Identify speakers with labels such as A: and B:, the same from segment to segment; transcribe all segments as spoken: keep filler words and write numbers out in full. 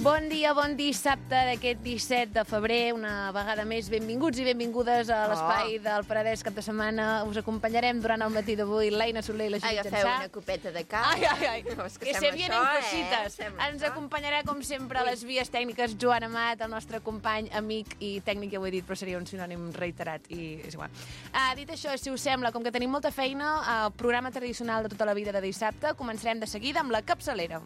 A: Bon dia, bon dissabte d'aquest disset de febrer. Una vegada més, benvinguts i benvingudes a l'espai oh. del Penedès cap de setmana. Us acompanyarem durant el matí d'avui l'Aina Soler i la Judit Jansà.
B: Agafeu una copeta de cava.
A: Ai, ai, ai. No, que, que se vienen això, cosites. Eh? Ens això. acompanyarà, com sempre, a les vies tècniques Joan Amat, el nostre company, amic i tècnic, ja ho he dit, però seria un sinònim reiterat i és igual. Uh, dit això, si us sembla, com que tenim molta feina, el uh, programa tradicional de tota la vida de dissabte, començarem de seguida amb la capçalera.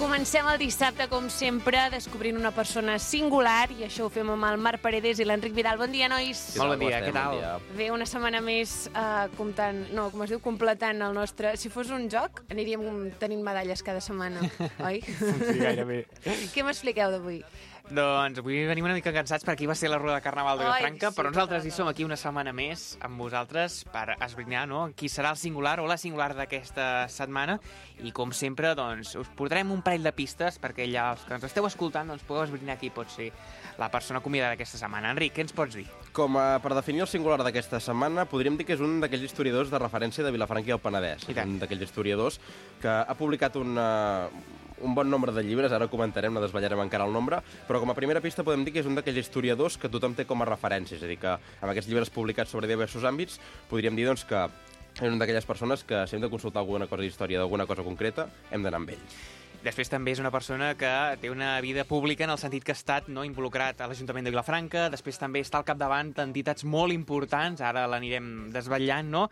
A: Comencem el dissabte, com sempre, descobrint una persona singular, i això ho fem amb el Marc Paredes i l'Enric Vidal. Bon dia, nois.
C: Molt bon dia, què tal?
A: Bé, una setmana més uh, comptant, no, com es diu, completant el nostre... Si fos un joc, aniríem tenint medalles cada setmana, oi?
C: Sí, gairebé.
A: Què m'expliqueu d'avui?
C: Doncs avui venim una mica cansats perquè ahir va ser la Rueda de Carnaval de Vilafranca,
A: sí,
C: però nosaltres hi som aquí una setmana més amb vosaltres per esbrinar, no?, qui serà el singular o la singular d'aquesta setmana, i com sempre, doncs, us portarem un parell de pistes perquè ja els que ens esteu escoltant doncs pugueu esbrinar qui pot ser la persona convidada d'aquesta setmana. Enric, què ens pots dir?
D: Com a, per definir el singular d'aquesta setmana, podríem dir que és un d'aquells historiadors de referència de Vilafranca i el Penedès. Un d'aquells historiadors que ha publicat una... un bon nombre de llibres, ara comentarem, no desvetllarem encara el nombre, però com a primera pista podem dir que és un d'aquells historiadors que tothom té com a referència, és a dir, que amb aquests llibres publicats sobre diversos àmbits podríem dir doncs, que és una d'aquelles persones que si hem de consultar alguna cosa d'història d'alguna cosa concreta, hem d'anar amb ell.
C: Després també és una persona que té una vida pública en el sentit que ha estat, no, involucrat a l'Ajuntament de Vilafranca, després també està al capdavant d'entitats molt importants, ara l'anirem desvetllant, no?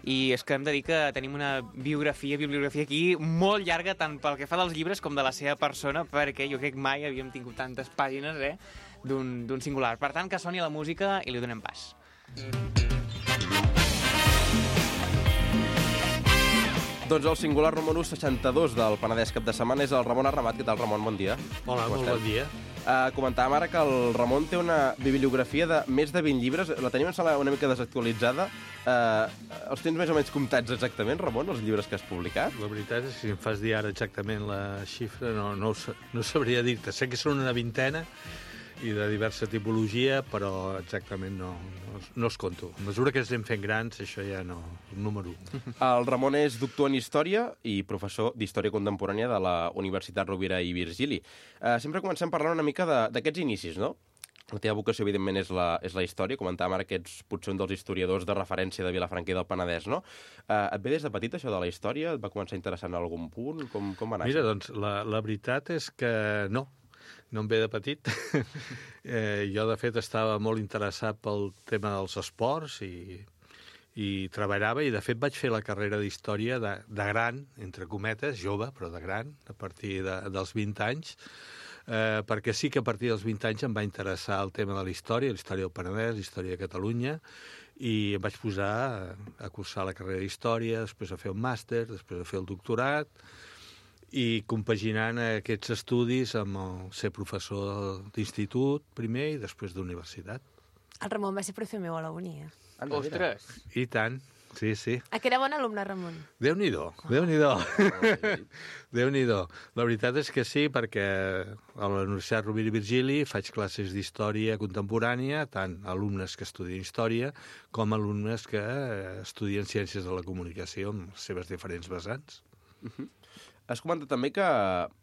C: I és que hem de dir que tenim una biografia, bibliografia aquí molt llarga, tant pel que fa dels llibres com de la seva persona, perquè jo crec que mai havíem tingut tantes pàgines, eh, d'un, d'un singular. Per tant, que soni la música i li donem pas.
D: Doncs el singular número seixanta-dos del Penedès cap de setmana és el Ramon Arramat. Què tal, Ramon? Bon dia.
E: Hola, molt bon dia.
D: Uh, comentàvem ara que el Ramon té una bibliografia de més de vint llibres. La tenim una mica desactualitzada. Uh, els tens més o menys comptats exactament, Ramon, els llibres que has publicat?
E: La veritat és que si em fas dir ara exactament la xifra, no, no, no sabria dir-te. Sé que són una vintena i de diversa tipologia, però exactament no, no, no es conto. A mesura que ens anem fent grans, això ja no, número un.
D: El Ramon és doctor en Història i professor d'Història Contemporània de la Universitat Rovira i Virgili. Uh, sempre comencem parlant una mica d'aquests inicis, no? La teva vocació, evidentment, és la, és la història. Comentàvem ara que ets potser un dels historiadors de referència de Vilafranca i del Penedès, no? Uh, et ve des de petit, això de la història? Et va començar interessant en algun punt? Com, com va anar?
E: Mira, doncs, la, la veritat és que no. No em ve de petit. eh, jo, de fet, estava molt interessat pel tema dels esports i, i treballava, i, de fet, vaig fer la carrera d'història de, de gran, entre cometes, jove, però de gran, a partir de, dels vint anys, eh, perquè sí que a partir dels vint anys em va interessar el tema de la història, la història del Penedès, la història de Catalunya, i em vaig posar a, a cursar la carrera d'història, després a fer un màster, després a fer el doctorat, i compaginant aquests estudis amb el ser professor d'institut primer i després d'universitat.
A: El Ramon va ser profe meu a la uni, eh?
C: Ostres!
E: I tant, sí, sí.
A: A que era bon alumne, Ramon?
E: Déu-n'hi-do, Déu-n'hi-do. Déu-n'hi-do. La veritat és que sí, perquè a la Universitat Rovira i Virgili faig classes d'història contemporània, tant alumnes que estudien història com alumnes que estudien ciències de la comunicació amb les seves diferents vessants.
D: Uh-huh. Has comentat també que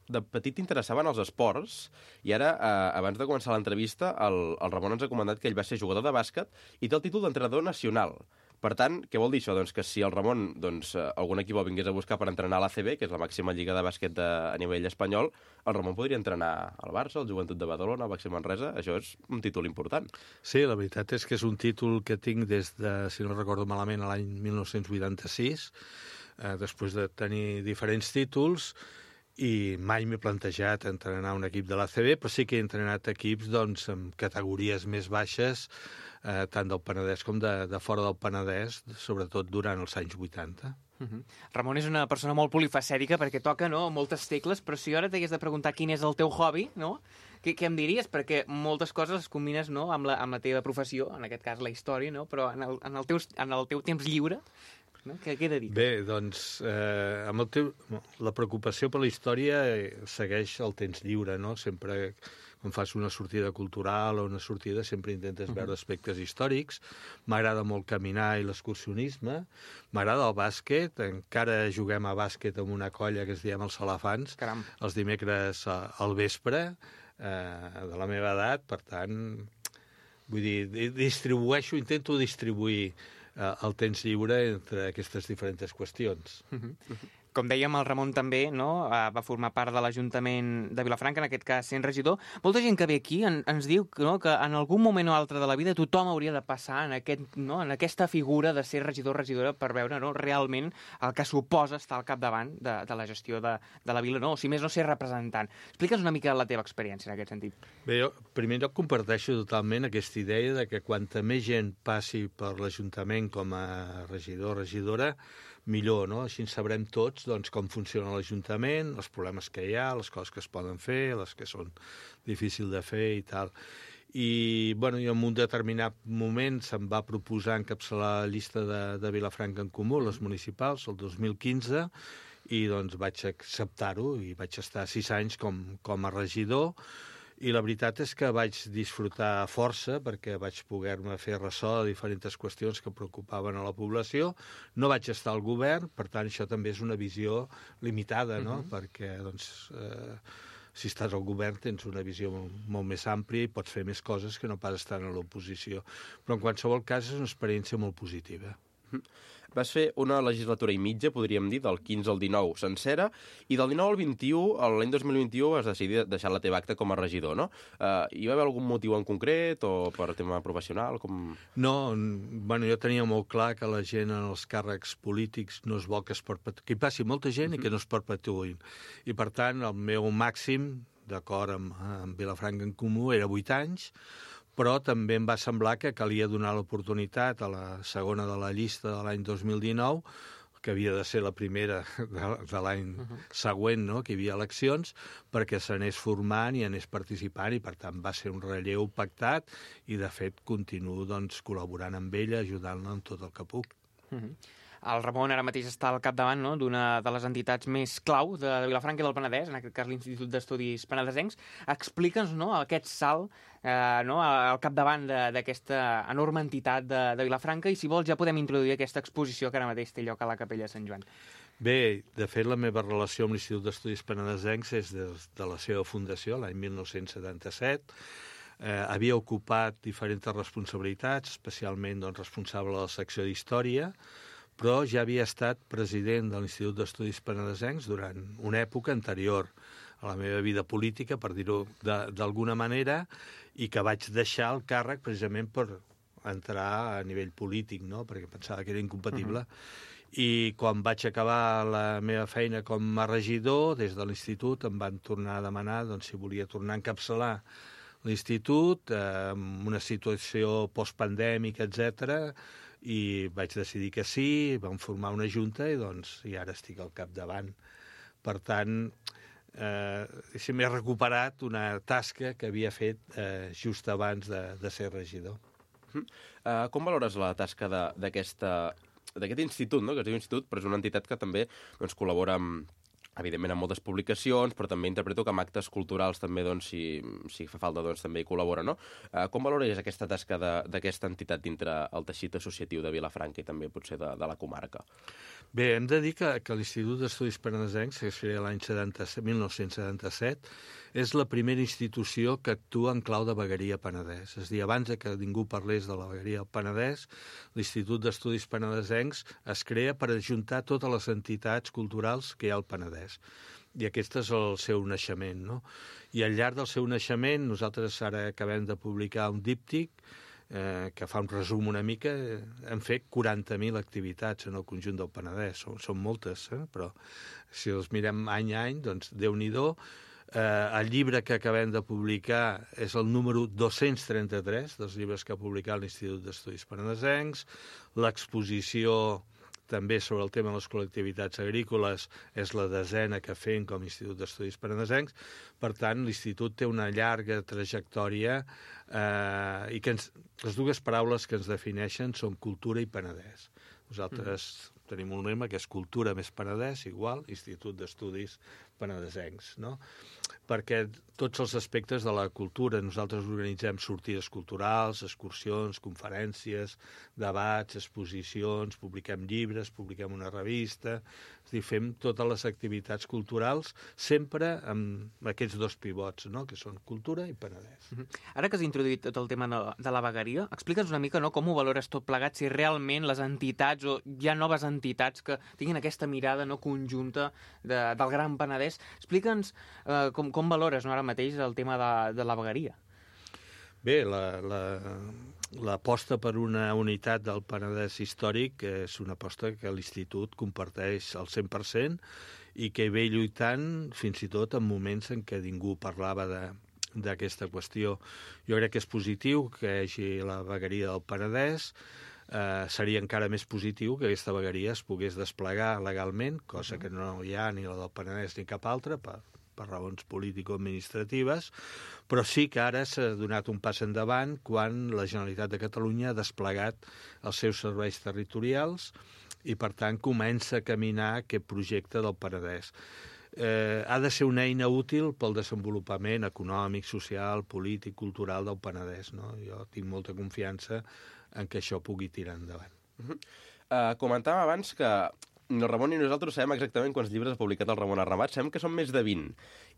D: de petit t'interessaven els esports i ara, eh, abans de començar l'entrevista, el, el Ramon ens ha comentat que ell va ser jugador de bàsquet i té el títol d'entrenador nacional. Per tant, què vol dir això? Doncs que si el Ramon, doncs, algun equip el vingués a buscar per entrenar a l'A C B, que és la màxima lliga de bàsquet de, a nivell espanyol, el Ramon podria entrenar al Barça, al Joventut de Badalona, al Baxi Manresa. Això és un títol important.
E: Sí, la veritat és que és un títol que tinc des de, si no recordo malament, l'any mil nou-cents vuitanta-sis, eh, després de tenir diferents títols, i mai m'he plantejat entrenar un equip de l'A C B, però sí que he entrenat equips doncs, amb categories més baixes, eh, tant del Penedès com de, de fora del Penedès, sobretot durant els anys vuitanta.
C: Uh -huh. Ramon és una persona molt polifacètica perquè toca, no?, moltes tecles, però si ara t'hagués de preguntar quin és el teu hobby, no?, què, què em diries? Perquè moltes coses les combines, no?, amb la, amb la teva professió, en aquest cas la història, no?, però en el, en el, teu, en el teu temps lliure, no?, què, què dediques?
E: Bé, doncs, eh, amb el teu, la preocupació per la història segueix el temps lliure, no? Sempre quan fas una sortida cultural o una sortida sempre intentes uh-huh. veure aspectes històrics. M'agrada molt caminar i l'excursionisme. M'agrada el bàsquet. Encara juguem a bàsquet amb una colla que es diem els Salafans.
C: Caram.
E: Els dimecres al vespre, eh, de la meva edat. Per tant, vull dir, distribueixo, intento distribuir eh, el temps lliure entre aquestes diferents qüestions.
C: Uh-huh. Uh-huh. Com dèiem, el Ramon també, no?, va formar part de l'Ajuntament de Vilafranca, en aquest cas sent regidor. Molta gent que ve aquí en, ens diu, no?, que en algun moment o altre de la vida tothom hauria de passar en, aquest, no?, en aquesta figura de ser regidor o regidora per veure, no?, realment el que suposa estar al capdavant de, de la gestió de, de la vila, no?, o si més no ser representant. Explica'ns una mica la teva experiència en aquest sentit.
E: Bé, jo, en primer lloc, comparteixo totalment aquesta idea de que quanta més gent passi per l'Ajuntament com a regidor o regidora, millor, no? Així sabrem tots doncs, com funciona l'Ajuntament, els problemes que hi ha, les coses que es poden fer, les que són difícils de fer i tal. I, bueno, i en un determinat moment se'm va proposar encapçalar la llista de, de Vilafranca en Comú, les municipals, el dos mil quinze, i doncs vaig acceptar-ho i vaig estar sis anys com, com a regidor. I la veritat és que vaig disfrutar força perquè vaig poder-me fer ressò de diferents qüestions que preocupaven a la població. No vaig estar al govern, per tant, això també és una visió limitada, no? Uh-huh. Perquè, doncs, eh, si estàs al govern tens una visió molt, molt més àmplia i pots fer més coses que no pas estar a l'oposició. Però, en qualsevol cas, és una experiència molt positiva.
D: Uh-huh. Vas fer una legislatura i mitja, podríem dir, del quinze al dinou sencera, i del dinou al vint-i-u, l'any dos mil vint-i-u, vas decidir deixar la teva acta com a regidor, no? Uh, hi va haver algun motiu en concret o per tema professional? Com...
E: No, bueno, jo tenia molt clar que la gent en els càrrecs polítics no es vol que es perpetuïn, que hi passi molta gent uh-huh. i que no es perpetuïn. I, per tant, el meu màxim, d'acord amb, amb Vilafranca en Comú, era vuit anys, però també em va semblar que calia donar l'oportunitat a la segona de la llista de l'any dos mil dinou, que havia de ser la primera de, de l'any uh-huh. següent, no?, que hi havia eleccions, perquè s'anés formant i anés participant, i per tant va ser un relleu pactat, i de fet continuo doncs, col·laborant amb ella, ajudant-la en tot el que puc.
C: Uh-huh. El Ramon ara mateix està al capdavant, no?, d'una de les entitats més clau de, de Vilafranca i del Penedès, en aquest cas l'Institut d'Estudis Penedesencs. Explica'ns, no?, aquest salt eh, no?, al capdavant d'aquesta enorme entitat de, de Vilafranca, i si vols ja podem introduir aquesta exposició que ara mateix té lloc a la Capella de Sant Joan.
E: Bé, de fet la meva relació amb l'Institut d'Estudis Penedesencs és de, de la seva fundació, l'any mil nou-cents setanta-set. Eh, havia ocupat diferents responsabilitats, especialment doncs, responsable de la secció d'Història, però ja havia estat president de l'Institut d'Estudis Penedesencs durant una època anterior a la meva vida política, per dir-ho d'alguna manera, i que vaig deixar el càrrec precisament per entrar a nivell polític, no?, perquè pensava que era incompatible. Uh-huh. I quan vaig acabar la meva feina com a regidor, des de l'Institut em van tornar a demanar doncs, si volia tornar a encapçalar l'Institut, eh, amb una situació postpandèmica, etcètera, i vaig decidir que sí, vam formar una junta i, doncs, i ara estic al capdavant. Per tant, eh, m'he recuperat una tasca que havia fet eh, just abans de, de ser regidor.
D: Uh, com valores la tasca d'aquest institut, no?, que es diu institut, però és una entitat que també doncs, col·labora amb, evidentment, amb moltes publicacions, però també interpreto que amb actes culturals també, doncs, si, si fa falta, doncs, també hi col·labora, no? Uh, com valores aquesta tasca d'aquesta entitat dintre el teixit associatiu de Vilafranca i també potser de, de la comarca?
E: Bé, hem de dir que, que l'Institut d'Estudis Penedesencs, que es feia l'any mil nou-cents setanta-set, és la primera institució que actua en clau de vegueria Penedès. És a dir, abans que ningú parlés de la vegueria Penedès, l'Institut d'Estudis Penedesencs es crea per ajuntar totes les entitats culturals que hi ha al Penedès. I aquest és el seu naixement, no? I al llarg del seu naixement, nosaltres ara acabem de publicar un díptic eh, que fa un resum una mica, eh, hem fet quaranta mil activitats en el conjunt del Penedès. Són, són moltes, eh? Però si els mirem any a any, doncs Déu-n'hi-do. Eh, el llibre que acabem de publicar és el número dos-cents trenta-tres dels llibres que ha publicat l'Institut d'Estudis Penedesencs. L'exposició també sobre el tema de les col·lectivitats agrícoles és la desena que fem com a Institut d'Estudis Penedesencs. Per tant, l'Institut té una llarga trajectòria eh, i que ens, les dues paraules que ens defineixen són cultura i Penedès. Nosaltres mm. tenim un lema que és cultura més Penedès igual Institut d'Estudis Penedesencs, no? Perquè tots els aspectes de la cultura, nosaltres organitzem sortides culturals, excursions, conferències, debats, exposicions, publiquem llibres, publiquem una revista, és a dir, fem totes les activitats culturals sempre amb aquests dos pivots, no? Que són cultura i Penedès.
C: Uh-huh. Ara que has introduït tot el tema de la vegueria, explica'ns una mica, no, com ho valores tot plegat, si realment les entitats o hi ha noves entitats que tinguin aquesta mirada, no, conjunta de, del Gran Penedès. Explica'ns eh, com, com valores, no, ara mateix el tema de, de la vegueria.
E: Bé, la, la, l'aposta per una unitat del Penedès històric és una aposta que l'Institut comparteix al cent per cent i que ve lluitant fins i tot en moments en què ningú parlava de, d'aquesta qüestió. Jo crec que és positiu que hi hagi la vegueria del Penedès. Eh, seria encara més positiu que aquesta vegueria es pogués desplegar legalment, cosa que no hi ha ni la del Penedès ni cap altra, per, per raons político-administratives, però sí que ara s'ha donat un pas endavant quan la Generalitat de Catalunya ha desplegat els seus serveis territorials i, per tant, comença a caminar aquest projecte del Penedès. Eh, ha de ser una eina útil pel desenvolupament econòmic, social, polític, cultural del Penedès, no? Jo tinc molta confiança en què això pugui tirar endavant.
D: Uh-huh. uh, comentàvem abans que ni el Ramon ni nosaltres sabem exactament quants llibres ha publicat el Ramon Arramat, sabem que són més de vint.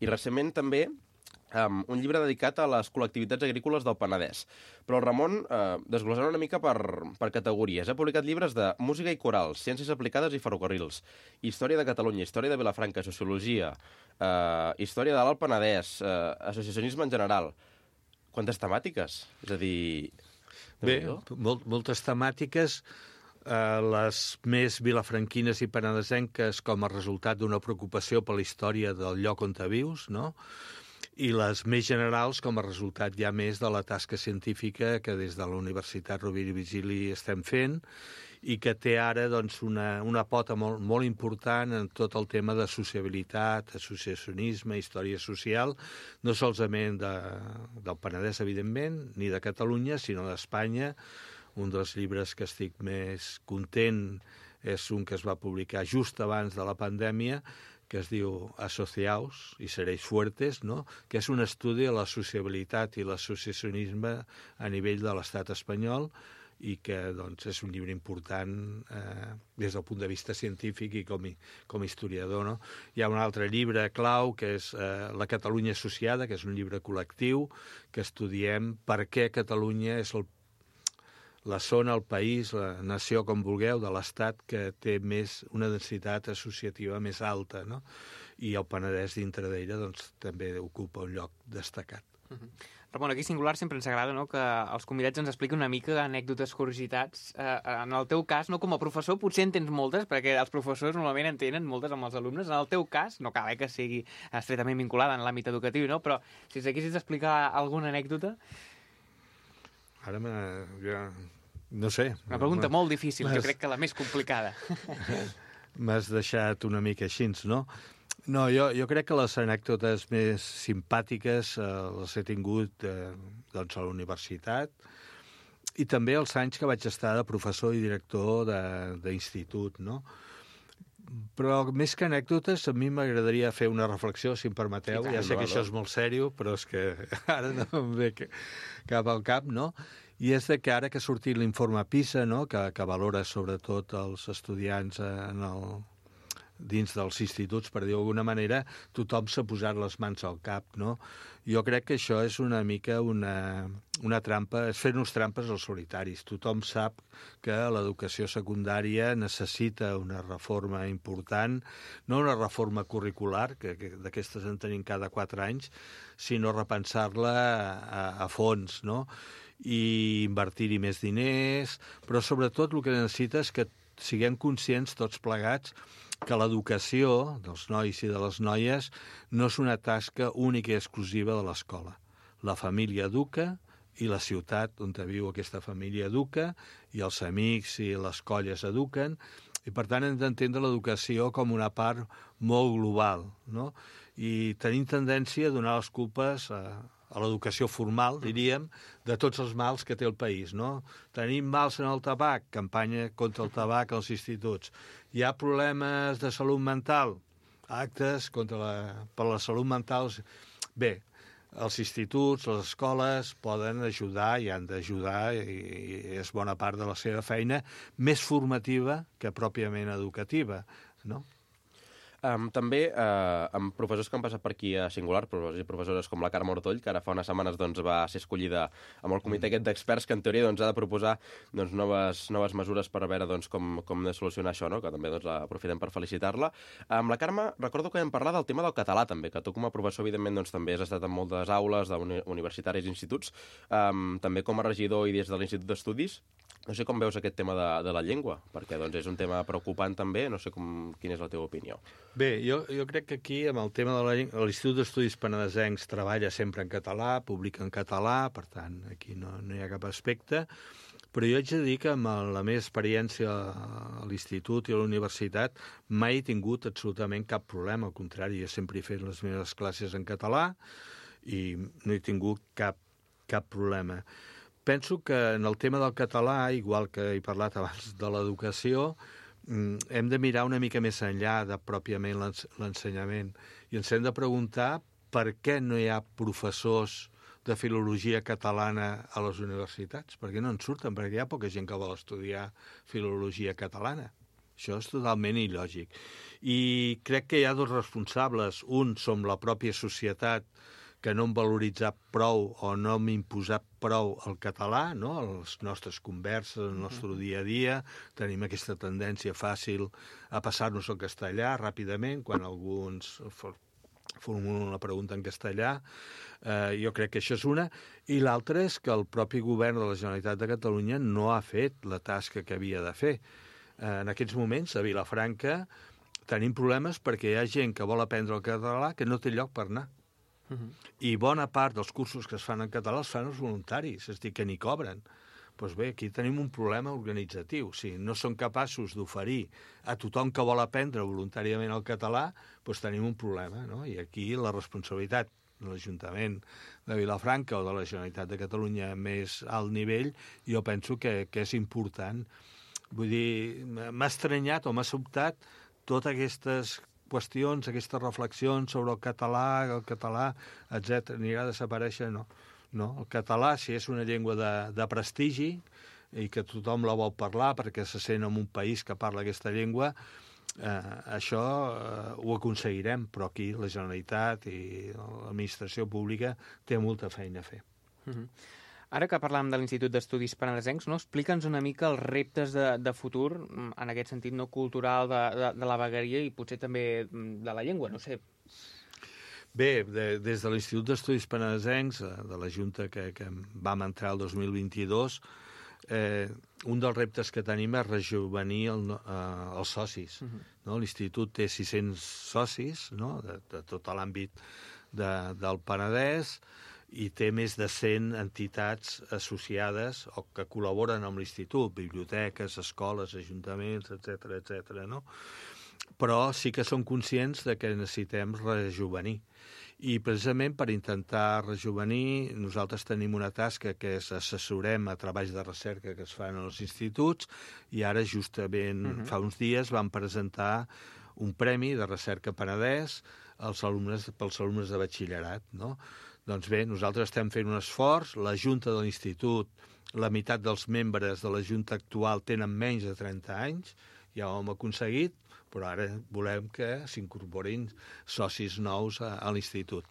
D: I recentment també um, un llibre dedicat a les col·lectivitats agrícoles del Penedès. Però el Ramon, uh, desglossant una mica per, per categories, ha publicat llibres de música i corals, ciències aplicades i ferrocarrils, història de Catalunya, història de Vilafranca, sociologia, uh, història de l'Alt Penedès, uh, associacionisme en general. Quantes temàtiques? És a dir...
E: Bé, molt, moltes temàtiques, eh, les més vilafranquines i penedesenques com a resultat d'una preocupació per la història del lloc on te vius, no? I les més generals com a resultat ja més de la tasca científica que des de la Universitat Rovira i Virgili estem fent i que té ara doncs, una, una pota molt, molt important en tot el tema de sociabilitat, associacionisme, història social, no solament de, del Penedès, evidentment, ni de Catalunya, sinó d'Espanya. Un dels llibres que estic més content és un que es va publicar just abans de la pandèmia, que es diu Asociaos i seréis fuertes, no? Que és un estudi de la sociabilitat i l'associacionisme a nivell de l'estat espanyol, i que doncs, és un llibre important eh, des del punt de vista científic i com, com a historiador. No? Hi ha un altre llibre clau, que és eh, La Catalunya Associada, que és un llibre col·lectiu, que estudiem per què Catalunya és el, la zona, el país, la nació, com vulgueu, de l'Estat que té més, una densitat associativa més alta, no? I el Penedès dintre d'ella doncs, també ocupa un lloc destacat.
C: Uh-huh. Ramon, aquí singular sempre ens agrada, no?, que els convidats ens expliquin una mica anècdotes, curiositats. Eh, en el teu cas, no, com a professor, potser en tens moltes, perquè els professors normalment en tenen moltes amb els alumnes. En el teu cas, no cal eh, que sigui estretament vinculada en l'àmbit educatiu, no? Però si ens haguessis d'explicar alguna anècdota...
E: Ara me... Ja... No sé.
C: Una pregunta molt difícil, jo crec que la més complicada.
E: M'has deixat una mica així, no? No, jo, jo crec que les anècdotes més simpàtiques eh, les he tingut eh, doncs a la universitat i també els anys que vaig estar de professor i director d'institut, no? Però més que anècdotes, a mi m'agradaria fer una reflexió, si em permeteu. Sí, ja sé que això és molt sèrio, però és que ara no em ve cap al cap, no? I és de que ara que ha sortit l'informe PISA, no?, que, que valora sobretot els estudiants en el... dins dels instituts, per dir-ho d'alguna manera, tothom s'ha posat les mans al cap, no? Jo crec que això és una mica una, una trampa, és fer-nos trampes als solitaris. Tothom sap que l'educació secundària necessita una reforma important, no una reforma curricular, que, que d'aquestes en tenim cada quatre anys, sinó repensar-la a, a fons, no? i invertir-hi més diners, però sobretot el que necessita és que siguem conscients tots plegats que l'educació dels nois i de les noies no és una tasca única i exclusiva de l'escola. La família educa i la ciutat on viu aquesta família educa i els amics i les colles eduquen, i per tant hem d'entendre l'educació com una part molt global, no? I tenim tendència a donar les culpes a, a l'educació formal, diríem, de tots els mals que té el país, no? Tenim mals en el tabac, campanya contra el tabac als instituts. Hi ha problemes de salut mental, actes contra la, per la salut mental. Bé, els instituts, les escoles poden ajudar i han d'ajudar, i és bona part de la seva feina, més formativa que pròpiament educativa, no?
D: Um, també uh, amb professors que han passat per aquí a Singular, professors i professores com la Carme Ortoll, que ara fa unes setmanes doncs, va ser escollida amb el comitè aquest d'experts que en teoria doncs, ha de proposar doncs, noves, noves mesures per veure doncs, com, com de solucionar això, no? Que també doncs, aprofitem per felicitar-la. Amb la Carme recordo que vam parlar del tema del català també, que tu com a professor evidentment doncs, també has estat en moltes aules universitaris i instituts, um, també com a regidor i des de l'Institut d'Estudis. No sé com veus aquest tema de, de la llengua, perquè doncs, és un tema preocupant també, no sé com, quina és la teva opinió.
E: Bé, jo, jo crec que aquí, amb el tema de la llengua, l'Institut d'Estudis Penedesencs treballa sempre en català, publica en català, per tant, aquí no, no hi ha cap aspecte, però jo haig de dir que amb la meva experiència a l'institut i a la universitat mai he tingut absolutament cap problema, al contrari, jo sempre he fet les meves classes en català i no he tingut cap, cap problema. Penso que en el tema del català, igual que he parlat abans de l'educació, hem de mirar una mica més enllà de pròpiament l'ensenyament i ens hem de preguntar per què no hi ha professors de filologia catalana a les universitats. Per què no en surten? Perquè hi ha poca gent que vol estudiar filologia catalana. Això és totalment il·lògic. I crec que hi ha dos responsables. Un som la pròpia societat, que no hem valoritzat prou o no hem imposat prou el català, no? A les nostres converses, el nostre dia a dia, tenim aquesta tendència fàcil a passar-nos al castellà ràpidament, quan alguns formulen una pregunta en castellà. Eh, jo crec que això és una. I l'altra és que el propi govern de la Generalitat de Catalunya no ha fet la tasca que havia de fer. Eh, en aquests moments, a Vilafranca, tenim problemes perquè hi ha gent que vol aprendre el català que no té lloc per anar. Uh-huh. I bona part dels cursos que es fan en català els fan els voluntaris, és a dir, que ni cobren. Doncs bé, aquí tenim un problema organitzatiu. Si no són capaços d'oferir a tothom que vol aprendre voluntàriament el català, doncs tenim un problema, no? I aquí la responsabilitat de l'Ajuntament de Vilafranca o de la Generalitat de Catalunya a més alt nivell, jo penso que, que és important. Vull dir, m'ha estranyat o m'ha sobtat totes aquestes qüestions, aquestes reflexions sobre el català, el català, etcètera, anirà a desaparèixer, no. No, el català, si és una llengua de, de prestigi i que tothom la vol parlar perquè se sent en un país que parla aquesta llengua, eh, això eh, ho aconseguirem, però aquí la Generalitat i l'administració pública té molta feina a fer.
C: Mm-hmm. Ara que parlàvem de l'Institut d'Estudis Penedesencs, no? Explica'ns una mica els reptes de, de futur, en aquest sentit no cultural, de, de, de la vegueria i potser també de la llengua, no sé.
E: Bé, de, des de l'Institut d'Estudis Penedesencs, de la Junta que, que vam entrar el dos mil vint-i-dos, eh, un dels reptes que tenim és rejuvenir el, eh, els socis. Uh-huh. No? L'Institut té sis-cents socis, no? de, de tot l'àmbit de, del Penedès, i té més de cent entitats associades o que col·laboren amb l'Institut, biblioteques, escoles, ajuntaments, etcètera, etcètera, no? Però sí que som conscients de que necessitem rejuvenir. I precisament per intentar rejuvenir, nosaltres tenim una tasca que és assessorem a treballs de recerca que es fan als instituts i ara justament uh-huh. fa uns dies vam presentar un premi de recerca Penedès als alumnes, pels alumnes de batxillerat, no? Doncs bé, nosaltres estem fent un esforç, la Junta de l'Institut, la meitat dels membres de la Junta actual tenen menys de trenta anys, ja ho hem aconseguit, però ara volem que s'incorporin socis nous a, a l'Institut.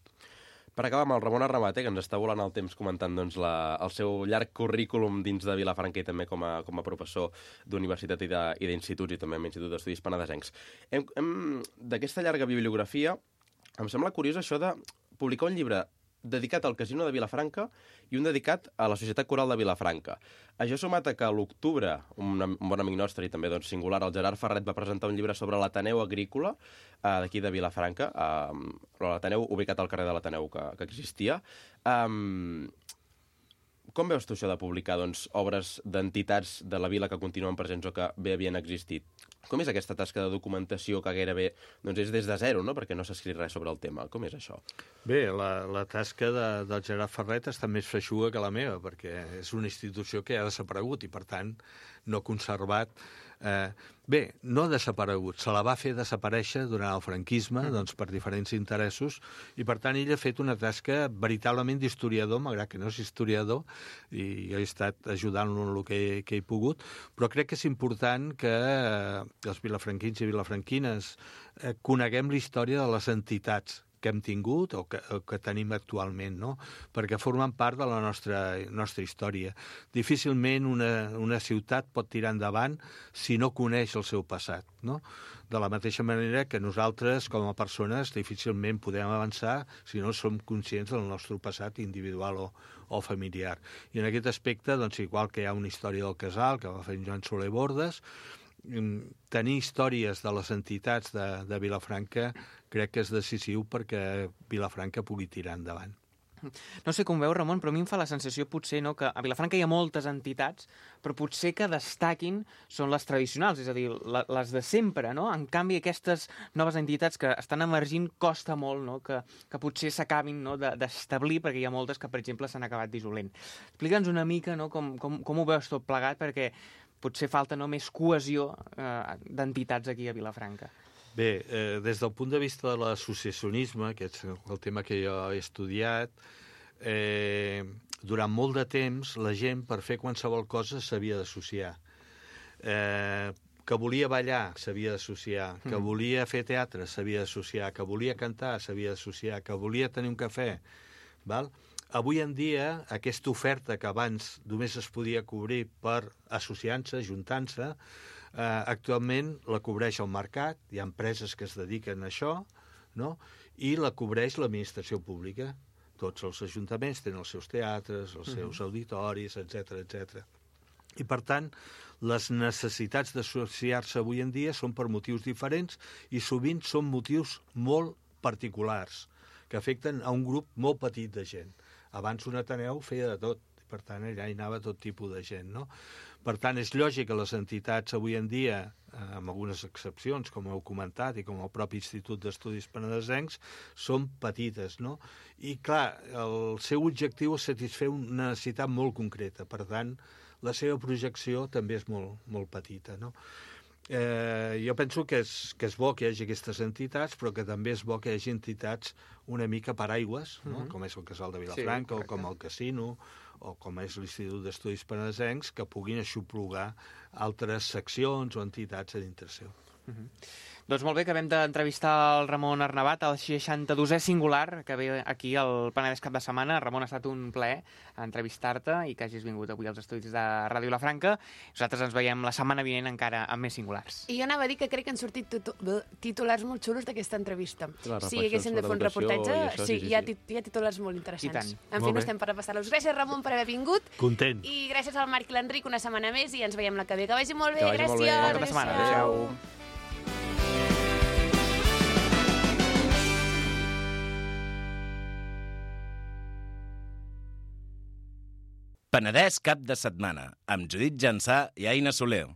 D: Per acabar amb el Ramon Arramate, que ens està volant el temps comentant doncs, la, el seu llarg currículum dins de Vilafranca i també com a, com a professor d'universitat i d'instituts i també amb l'Institut d'Estudis Penedesencs. Hem, hem, d'aquesta llarga bibliografia, em sembla curiós això de publicar un llibre dedicat al Casino de Vilafranca i un dedicat a la Societat Coral de Vilafranca. Això sumat a que a l'octubre, un, un bon amic nostre i també doncs, singular, el Gerard Ferret, va presentar un llibre sobre l'Ateneu Agrícola eh, d'aquí de Vilafranca, eh, l'Ateneu ubicat al carrer de l'Ateneu que, que existia. Um, com veus tu això de publicar doncs, obres d'entitats de la vila que continuen presents o que bé havien existit? Com és aquesta tasca de documentació que gairebé doncs, és des de zero, no? Perquè no s'ha escrit res sobre el tema? Com és això?
E: Bé, la, la tasca de, del Gerard Ferret està més feixuga que la meva, perquè és una institució que ha desaparegut i, per tant, no ha conservat... Eh, bé, no ha desaparegut, se la va fer desaparèixer durant el franquisme, doncs, per diferents interessos, i, per tant, ell ha fet una tasca veritablement d'historiador, malgrat que no és historiador, i jo he estat ajudant-lo en el que he, que he pogut, però crec que és important que eh, els vilafranquins i vilafranquines eh, coneguem la història de les entitats que hem tingut o que, o que tenim actualment, no? Perquè formen part de la nostra, nostra història. Difícilment una, una ciutat pot tirar endavant si no coneix el seu passat, no? De la mateixa manera que nosaltres, com a persones, difícilment podem avançar si no som conscients del nostre passat individual o, o familiar. I en aquest aspecte, doncs, igual que hi ha una història del casal, que va fer en Joan Soler Bordes, tenir històries de les entitats de, de Vilafranca crec que és decisiu perquè Vilafranca pugui tirar endavant.
C: No sé com veu, Ramon, però a mi em fa la sensació potser no, que a Vilafranca hi ha moltes entitats, però potser que destaquin són les tradicionals, és a dir, la, les de sempre, no? En canvi, aquestes noves entitats que estan emergint costa molt, no? que, que potser s'acabin, no? d'establir, perquè hi ha moltes que, per exemple, s'han acabat dissolent. Explica'ns una mica, no? com, com, com ho veus tot plegat, perquè potser falta no, més cohesió eh, d'entitats aquí a Vilafranca.
E: Bé, eh, des del punt de vista de l'associacionisme, que és el tema que jo he estudiat, eh, durant molt de temps la gent per fer qualsevol cosa s'havia d'associar. Eh, que volia ballar s'havia d'associar, que mm. volia fer teatre s'havia d'associar, que volia cantar s'havia d'associar, que volia tenir un cafè, val? Avui en dia, aquesta oferta que abans només es podia cobrir per associant-se, ajuntant-se, eh, actualment la cobreix el mercat, hi ha empreses que es dediquen a això, no? I la cobreix l'administració pública. Tots els ajuntaments tenen els seus teatres, els seus uh-huh. auditoris, etcètera, etcètera. I, per tant, les necessitats d'associar-se avui en dia són per motius diferents i sovint són motius molt particulars, que afecten a un grup molt petit de gent. Abans un Ateneu feia de tot, per tant, allà hi anava tot tipus de gent, no? Per tant, és lògic que les entitats avui en dia, amb algunes excepcions, com heu comentat, i com el propi Institut d'Estudis Penedesencs, són petites, no? I, clar, el seu objectiu és satisfer una necessitat molt concreta, per tant, la seva projecció també és molt, molt petita, no? Eh, jo penso que és, que és bo que hi hagi aquestes entitats, però que també és bo que hi hagi entitats una mica paraigües, no? Uh-huh. Com és el Casal de Vilafranca, sí, o com el Casino, o com és l'Institut d'Estudis Penedesencs, que puguin aixoplugar altres seccions o entitats a dintre seu.
C: Uh-huh. Doncs molt bé, acabem d'entrevistar el Ramon Arnabat, el seixanta-dosè singular, que ve aquí al Penedès cap de setmana. Ramon, ha estat un plaer entrevistar-te i que hagis vingut avui als estudis de Ràdio Vilafranca. Nosaltres ens veiem la setmana vinent encara amb més singulars.
A: I jo anava a dir que crec que han sortit titulars molt xulos d'aquesta entrevista. Si haguéssim de fer un reportatge, això, sí, sí, sí, hi, ha hi ha titulars molt interessants. En fi, no estem per repassar-los. Gràcies, Ramon, per haver vingut.
E: Content.
A: I gràcies al Marc i l'Enric una setmana més i ens veiem la que ve. Que vagi molt bé,
C: que vagi
A: gràcies.
C: Molt bé. Bon cap de setmana. Adéu.
B: Penedès cap de setmana, amb Judit Jansà i Aina Soler.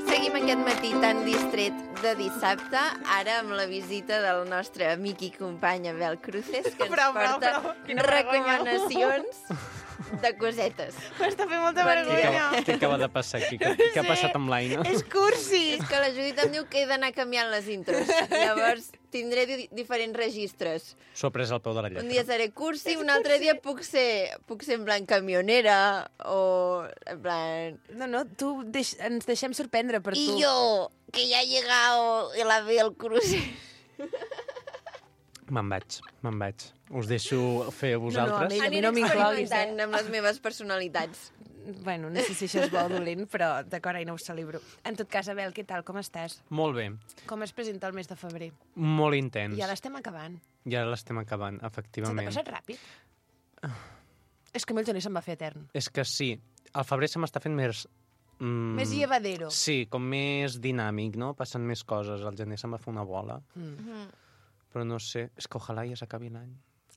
F: Seguim aquest matí tan distret de dissabte, ara amb la visita del nostre amic i company Abel Cruces, que ens
A: bravo,
F: porta
A: bravo, bravo.
F: recomanacions de cosetes.
A: M'està fent molta vergonya.
G: Què acaba de passar aquí? Què, què ha passat amb l'Aina?
A: És cursi.
F: És que la Judit em diu que he d'anar canviant les intros. Llavors tindré di diferents registres.
G: S'ho ha pres al peu de la lletra.
F: Un dia seré cursi, un altre dia puc ser, puc ser en plan camionera o en plan...
A: No, no, tu deix ens deixem sorprendre per
F: I
A: tu.
F: I jo, que ja ha llegado el Abel Cruces.
G: Me'n vaig, me'n vaig. Us deixo fer a
A: No,
G: vosaltres.
A: no, a mi no m'incloguis, eh?
F: Amb les meves personalitats.
A: Bueno, no sé si això és bo o dolent, però d'acord, Aina, ho celebro. En tot cas, Abel, què tal? Com estàs?
G: Molt bé.
A: Com es presenta el mes de febrer?
G: Molt intens.
A: Ja l'estem acabant.
G: Ja l'estem acabant,
A: Se
G: efectivament.
A: t'ha passat ràpid? És que a mi el gener se'm va fer etern.
G: És que sí, el febrer se m'està fent més... Mm,
A: Més llevadero.
G: Sí, com més dinàmic, no? Passen més coses. El gener se'm va fer una bola.
A: Mm.
G: Però no sé, és que ojalà ja s'acabi l'any.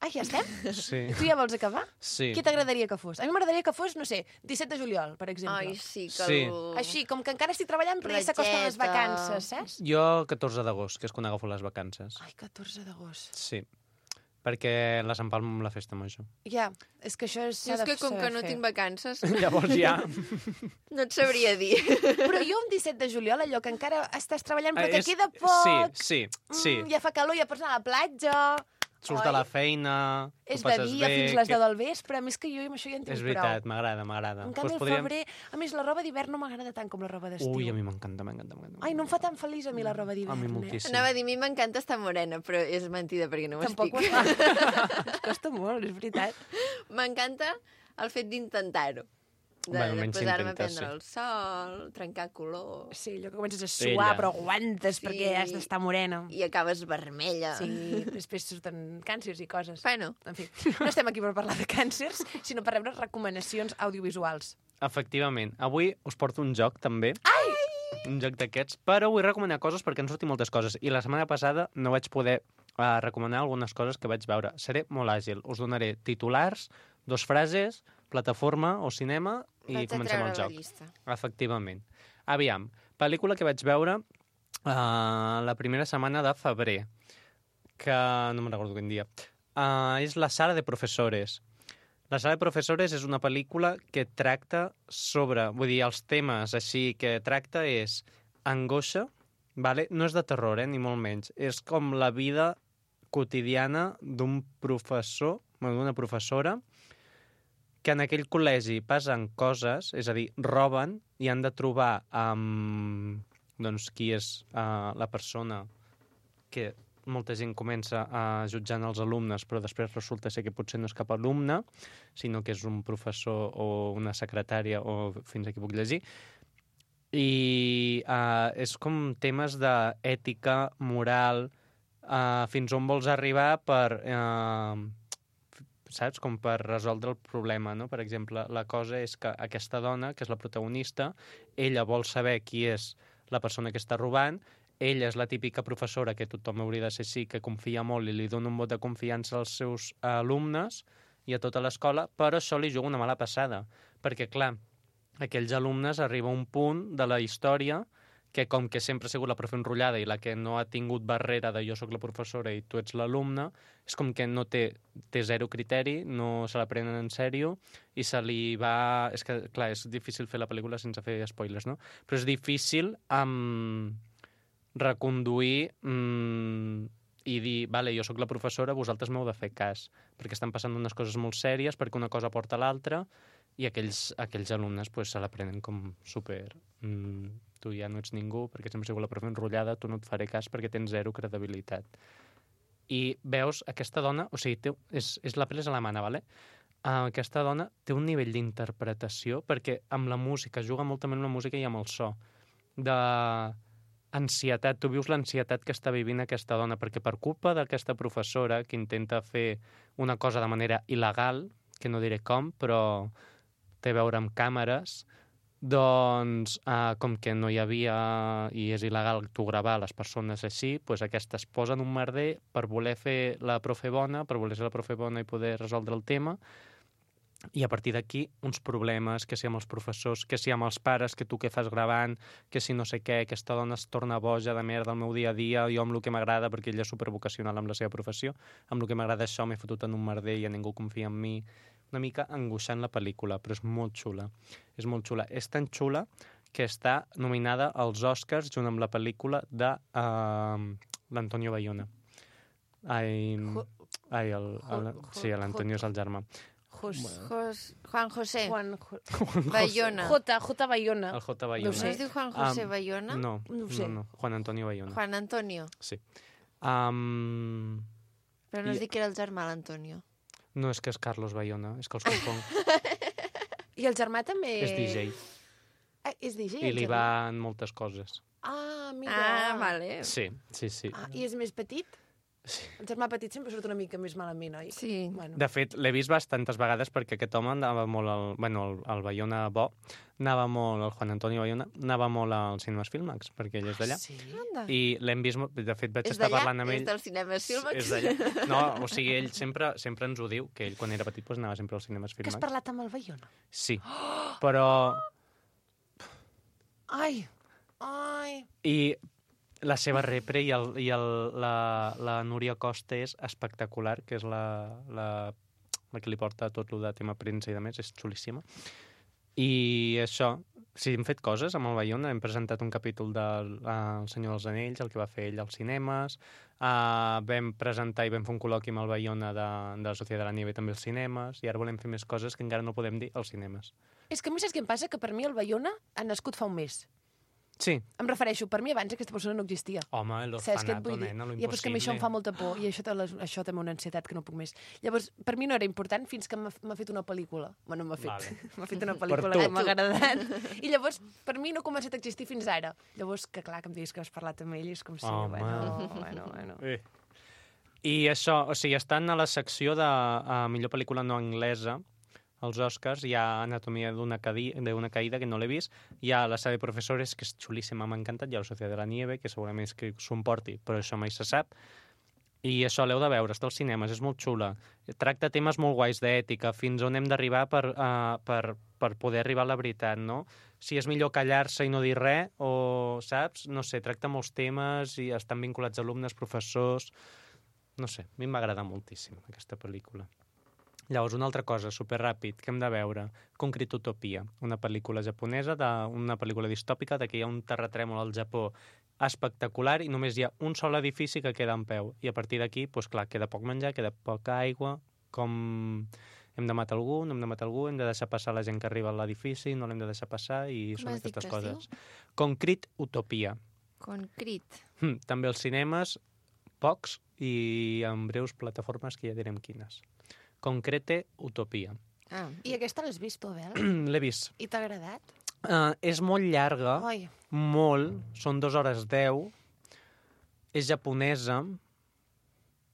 A: Ah, ja estem?
G: Sí.
A: Tu ja vols acabar?
G: Sí.
A: Què t'agradaria que fos? A mi m'agradaria que fos, no sé, disset de juliol, per exemple.
F: Ai, sí, que
G: Sí.
F: el...
A: Així, com que encara estic treballant, però ja s'acosten les
F: Platgeta.
A: vacances, saps?
G: Jo el catorze d'agost, que és quan agafo les vacances.
A: Ai, catorze d'agost.
G: Sí. Perquè les empalmo amb la festa major.
A: Ja, és que això és...
F: Jo és que com que no tinc vacances,
G: Llavors ja...
F: no et sabria dir.
A: Però jo un disset de juliol, allò que encara estàs treballant, però
G: Eh,
A: que
G: és-
A: queda poc...
G: Sí, sí, sí.
A: Mm, ja fa calor, ja pots anar a la platja...
G: Surts
A: Oi?
G: de la feina,
A: És
G: ho
A: de
G: passes
A: dia
G: bé...
A: fins les
G: que-
A: deu del vespre, a més que jo amb això ja en tinc
G: És
A: prou.
G: veritat, m'agrada, m'agrada.
A: En canvi,
G: Doncs
A: el febrer... A més, la roba d'hivern no m'agrada tant com la roba d'estiu.
G: Ui, a mi m'encanta, m'encanta, m'encanta.
A: Ai, no em fa tan feliç a mi la roba d'hivern.
G: A mi
A: eh?
G: moltíssim.
F: Anava a dir, a mi m'encanta estar morena, però és mentida perquè no ho
A: Tampoc ho
F: estic.
A: fa. Costa molt, és veritat.
F: M'encanta el fet d'intentar-ho. De,
G: Bueno,
F: de
G: menys
F: posar-me a
G: intentes,
F: prendre
G: sí.
F: el sol, trencar color...
A: Sí, allò que comences a suar,
G: Ella.
A: però aguantes
F: Sí.
A: perquè has d'estar morena.
F: I acabes vermella.
A: Sí, després surten càncers i coses.
F: Bueno,
A: En fi, no estem aquí per parlar de càncers, sinó per rebre recomanacions audiovisuals.
G: Efectivament. Avui us porto un joc, també. Ai! Un joc d'aquests, però vull recomanar coses perquè han sortit moltes coses. I la setmana passada no vaig poder uh, recomanar algunes coses que vaig veure. Seré molt àgil. Us donaré titulars, dos frases, plataforma o cinema i
F: vaig a
G: comencem
F: treure
G: el
F: la
G: joc.
F: llista.
G: Efectivament. Aviam, pel·lícula que vaig veure uh, la primera setmana de febrer, que no me'n recordo quin dia. Uh, és La sala de professores. La sala de professores és una pel·lícula que tracta sobre... Vull dir, els temes així que tracta és angoixa, vale? No és de terror, eh? Ni molt menys. És com la vida quotidiana d'un professor, bueno, d'una professora, que en aquell col·legi passen coses, és a dir, roben i han de trobar um, doncs, qui és uh, la persona que molta gent comença a jutjant els alumnes, però després resulta ser que potser no és cap alumne, sinó que és un professor o una secretària o fins aquí puc llegir. I uh, és com temes d'ètica, moral, uh, fins on vols arribar per... Uh, saps? Com per resoldre el problema, no? Per exemple, la cosa és que aquesta dona, que és la protagonista, ella vol saber qui és la persona que està robant, ella és la típica professora que tothom hauria de ser així, que confia molt i li dona un vot de confiança als seus alumnes i a tota l'escola, però això li juga una mala passada, perquè, clar, aquells alumnes arriba a un punt de la història que com que sempre ha sigut la profe enrotllada i la que no ha tingut barrera de jo sóc la professora i tu ets l'alumne, és com que no té, té zero criteri, no se la prenen en sèrio i se li va... És que, clar, és difícil fer la pel·lícula sense fer spoilers, no? Però és difícil um, reconduir um, i dir, vale, jo sóc la professora, vosaltres m'heu de fer cas, perquè estan passant unes coses molt sèries, perquè una cosa porta a l'altra, i aquells, aquells alumnes pues, se la prenen com super... Mm, tu ja no ets ningú, perquè sempre ha sigut la profe enrotllada, tu no et faré cas perquè tens zero credibilitat. I veus aquesta dona, o sigui, té, és, és la pel·li és alemana, vale? Uh, aquesta dona té un nivell d'interpretació, perquè amb la música, juga molt també amb la música i amb el so, de ansietat, tu vius l'ansietat que està vivint aquesta dona, perquè per culpa d'aquesta professora que intenta fer una cosa de manera il·legal, que no diré com, però té a veure amb càmeres, doncs, eh, com que no hi havia i és il·legal tu gravar les persones així, doncs aquesta es posa en un merder per voler fer la profe bona, per voler ser la profe bona i poder resoldre el tema, i a partir d'aquí uns problemes, que si amb els professors, que si amb els pares, que tu què fas gravant, que si no sé què, aquesta dona es torna boja de merda al meu dia a dia, jo amb el que m'agrada, perquè ella és supervocacional amb la seva professió, amb el que m'agrada això m'he fotut en un merder i ja ningú confia en mi. Una mica angoixant la pel·lícula, però és molt xula. És molt xula. És tan xula que està nominada als Oscars junt amb la pel·lícula de uh, l'Antonio Bayona. Ai, ai el, el, sí, l'Antonio és el germà.
A: Jos,
F: Jos, Juan José
A: Juan, Jo-
F: Bayona.
A: J, J Bayona.
G: El J. Bayona.
A: No
F: No
A: sé.
F: es diu Juan José
G: Um,
F: Bayona?
G: No,
A: No ho
G: no,
A: sé.
G: no, Juan Antonio Bayona.
F: Juan Antonio.
G: Sí. Um,
F: Però no
G: I-
F: es diu que era el germà l'Antonio.
G: no és que és Carlos Bayona, és que els confonc.
A: I el germà també...
G: És D J.
A: Ah, és D J,
G: I
A: el
G: li
A: germà?
G: va en moltes coses.
A: Ah, mira.
F: Ah, vale.
G: Sí, sí, sí.
A: Ah, I és més petit?
G: Sí.
A: El germà petit sempre surt una mica més malament, oi?
F: Sí.
A: Bueno.
G: De fet, l'he vist bastantes vegades perquè aquest home anava molt al... Bueno, el, el Bayona bo, anava molt, el Juan Antonio Bayona, anava molt als cinemes Filmax, perquè ell és d'allà.
A: Sí?
F: Anda.
G: I l'hem vist... molt- De fet, vaig
F: És
G: estar
F: d'allà?
G: parlant amb ell...
F: És del cinema Filmax?
G: És d'allà. No, o sigui, ell sempre, sempre ens ho diu, que ell quan era petit doncs, anava sempre als cinemes
A: Que has
G: Filmax.
A: parlat amb el Bayona?
G: Sí, però...
A: Ai, ai...
G: I la seva repre i, el, i el, la, la Núria Costa és espectacular, que és la, la, la que li porta tot el de tema premsa i de més, és xulíssima. I això, sí, hem fet coses amb el Bayona, hem presentat un capítol del uh, El Senyor dels Anells, el que va fer ell als cinemes, uh, vam presentar i vam fer un col·loqui amb el Bayona de, de la Societat de la Nieve també als cinemes, i ara volem fer més coses que encara no podem dir als cinemes.
A: És que a mi saps què em passa? Que per mi el Bayona ha nascut fa un mes.
G: Sí.
A: Em refereixo, per mi abans aquesta persona no existia.
G: Home, el
A: Saps què et
G: orfanato,
A: vull dir?
G: nena, lo
A: Ja, però és que a mi això em fa
G: impossible.
A: molta por i això, té les, això també una ansietat que no puc més. Llavors, per mi no era important fins que m'ha m'ha fet una pel·lícula. Bueno, m'ha fet.
G: Vale.
A: M'ha fet una pel·lícula
G: tu.
A: que m'ha agradat. I llavors, per mi no ha començat a existir fins ara. Llavors, que clar, que em diguis que has parlat amb ell, és com si...
G: Home.
A: Bueno, bueno, bueno.
G: Eh. I això, o sigui, estan a la secció de uh, millor pel·lícula no anglesa, als Oscars, hi ha Anatomia d'una caïda, caïda, que no l'he vist, hi ha La sala de professores, que és xulíssima, m'ha encantat, hi ha La Societat de la Nieve, que segurament és que s'ho emporti, però això mai se sap. I això l'heu de veure, està als cinemes, és molt xula. Tracta temes molt guais d'ètica, fins on hem d'arribar per, uh, per, per poder arribar a la veritat, no? Si és millor callar-se i no dir res, o, saps? No sé, tracta molts temes i estan vinculats alumnes, professors... No sé, a mi em va agradar moltíssim aquesta pel·lícula. Llavors, una altra cosa, superràpid, que hem de veure, Concrete Utopia, una pel·lícula japonesa, de, una pel·lícula distòpica, de que hi ha un terratrèmol al Japó espectacular i només hi ha un sol edifici que queda en peu. I a partir d'aquí, doncs clar, queda poc menjar, queda poca aigua, com hem de matar algú, no hem de matar algú, hem de deixar passar la gent que arriba a l'edifici, no l'hem de deixar passar, i
F: Com
G: són
F: has dit
G: aquestes
F: que es
G: coses. Concrete Utopia.
F: Concret.
G: Hm, també als cinemes, pocs, i en breus plataformes que ja direm quines. Concrete Utopia.
F: Ah.
A: I aquesta l'has vist, tu, Abel?
G: L'he vist.
A: I t'ha agradat?
G: Uh, és molt llarga,
A: Oi.
G: molt, són dues hores deu, és japonesa,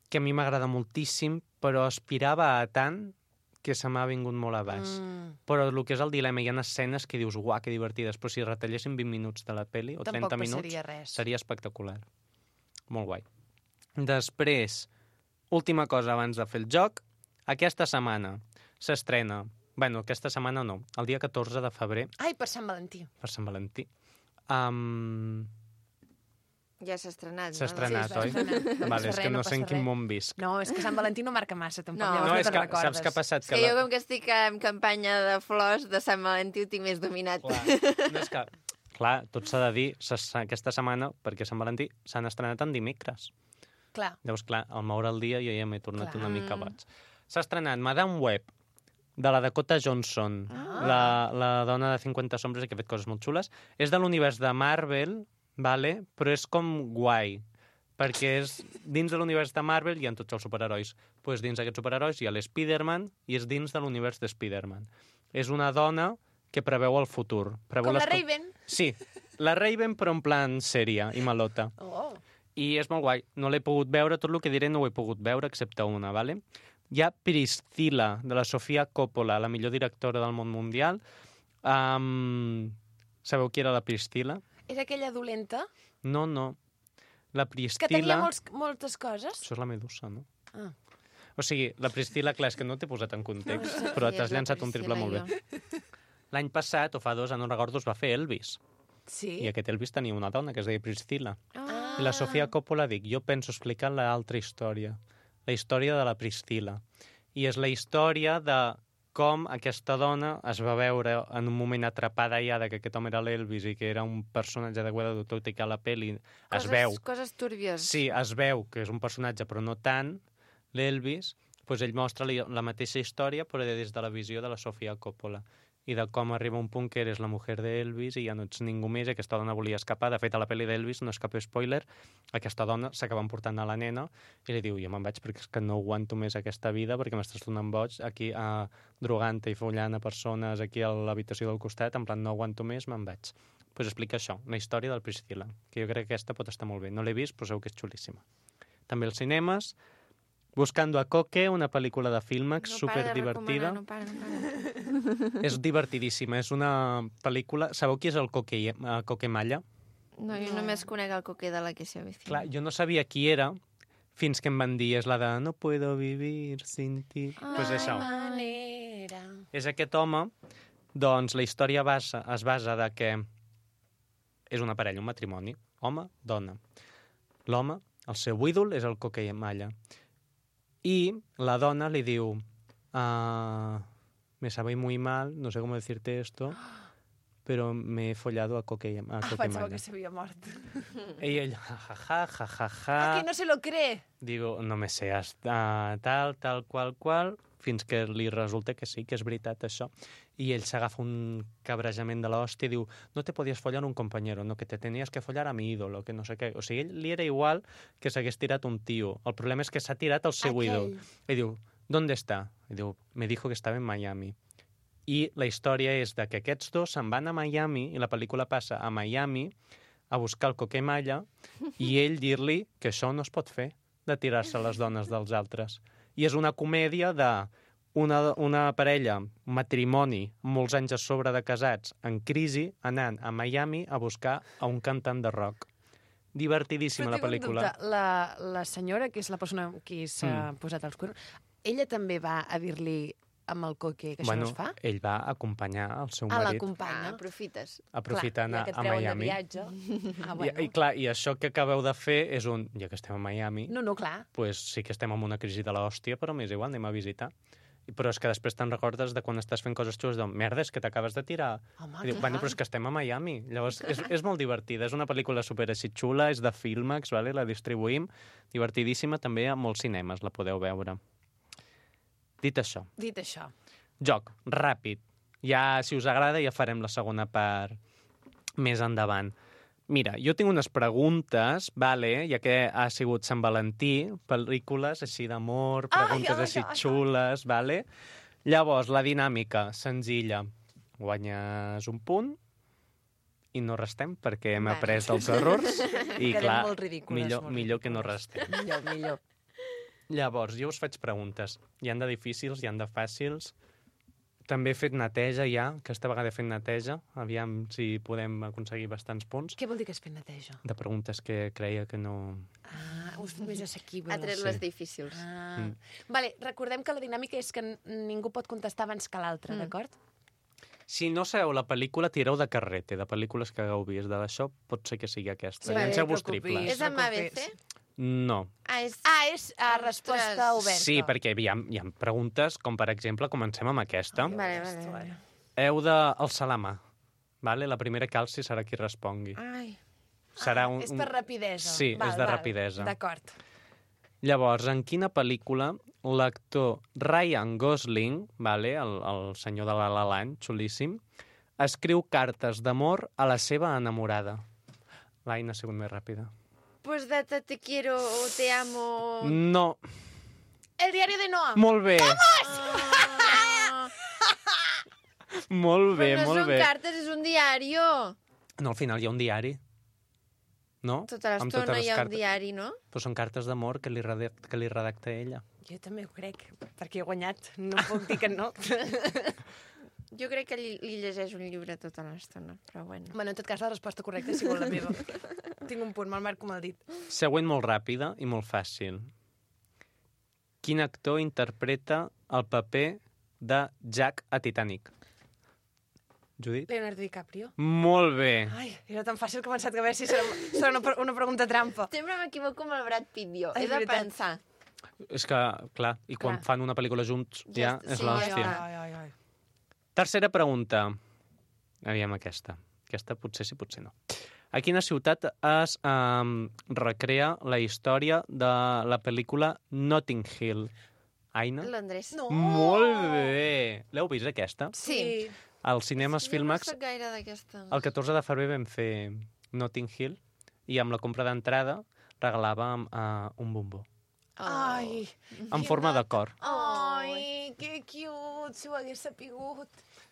G: que a mi m'agrada moltíssim, però aspirava a tant que se m'ha vingut molt a baix.
A: Mm.
G: Però el que és el dilema, hi ha escenes que dius, uah, que divertides, però si retallessin vint minuts de la peli, o
A: Tampoc
G: trenta minuts,
A: passaria res.
G: seria espectacular. Molt guai. Després, última cosa abans de fer el joc, aquesta setmana s'estrena, bueno, aquesta setmana no, el dia catorze de febrer,
A: Ai, per Sant Valentí.
G: per Sant Valentí, um,
F: Ja s'ha estrenat,
G: s'ha
F: no?
G: estrenat,
A: Sí, es va
G: oi?
A: estrenar. No
G: Vale,
A: passa
G: és
A: res,
G: que no,
A: no
G: sé en
A: passa
G: quin
A: res.
G: món visc.
A: No, és que Sant Valentí no marca massa, tampoc.
F: No.
A: Llavors
G: No,
A: no
G: és
A: te'n
G: que
A: recordes.
G: saps què ha passat?
F: És que jo, com que estic en campanya de flors, de Sant Valentí ho tinc més dominat.
G: Clar, no és que... Clar, tot s'ha de dir, s'ha- aquesta setmana, perquè Sant Valentí s'han estrenat en dimecres.
A: Clar.
G: Llavors, clar, al moure el dia jo ja m'he tornat
A: Clar.
G: una mica boig. S'ha estrenat Madame Web, de la Dakota Johnson, ah. la, la dona de cinquanta sombres que ha fet coses molt xules. És de l'univers de Marvel, vale? Però és com guai, perquè és, dins de l'univers de Marvel hi ha tots els superherois. Pues dins d'aquests superherois hi ha l'Spiderman i és dins de l'univers de Spiderman. És una dona que preveu el futur. Preveu
A: Com la
G: les co-
A: Raven.
G: Sí, la Raven però en plan sèria i malota.
A: Oh.
G: I és molt guai. No l'he pogut veure, tot el que diré no ho he pogut veure, excepte una, ¿vale? Hi ha Priscilla, de la Sofia Coppola, la millor directora del món mundial. Um, sabeu qui era la Priscilla?
A: Era aquella dolenta?
G: No, no. La
A: Que
G: Priscilla...
A: tenia molts, moltes coses?
G: Això és la Medusa, no?
A: Ah.
G: O sigui, la Priscilla, clar, és que no t'he posat en context,
F: No sé
G: però
F: qui
G: t'has
F: és la
G: llançat un triple
F: Priscilla,
G: molt bé. L'any passat, o fa dos, no recordo, es va fer Elvis.
A: Sí?
G: I aquest Elvis tenia una dona que es deia Priscilla.
F: Ah.
G: I la Sofia Coppola dic, jo penso explicar l'altra història, la història de la Priscilla. I és la història de com aquesta dona es va veure en un moment atrapada ja de que aquest home era l'Elvis i que era un personatge de Guadalupe, tot i que a la pel·li es
F: Coses,
G: veu...
F: Coses túrbies.
G: Sí, es veu que és un personatge, però no tant, l'Elvis, doncs ell mostra li- la mateixa història, però des de la visió de la Sofia Coppola. i de com arriba un punt que eres la mujer d'Elvis i ja no ets ningú més, i aquesta dona volia escapar. De fet, a la pel·li d'Elvis, no és cap spoiler, aquesta dona s'acaba emportant a la nena i li diu, jo me'n vaig perquè és que no aguanto més aquesta vida perquè m'estàs donant boig aquí a drogant i follant a persones aquí a l'habitació del costat, en plan no aguanto més, me'n vaig. Doncs pues explica això, la història del Priscilla, que jo crec que aquesta pot estar molt bé. No l'he vist, però segur que és xulíssima. També als cinemes, Buscando a Coque, una pel·lícula de Filmax,
F: no
G: superdivertida.
F: No para de recomanar, no para, no para.
G: És divertidíssima, és una pel·lícula... Sabeu qui és el Coque, uh, Coque Malla?
F: No, jo només conec el Coque de la que se avecina.
G: Clar, jo no sabia qui era fins que em van dir, és la de no puedo vivir sin ti. Doncs pues això.
A: Manera.
G: És aquest home, doncs la història basa, es basa de que és una parella, un matrimoni, home, dona. L'home, el seu ídol, és el Coque Malla. I la dona li diu, uh, me sabe muy mal, no sé cómo decirte esto, pero me he follado a Coque, a
A: Ah,
G: Coque
A: pensava
G: Malla.
A: que s'havia mort.
G: I ell, ja, ja, ja, ja, ja, ja.
A: Ah, que no se lo cree.
G: Digo, no me sé, uh, tal, tal, qual, qual, fins que li resulta que sí, que és veritat això. I ell s'agafa un cabrejament de l'hòstia i diu, no te podies follar un compañero, no, que te tenías que follar a mi ídolo, que no sé què. O sigui, ell li era igual que s'hagués tirat un tio. El problema és que s'ha tirat el seu
A: Aquell.
G: ídol. I diu, ¿dónde está? I diu, me dijo que estava en Miami. I la història és de que aquests dos se'n van a Miami i la pel·lícula passa a Miami a buscar el Coque Malla i ell dir-li que això no es pot fer, de tirar-se a les dones dels altres. I és una comèdia de una, una parella, un matrimoni, molts anys a sobre de casats, en crisi, anant a Miami a buscar a un cantant de rock. Divertidíssima la pel·lícula.
A: La, la senyora, que és la persona qui s'ha mm. posat els cuernos, ella també va a dir-li amb el Coque que
G: bueno,
A: això no es fa?
G: Ell va acompanyar el seu
A: Ah,
G: marit.
A: l'acompanya.
F: Ah, aprofites.
G: Aprofita anar
A: ja que et
G: a
A: treuen
G: Miami.
A: de viatge. Ah, bueno.
G: I, I, clar, i això que acabeu de fer és un... Ja que estem a Miami,
A: No, no, clar.
G: pues sí que estem en una crisi de l'hòstia, però m'és igual, anem a visitar. Però és que després te'n recordes de quan estàs fent coses xules, de merda, és que t'acabes de tirar.
A: Home,
G: I diu,
A: clar.
G: bueno, però és que estem a Miami. Llavors, és, és molt divertida. És una pel·lícula super així xula, és de Filmax, vale? La distribuïm. Divertidíssima, també a molts cinemes la podeu veure. Dit això,
A: Dit això.
G: joc, ràpid. Ja, si us agrada, ja farem la segona part més endavant. Mira, jo tinc unes preguntes, vale, ja que ha sigut Sant Valentí, pel·lícules així d'amor, preguntes
A: Ai, ai,
G: així
A: ai, ai.
G: xules, vale? Llavors, la dinàmica, senzilla. Guanyes un punt i no restem perquè hem
F: Vale.
G: après dels errors. I,
A: Quedem
G: clar,
A: molt ridícules,
G: millor,
A: molt
G: millor que no
A: ridícules.
G: restem.
A: Millor, millor.
G: Llavors, jo us faig preguntes. Hi han de difícils, hi han de fàcils. També he fet neteja ja, aquesta vegada he fet neteja. Aviam si podem aconseguir bastants punts.
A: Què vol dir que es fet neteja?
G: De preguntes que creia que no...
A: Ah, us fet més assequible.
F: Ha tret
G: Sí.
F: les difícils.
A: Ah.
G: Mm.
A: Vale, recordem que la dinàmica és que n- ningú pot contestar abans que l'altre,
F: Mm.
A: d'acord?
G: Si no sabeu la pel·lícula, tireu de carrete, de pel·lícules que hagueu vist. De d'això pot ser que sigui aquesta.
A: Sí,
G: Llanceu-vos
A: no et preocupis.
G: triples.
F: És amb A B C?
G: No.
F: Ah, és...
A: Ah, és a
F: Ostres.
A: resposta oberta.
G: Sí, perquè hi ha, hi ha preguntes, com per exemple, comencem amb aquesta.
F: Vale, vale, vale.
G: Heu d'alçar la mà. Vale? La primera que alci serà qui respongui.
F: Ai,
G: Serà un,
A: És per rapidesa.
G: Sí, és de rapidesa.
A: D'acord.
G: Llavors, en quina pel·lícula l'actor Ryan Gosling, vale, el, el senyor de la La Land, xulíssim, escriu cartes d'amor a la seva enamorada? L'Aina ha sigut més ràpida.
F: pues de te, te quiero o te amo...
G: No.
A: El diari de Noah.
G: Molt bé.
F: Ah,
G: Molt bé,
F: però no
G: molt
F: són
G: bé.
F: cartes, és un diario.
G: No, al final hi ha un diari. No?
F: Tota
G: Amb
F: l'estona
G: les
F: hi ha un
G: cartes.
F: diari, no?
G: Però són cartes d'amor que, li redacta, que li redacta ella.
A: Jo també ho crec, perquè he guanyat. No puc dir que no.
F: Jo crec que li, li llegeix un llibre tota l'estona, però bueno.
A: Bueno, en tot cas, la resposta correcta ha sigut la meva. Tinc un punt, me'l marco amb el dit.
G: Següent molt ràpida i molt fàcil. Quin actor interpreta el paper de Jack a Titanic? Judit?
A: Leonardo DiCaprio.
G: Molt bé.
A: Ai, era tan fàcil que he pensat que a veure si serà, serà una, una pregunta trampa.
F: Sempre m'equivoco amb el Brad Pitt, jo.
A: És
F: He de
A: veritat.
F: pensar.
G: És que, clar, i quan
F: Clar.
G: fan una pel·lícula junts ja,
F: Ja
G: és
F: sí,
G: l'hòstia.
F: ja.
A: Ai, ai, ai.
G: Tercera pregunta. Aviam aquesta. Aquesta potser sí, potser no. A quina ciutat es um, recrea la història de la pel·lícula Notting Hill? Aina?
F: Londres.
A: No!
G: Molt bé! L'heu vist, aquesta?
F: Sí.
G: Als cinemes
F: Jo
G: Filmax,
F: no soc gaire d'aquestes.
G: el catorze de febrer vam fer Notting Hill i amb la compra d'entrada regalàvem uh, un bombó.
F: Oh.
A: Ai,
G: En forma de cor,
A: ai, que cute, si ho hagués sapigut.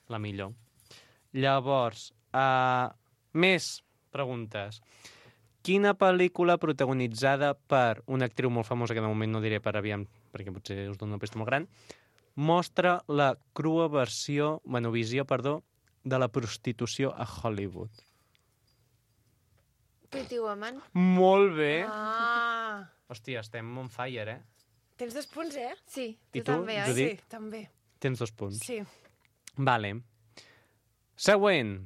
G: la millor. Llavors, uh, més preguntes. Quina pel·lícula protagonitzada per una actriu molt famosa, que de moment no diré per aviam, perquè potser us dono una pista molt gran, mostra la crua versió, bueno, visió, perdó, de la prostitució a Hollywood?
F: Pretty Woman.
G: Molt bé.
A: Ah,
G: Hòstia, estem on fire, eh?
A: tens dos punts, eh?
F: Sí,
G: I
F: tu,
G: tu,
F: també, oi?
G: Judit?
A: Sí, també.
G: Tens dos punts.
A: Sí.
G: Vale. Següent.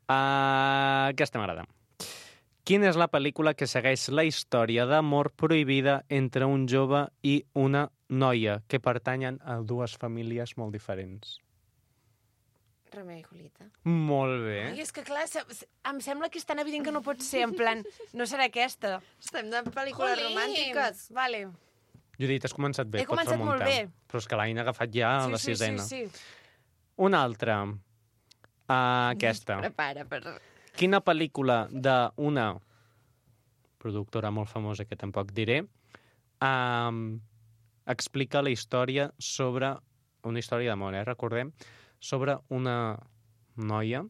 G: Uh, aquesta m'agrada. Quina és la pel·lícula que segueix la història d'amor prohibida entre un jove i una noia que pertanyen a dues famílies molt diferents?
F: Romeo i Julieta.
G: Molt bé.
A: Ai, és que clar, se- se- em sembla que és tan evident que no pot ser, en plan, no serà aquesta.
F: Estem de pel·lícules romàntiques.
A: Vale.
G: Judit, has començat bé,
A: He
G: pots
A: començat molt
G: remuntar.
A: bé.
G: Però és que l'Aina ha agafat ja
A: sí,
G: la
A: sí,
G: sisena.
A: sí, sí.
G: Una altra. Uh, aquesta.
F: Prepara per...
G: Quina pel·lícula d'una productora molt famosa, que tampoc diré, um, explica la història sobre... Una història d'amor, eh? Recordem. Sobre una noia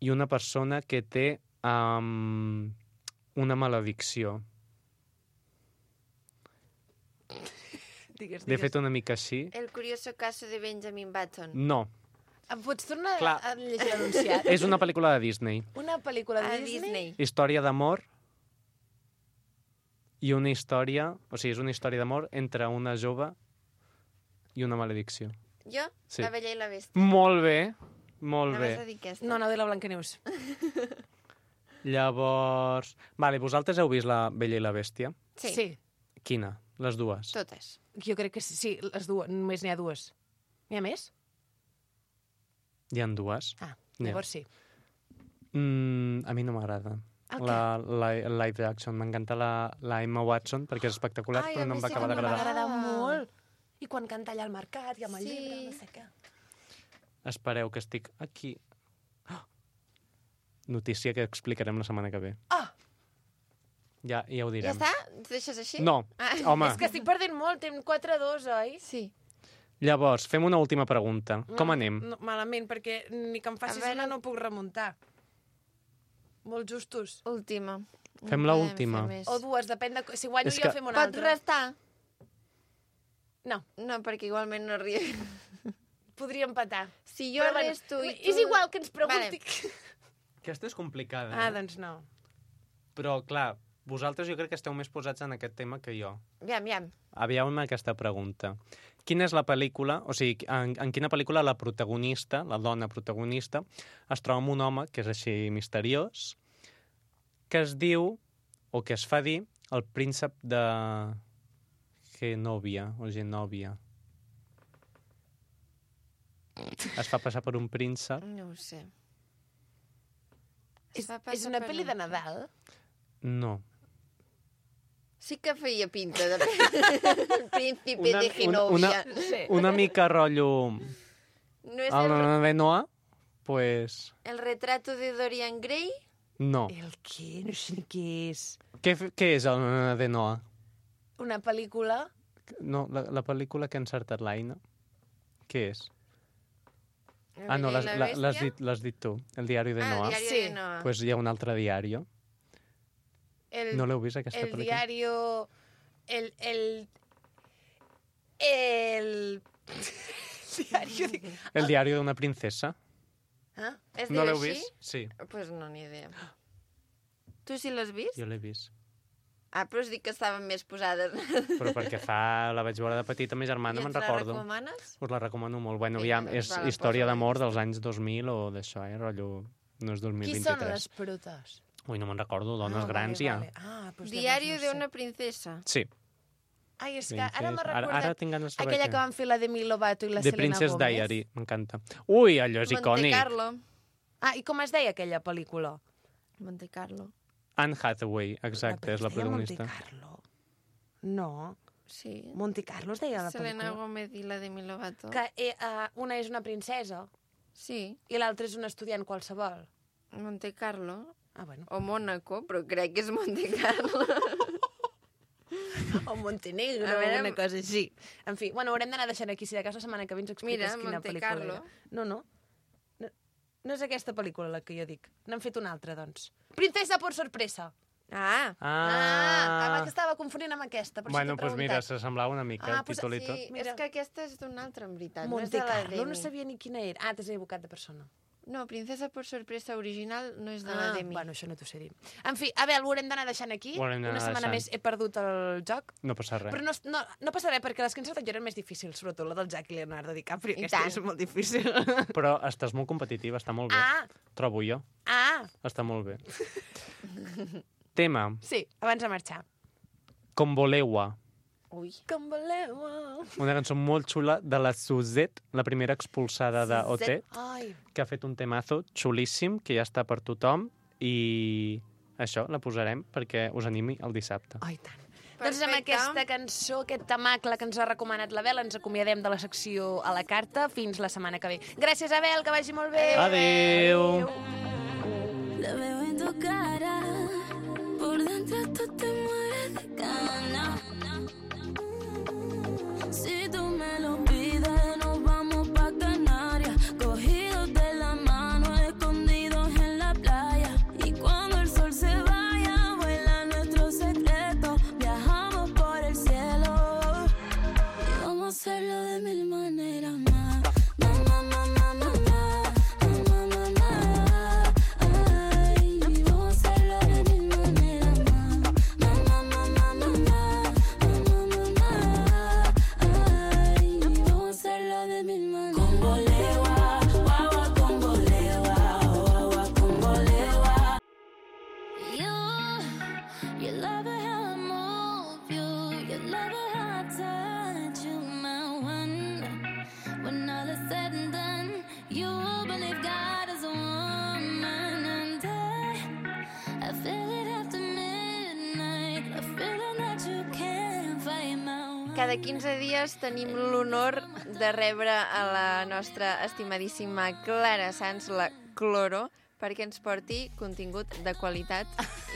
G: i una persona que té um, una maledicció.
A: Digues,
G: L'he
A: digues.
G: fet una mica així.
F: El curioso caso de Benjamin Button.
G: No.
A: Em pots tornar
G: Clar.
A: a llegir l'anunciat?
G: És una pel·lícula de Disney.
A: Una pel·lícula de
F: A
A: Disney?
F: Disney.
G: Història d'amor i una història... O sigui, és una història d'amor entre una jove i una maledicció.
F: Jo?
G: Sí.
F: La Bella i la Bèstia.
G: Molt bé, molt
F: Anaves
G: bé.
F: a dir aquesta.
A: No, no, de la Blancaneus.
G: Llavors... Vale, vosaltres heu vist La Bella i la Bèstia?
F: Sí.
A: sí.
G: Quina? Les dues?
F: Totes.
A: Jo crec que sí, sí, les dues, només n'hi ha dues. N'hi ha més?
G: Hi ha dues?
A: Ah,
G: N'hi ha.
A: llavors sí.
G: Mm, a mi no m'agrada.
A: El
G: La, la, live action. M'encanta la, la Emma Watson perquè és espectacular,
F: Ai,
G: però
F: a
G: no
F: mi
G: em va
F: sí
G: acabar
F: que
A: M'ha
G: d'agradar.
A: agradat
F: Ah.
A: molt. I quan canta allà al mercat i amb el
F: Sí.
A: llibre, no sé què.
G: Espereu, que estic aquí. Oh! Notícia que explicarem la setmana que ve.
A: Ah!
G: Ja, ja ho
F: Ja
G: direm.
F: està? Ens deixes així?
G: No,
F: Ah.
G: home.
A: És que estic perdent molt, tem quatre a dos, oi?
F: Sí.
G: Llavors, fem una última pregunta. Com anem?
A: No, malament, perquè ni que em facis
F: A veure-
A: una no puc remuntar. Molt justos.
F: Última.
G: Fem
F: No
G: la
F: podem
G: última.
F: fer més.
A: O dues, depèn de... Si guanyo
G: És
A: jo,
G: que-
A: fem una
F: Pots
A: altra.
F: restar?
A: No,
F: No, perquè igualment no arribi.
A: podria empatar.
F: Si jo
A: Però bueno,
F: resto i tu...
A: És igual que ens pregunti...
G: Aquesta és complicada.
A: Ah,
G: eh?
A: doncs no.
G: Però, clar, vosaltres jo crec que esteu més posats en aquest tema que jo.
F: Aviam, aviam.
G: Aviam aquesta pregunta. Quina és la pel·lícula, o sigui, en, en quina pel·lícula la protagonista, la dona protagonista, es troba amb un home que és així misteriós, que es diu, o que es fa dir, el príncep de Genovia, o Genovia. Es fa passar per un príncep?
F: No ho sé.
A: És,
F: Es fa
A: és
F: passar
A: una
F: per
A: pel·li
F: un-
A: de Nadal?
G: No.
F: Sí que feia pinta de príncipe
G: Una-
F: de
G: una-
F: Genovia.
G: una-
A: Sí.
G: Una mica rotllo...
F: No és
G: El
F: el,
G: de Noah? Pues...
F: el retrato de Dorian Gray?
G: No.
A: El què? No sé ni què és.
G: Què, f- què és el de Noah?
A: Una pel·lícula?
G: No, la, la pel·lícula que ha encertat l'Aina. Què és?
F: La
G: Ah, no,
F: Bella
G: l'has
F: i la
G: la- l'has
F: Bèstia?
G: dit, l'has dit tu. El diari de
F: Ah,
G: Noah.
F: el diari
A: Sí.
F: de Noah.
G: Pues hi ha un altre diari.
A: El,
G: No l'heu vist, aquesta
A: el
G: pel·lícula?
A: diario... El... El... El... diario... De...
G: El diari d'una princesa.
A: Ah?
F: Es
G: No
F: diu
G: l'heu
F: així?
G: vist? Sí,
F: Pues no, ni idea. Tu sí l'has vist?
G: jo l'he vist.
F: Ah, però us dic que estaven més posades.
G: Però perquè fa... La vaig veure de petita, ma germana,
F: I
G: me'n
F: ens la
G: recordo.
F: recomanes?
G: Us la recomano molt. Bueno,
F: Vinga,
G: ja,
F: doncs
G: és
F: va, la
G: història
F: poso a la
G: d'amor
F: llista.
G: dels anys dos mil o d'això, eh? Rotllo... No és dos mil
A: Qui
G: vint-i-tres.
A: són les protes?
G: Ui, no me'n recordo, dones
A: Ah,
G: grans
A: vale,
G: ja.
A: vale. Ah, doncs
F: Diario
A: llavors
F: de
A: no sé.
F: una princesa.
G: Sí.
A: Ai, és que ara m'ha
G: Princess- ara,
A: recordat
G: ara tinc ganes de saber
A: aquella
G: què.
A: que van fer la Demi Lovato i la
G: The
A: Selena
G: Princess
A: Gomez.
G: Diary, m'encanta. Ui, allò és
F: Monte
G: icònic.
F: Carlo.
A: Ah, i com es deia aquella pel·lícula?
F: Monte Carlo.
G: Anne Hathaway, exacte, és la
A: Es deia
G: protagonista.
A: Monte Carlo. No,
F: Sí.
A: Monte Carlo es deia la
F: Selena
A: pel·lícula.
F: Gomez i la Demi Lovato.
A: Que eh, uh, una és una princesa.
F: Sí.
A: I l'altre és un estudiant qualsevol.
F: Monte Carlo.
A: Ah, bueno.
F: O Mónaco, però crec que és Monte Carlo.
A: O Montenegro,
F: A veure,
A: una cosa així. En fi, bueno, haurem d'anar deixant aquí. Si de cas la setmana que ve ens expliques
F: Mira,
A: quina
F: Monte
A: pel·lícula
F: Carlo.
A: era. No, no. no. No és aquesta pel·lícula la que jo dic. N'han fet una altra, doncs. Princesa por sorpresa.
F: Ah,
A: Ah, ah
G: Ah,
A: que estava confonent amb aquesta, per
G: bueno,
A: això t'he
G: doncs mira,
A: preguntat.
G: s'assemblava una mica
A: Ah,
G: el
A: pues
G: títol i
F: sí,
G: tot.
A: Mira.
F: és que aquesta és d'un altre, en veritat.
A: Monte
F: no és de la
A: Carlo, no
F: Demi.
A: sabia ni quina era. Ah, t'has equivocat de persona.
F: No, Princesa por sorpresa original no és de la
A: Ah,
F: Demi.
A: bueno, això no t'ho sé dir. En fi, a veure, ho haurem d'anar deixant aquí.
G: Ho haurem d'anar
A: Una setmana
G: deixant.
A: més he perdut el joc.
G: No passa res.
A: Però no, no, no passa res, perquè les que ens han eren més difícils, sobretot la del Jack i Leonardo DiCaprio.
F: I
A: Aquesta
F: tant.
A: és molt difícil.
G: Però estàs molt competitiva, està molt bé.
A: Ah,
G: Trobo jo.
A: ah,
G: Està molt bé. Tema.
A: sí, abans de marxar.
G: Com voleu-a.
F: Ui.
A: Com voleu.
G: Una cançó molt xula de la Suzette, la primera expulsada de O T,
A: Ai,
G: que ha fet un temazo xulíssim, que ja està per tothom, i això, la posarem perquè us animi el dissabte.
A: ai, tant. Doncs amb
F: Perfecte.
A: aquesta cançó, aquest tamacle que ens ha recomanat l'Abel, ens acomiadem de la secció a la carta fins la setmana que ve. Gràcies, Abel, que vagi molt bé.
G: Adéu.
H: La veo en tu cara, por dentro tú te mueres de ganas. Si tú me lo pides, nos vamos pa' Canarias, cogidos de la mano, escondidos en la playa. Y cuando el sol se vaya, vuela nuestro secreto, viajamos por el cielo y vamos a hacerlo de mil maneras más. Na, na, na, na, na, na. Na, na, na, na. Ay, vamos a hacerlo de mil maneras más. Na, na, na, na, na, na. Na, na, na, na. Ay, vamos a hacerlo de mil maneras. Con bolewa, guagua con bolewa, guagua con bolewa. You, you love it how I move you, you love it how I touch you, my one. When all is said and done, you believe God is a woman, and I, I feel it after midnight, a feeling that you can't fight my one.
F: Cada quinze dies tenim l'honor de rebre a la nostra estimadíssima Clara Sans, la Cloro, perquè ens porti contingut de qualitat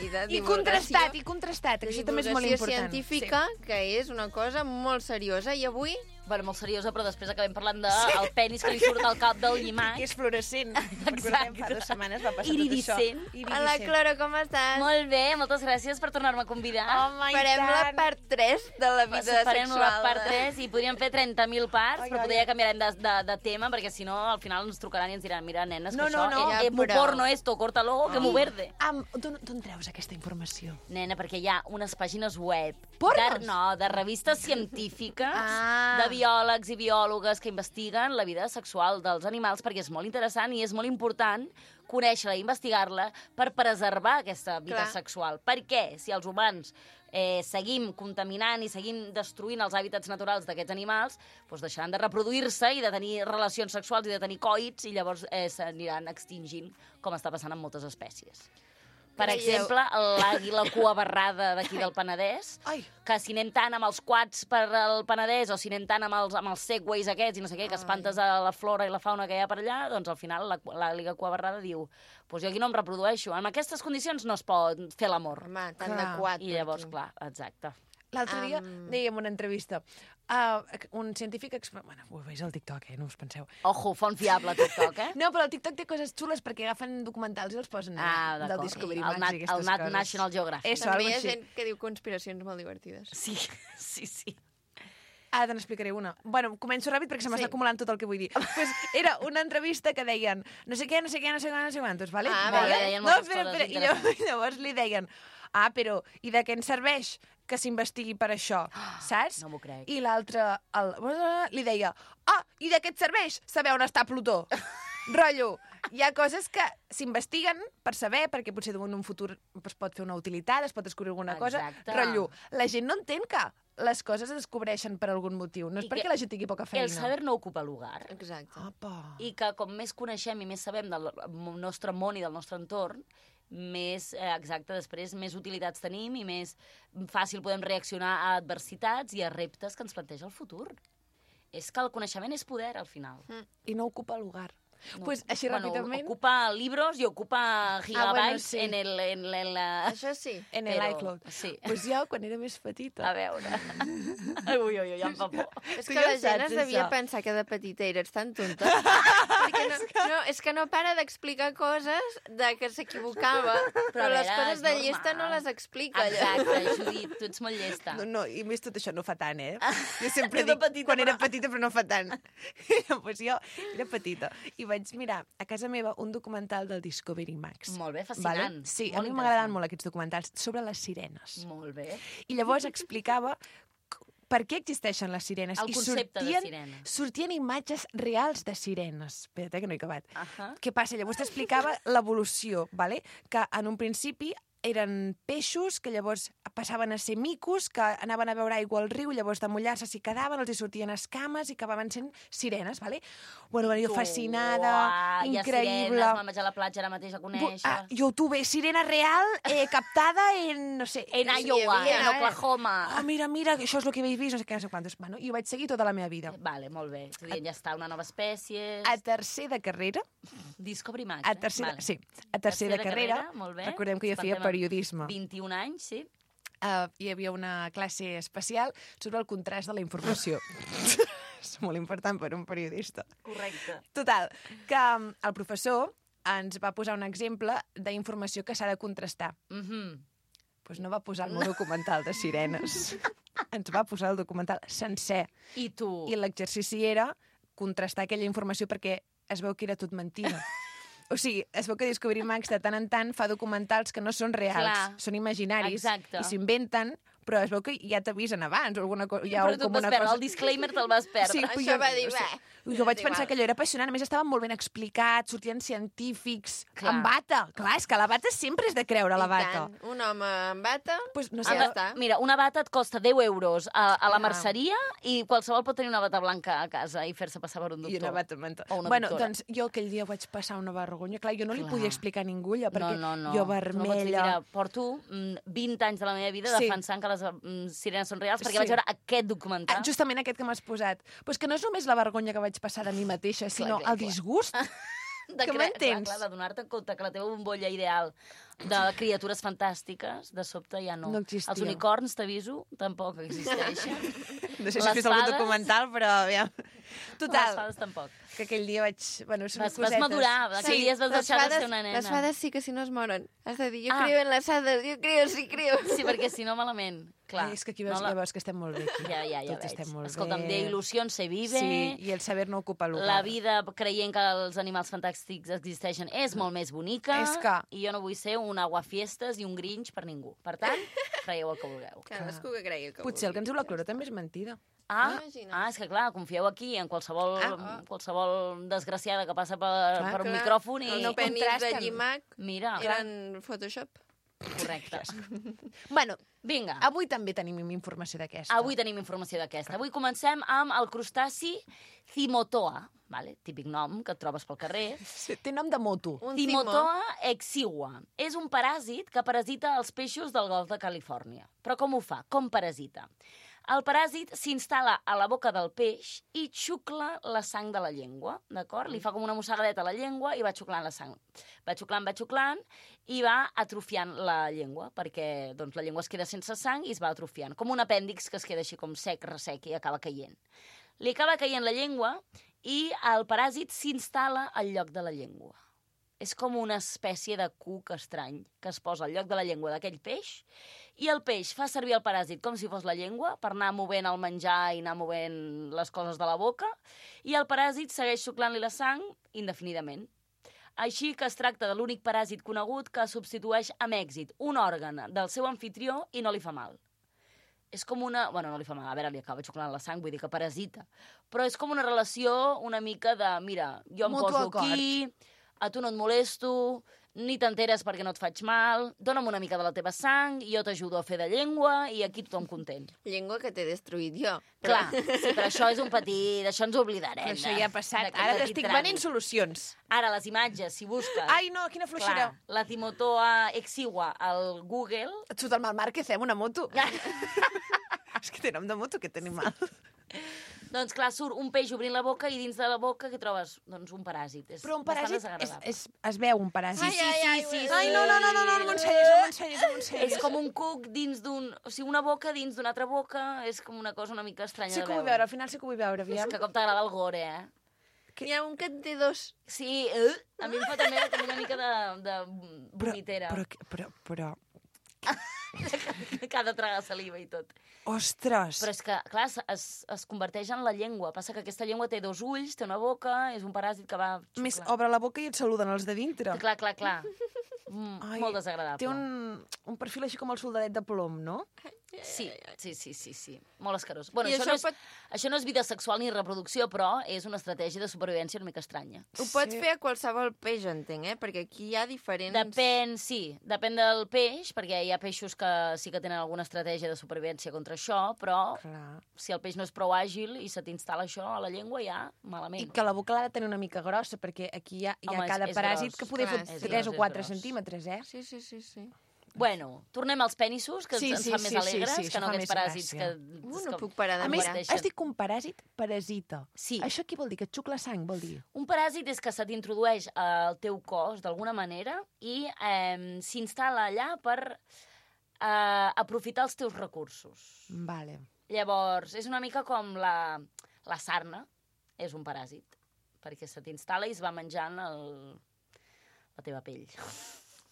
F: i de
A: I
F: divulgació.
A: contrastat, i contrastat, que
F: de
A: això també és molt
F: divulgació
A: important.
F: científica, que és una cosa molt seriosa. I avui
I: Bueno, molt seriosa, però després acabem parlant del de penis que li surt al cap del
A: Sí,
I: llimac.
A: que és fluorescent. Recordem, fa dues setmanes va passar
I: Iridiscent.
A: tot això.
F: Hola, Cloro, com estàs?
I: Molt bé, moltes gràcies per tornar-me a convidar.
A: Home, i
F: Farem la
A: tant.
F: part tres de la vida
I: Farem
F: sexual.
I: la part tres i podríem fer trenta mil parts,
A: Ai,
I: però
A: ai,
I: potser ja
A: ai.
I: canviarem de, de, de tema, perquè si no, al final ens trucaran i ens diran, mira, nenes,
A: No,
I: que
A: no,
I: això,
A: no.
I: eh,
F: Ja,
I: eh, mu
F: però-
I: porno esto, córtalo, que mu verde.
A: Am, d'on d'on treus aquesta informació?
I: Nena, perquè hi ha unes pàgines web
A: Pornos?
I: de, no, de revistes científiques,
A: Ah.
I: de biòlegs i biòlogues que investiguen la vida sexual dels animals, perquè és molt interessant i és molt important conèixer-la i investigar-la per preservar aquesta vida
F: Clar.
I: sexual. Per què? Si els humans eh, seguim contaminant i seguim destruint els hàbitats naturals d'aquests animals, doncs deixaran de reproduir-se i de tenir relacions sexuals i de tenir coits, i llavors eh, s'aniran extingint, com està passant amb moltes espècies. Per
F: Creieu-
I: exemple, l'àguila cuabarrada d'aquí del Penedès,
A: Ai.
I: que si anem tant amb els quads per al Penedès o si anem tant amb els, amb els segways aquests i no sé què, que espantes a la flora i la fauna que hi ha per allà, doncs al final la- l'àguila cuabarrada diu pues jo aquí no em reprodueixo, en aquestes condicions no es pot fer l'amor.
F: Home, tant
A: Clar.
F: de quatre.
I: I llavors, clar, exacte.
A: L'altre dia
F: Am.
A: dèiem una entrevista. Uh, un científic... Exp... Bueno, ho veus al TikTok, eh? No us penseu.
I: Ojo, font fiable, TikTok, eh?
A: No, però el TikTok té coses xules perquè agafen documentals i els posen
I: Ah,
A: allà, del
I: d'acord.
A: Discovery
I: El
A: Max
I: Nat-
A: i aquestes
I: el Nat
A: coses.
I: National Geographic.
A: Eso,
F: També
A: algo
F: hi ha
A: així.
F: gent que diu conspiracions molt divertides.
I: Sí, sí, sí.
A: Ara te n'explicaré una. Bueno, començo ràpid perquè se m'està
F: Sí.
A: acumulant tot el que vull dir. pues era una entrevista que deien no sé què, no sé què, no sé què, no sé quantos, vale?
F: Ah,
I: Molt bé,
F: vale.
I: deien
A: No,
I: moltes
A: espera,
I: coses
A: espera. I llavors, llavors li deien ah, però i de què ens serveix que s'investigui per això, saps?
I: No m'ho crec.
A: I l'altre el... li deia ah, i de què et serveix saber on està Plutó? Rotllo, hi ha coses que s'investiguen per saber, perquè potser en un futur es pot fer una utilitat, es pot descobrir alguna cosa.
I: Exacte.
A: Rotllo, la gent no entén que les coses es descobreixen per algun motiu. No és
I: I
A: perquè
I: que
A: la gent tingui poca feina.
I: El saber no ocupa lugar.
F: Exacte.
A: Apa.
I: I que com més coneixem i més sabem del nostre món i del nostre entorn, més, eh, exacte, després més utilitats tenim i més fàcil podem reaccionar a adversitats i a reptes que ens planteja el futur. És que el coneixement és poder, al final.
A: I no ocupa lugar.
I: No.
A: Pues així
I: bueno,
A: ràpidament...
I: Ocupa libros i ocupa gigabytes
A: bueno, sí.
I: en el... En el
F: Això sí.
A: En
I: Però-
A: l'iCloud.
I: Sí.
A: Pues jo, quan era més petita...
I: A veure... Ui, ui, ui, ja em fa por.
F: És
A: Tu
F: que
A: ja
F: la gent
A: saps,
F: es devia
A: això.
F: pensar que de petita eres tan tonta. Perquè no, no, és que no para d'explicar coses de que s'equivocava, però,
I: a
F: les
I: veure,
F: coses
I: és
F: de
I: normal.
F: llista no les explica.
I: Exacte, Judit, tu ets molt llesta.
A: No, no, i més tot això no fa tant, eh? Jo sempre
I: Tu de
A: dic,
I: petita,
A: quan era
I: però-
A: petita, però no fa tant. Pues jo era petita i vaig mirar a casa meva un documental del Discovery Max.
I: Molt bé, fascinant.
A: Vale? Sí,
I: Molt
A: a mi m'agraden
I: interessant.
A: molt aquests documentals sobre les sirenes.
I: Molt bé.
A: I llavors explicava c- per què existeixen les sirenes.
I: El
A: I
I: concepte de
A: sortien,
I: sirena.
A: sortien imatges reals de sirenes. Espera't, eh, que no he acabat.
I: Ahà.
A: Què passa? Llavors t'explicava l'evolució, vale? Que en un principi eren peixos que llavors passaven a ser micos, que anaven a veure aigua al riu, llavors de mullar-se s'hi quedaven, els hi sortien escames i acabaven sent sirenes, vale? Bueno, jo fascinada,
I: Uah,
A: increïble.
I: Hi ha sirenes, me'n vaig a la platja ara mateix a
A: Bu-
I: conèixer.
A: ah, YouTube, sirena real, eh, captada en, no sé...
I: En
F: sí,
I: Iowa,
F: hi havia,
I: en
F: eh?
I: Oklahoma.
A: Oh, mira, mira, això és el que habéis vist, no sé què, no sé quantos. Bueno, i ho vaig seguir tota la meva vida.
I: Vale, molt bé. Tu dient, ja està, una nova espècie...
A: A tercer de carrera,
I: Discovery Max,
A: a
I: eh?
A: tercer,
I: Vale.
A: sí, a tercer de carrera,
I: molt bé.
A: recordem que jo
I: Ens
A: feia
I: plantem amb
A: periodisme.
I: vint-i-un anys, sí.
A: Uh, hi havia una classe especial sobre el contrast de la informació. És molt important per un periodista.
I: Correcte.
A: Total, que um, el professor ens va posar un exemple d'informació que s'ha de contrastar.
I: Mm -hmm.
A: Pues no va posar el meu documental de sirenes. Ens va posar el documental sencer.
I: I tu?
A: I l'exercici era contrastar aquella informació perquè es veu que era tot mentida. O sigui, es veu que Discovery Max de tant en tant fa documentals que no són reals,
I: Clar.
A: són imaginaris
I: Exacte.
A: i s'inventen, però es veu que ja t'avisen abans o alguna cosa.
I: Però tu et vas perdre, el disclaimer te'l vas perdre.
A: Sí, però
F: Això
A: jo,
F: va dir,
A: o sigui,
F: "Bé,
A: jo vaig
F: és
A: pensar
F: igual."
A: que allò era apassionant. A més, estava molt ben explicat, sortien científics,
I: Clar.
A: amb bata. Clar, és que la bata sempre és de creure, la
F: I
A: bata.
F: tant. Un home amb bata,
A: Pues, no sé,
F: ja
I: Ama-
F: està.
I: Mira, una bata et costa deu euros a, a la
A: Ah.
I: merceria i qualsevol pot tenir una bata blanca a casa i fer-se passar per un doctor.
A: I una bata mental.
I: O una
A: Bueno,
I: doctora.
A: doncs jo aquell dia vaig passar una vergonya. Clar, jo no li
I: Clar.
A: podia explicar a ningú allò, perquè
I: no, no, no.
A: jo
I: Tu no pots dir,
A: vermella...
I: mira, porto mm, vint anys de la meva vida
A: Sí.
I: defensant que les mm, sirenes són reals perquè
A: Sí.
I: vaig veure aquest documental.
A: Ah, justament aquest que m'has posat. Pues que no és només la vergonya que vaig passar de mi mateixa, sinó
I: clar,
A: el
I: clar.
A: disgust.
I: de
A: que
I: cre-
A: m'entens?
I: Clar, clar, de donar-te compte que la teva bombolla ideal de criatures fantàstiques, de sobte ja no.
A: No existia.
I: Els unicorns, t'aviso, tampoc existeixen.
A: No sé si
I: Les
A: has vist algun
I: fades-
A: documental, però aviam.
I: Les
A: Total,
I: fades tampoc.
A: que aquell dia vaig... Bueno, són
I: Vas, vas
A: cosetes.
I: madurar, aquell dia es vas
F: les
I: deixar de
F: fades,
I: ser una nena.
F: les fades sí que si no es moren. Has de dir, jo
I: Ah.
F: creo en les hades, jo creo, sí creo.
I: Sí, perquè si no, malament. Clar.
A: Ai, és que aquí veus,
I: no la-
A: ja veus que estem molt bé. Aquí.
I: Ja, ja, ja
A: Tots
I: veig.
A: estem molt
I: Escolta'm,
A: bé.
I: de il·lusió se vive.
A: Sí, i el saber no ocupa lugar.
I: La vida creient que els animals fantàstics existeixen és molt més bonica.
A: És que-
I: I jo no vull ser un aguafiestes i un grinch per ningú. Per tant, creieu el que vulgueu.
F: Cadascú que cregui el que
A: Potser el que ens diu la Clora també és mentida.
I: Ah,
F: Imagina't.
I: ah, és que clar, confieu aquí en qualsevol,
A: Ah.
I: qualsevol desgraciada que passa per,
A: Clar,
I: per un
F: Clar,
I: micròfon i...
F: Els penis de
A: contrasten.
F: llimac
I: Mira,
F: eren Photoshop.
I: correcte.
A: Bueno,
I: Vinga,
A: avui també tenim informació d'aquesta.
I: avui tenim informació d'aquesta. Avui comencem amb el crustaci Cimotoa, vale? Típic nom que et trobes pel carrer.
A: Sí, té nom de moto.
F: Un timó.
I: Cimotoa exigua. És un paràsit que parasita els peixos del golf de Califòrnia. Però com ho fa? Com parasita? El paràsit s'instal·la a la boca del peix i xucla la sang de la llengua, d'acord? Li fa com una mossegadeta a la llengua i va xuclant la sang. Va xuclant, va xuclant i va atrofiant la llengua, perquè doncs, la llengua es queda sense sang i es va atrofiant. Com un apèndix que es queda així com sec, ressec i acaba caient. Li acaba caient la llengua i el paràsit s'instal·la al lloc de la llengua. És com una espècie de cuc estrany que es posa al lloc de la llengua d'aquell peix i el peix fa servir el paràsit com si fos la llengua per anar movent el menjar i anar movent les coses de la boca i el paràsit segueix xuclant-li la sang indefinidament. Així que es tracta de l'únic paràsit conegut que substitueix amb èxit un òrgan del seu anfitrió i no li fa mal. És com una... Bueno, no li fa mal, a veure, li acaba xuclant la sang, vull dir que parasita. Però és com una relació una mica de, mira, jo em
A: Mutu
I: poso
A: acord.
I: aquí, a tu no et molesto, ni t'enteres perquè no et faig mal, dona'm una mica de la teva sang, i jo t'ajudo a fer de llengua, i aquí tothom content.
F: Llengua que t'he destruït jo.
I: Clar, sí, però això és un petit... D'això ens oblidarem.
A: Però això
I: de-
A: ja ha passat.
I: d'aquest
A: Ara
I: petit
A: t'estic
I: tràmit.
A: venint solucions.
I: Ara, les imatges, si busques...
A: Ai, no, quina fluixera.
I: Clar, la Cimotoa exigua al Google...
A: Et surt el mal Márquez, eh, amb una moto. És que té nom de moto, aquest animal.
I: Doncs clar, surt un peix obrint la boca i dins de la boca què trobes? Doncs un paràsit. És
A: Però un
I: bastant
A: paràsit és,
I: desagradable.
A: és, es veu un paràsit.
I: Sí, sí, sí, sí, sí.
A: Ai, no, no, no, no, no, no m'ensenyis, no m'ensenyis, no m'ensenyis.
I: És com un cuc dins d'un... O sigui, una boca dins d'una altra boca, és com una cosa una mica estranya
A: Sí
I: de
A: que ho vull
I: veure.
A: veure, al final sí que ho vull veure,
I: És
A: aviam.
I: que com t'agrada el gore, eh?
F: N'hi ha un que en té dos.
I: Sí, eh? A mi em fa també, també una mica de, de vomitera.
A: Però, però, però,
I: Que ha de tragar saliva i tot.
A: ostres.
I: Però és que, clar, es, es, es converteix en la llengua. Passa que aquesta llengua té dos ulls, té una boca, és un paràsit que va xuclar.
A: Més, obre la boca i et saluden els de dintre.
I: Clar, clar, clar. Mm,
A: Ai,
I: molt desagradable.
A: Té un, un perfil així com el soldadet de plom, no?
I: Sí, sí, sí, sí, sí. Molt escarós. Bueno,
F: I
I: això,
F: això
I: no és,
F: pot-
I: això no és vida sexual ni reproducció, però és una estratègia de supervivència una mica estranya.
F: Ho pots fer a qualsevol peix, entenc, eh? Perquè aquí hi ha diferents...
I: Depèn, sí, depèn del peix, perquè hi ha peixos que sí que tenen alguna estratègia de supervivència contra això, però
A: Clar.
I: si el peix no és prou àgil i se t'instal·la això a la llengua, ja, malament.
A: I que la boca l'ha de tenir una mica grossa, perquè aquí hi ha, hi ha
I: Home, és-
A: cada
I: és
A: paràsit
I: gros.
A: que poder
F: Clar,
A: fer
F: és
A: tres
I: gros,
A: o
I: és
A: quatre
I: gros.
A: centímetres, eh?
F: Sí, sí, sí, sí.
I: Bueno, tornem als penissos, que
A: Sí,
I: ens
A: sí,
I: fan
A: sí,
I: més
A: sí,
I: alegres,
A: sí,
I: que
A: això
I: no
A: fa
I: aquests
A: més
I: paràsits
A: gràcia.
I: que...
F: Uh,
I: és
F: no
I: com-
F: puc parar de
A: A més,
F: mirar.
I: Existeixen.
A: has dit que un paràsit parasita.
I: Sí.
A: Això què vol dir? Que et xucla sang, vol dir?
I: Un paràsit és que se t'introdueix al teu cos d'alguna manera i eh, s'instal·la allà per eh, aprofitar els teus recursos.
A: Vale.
I: Llavors, és una mica com la, la sarna, és un paràsit, perquè se t'instal·la i es va menjant el, la teva pell.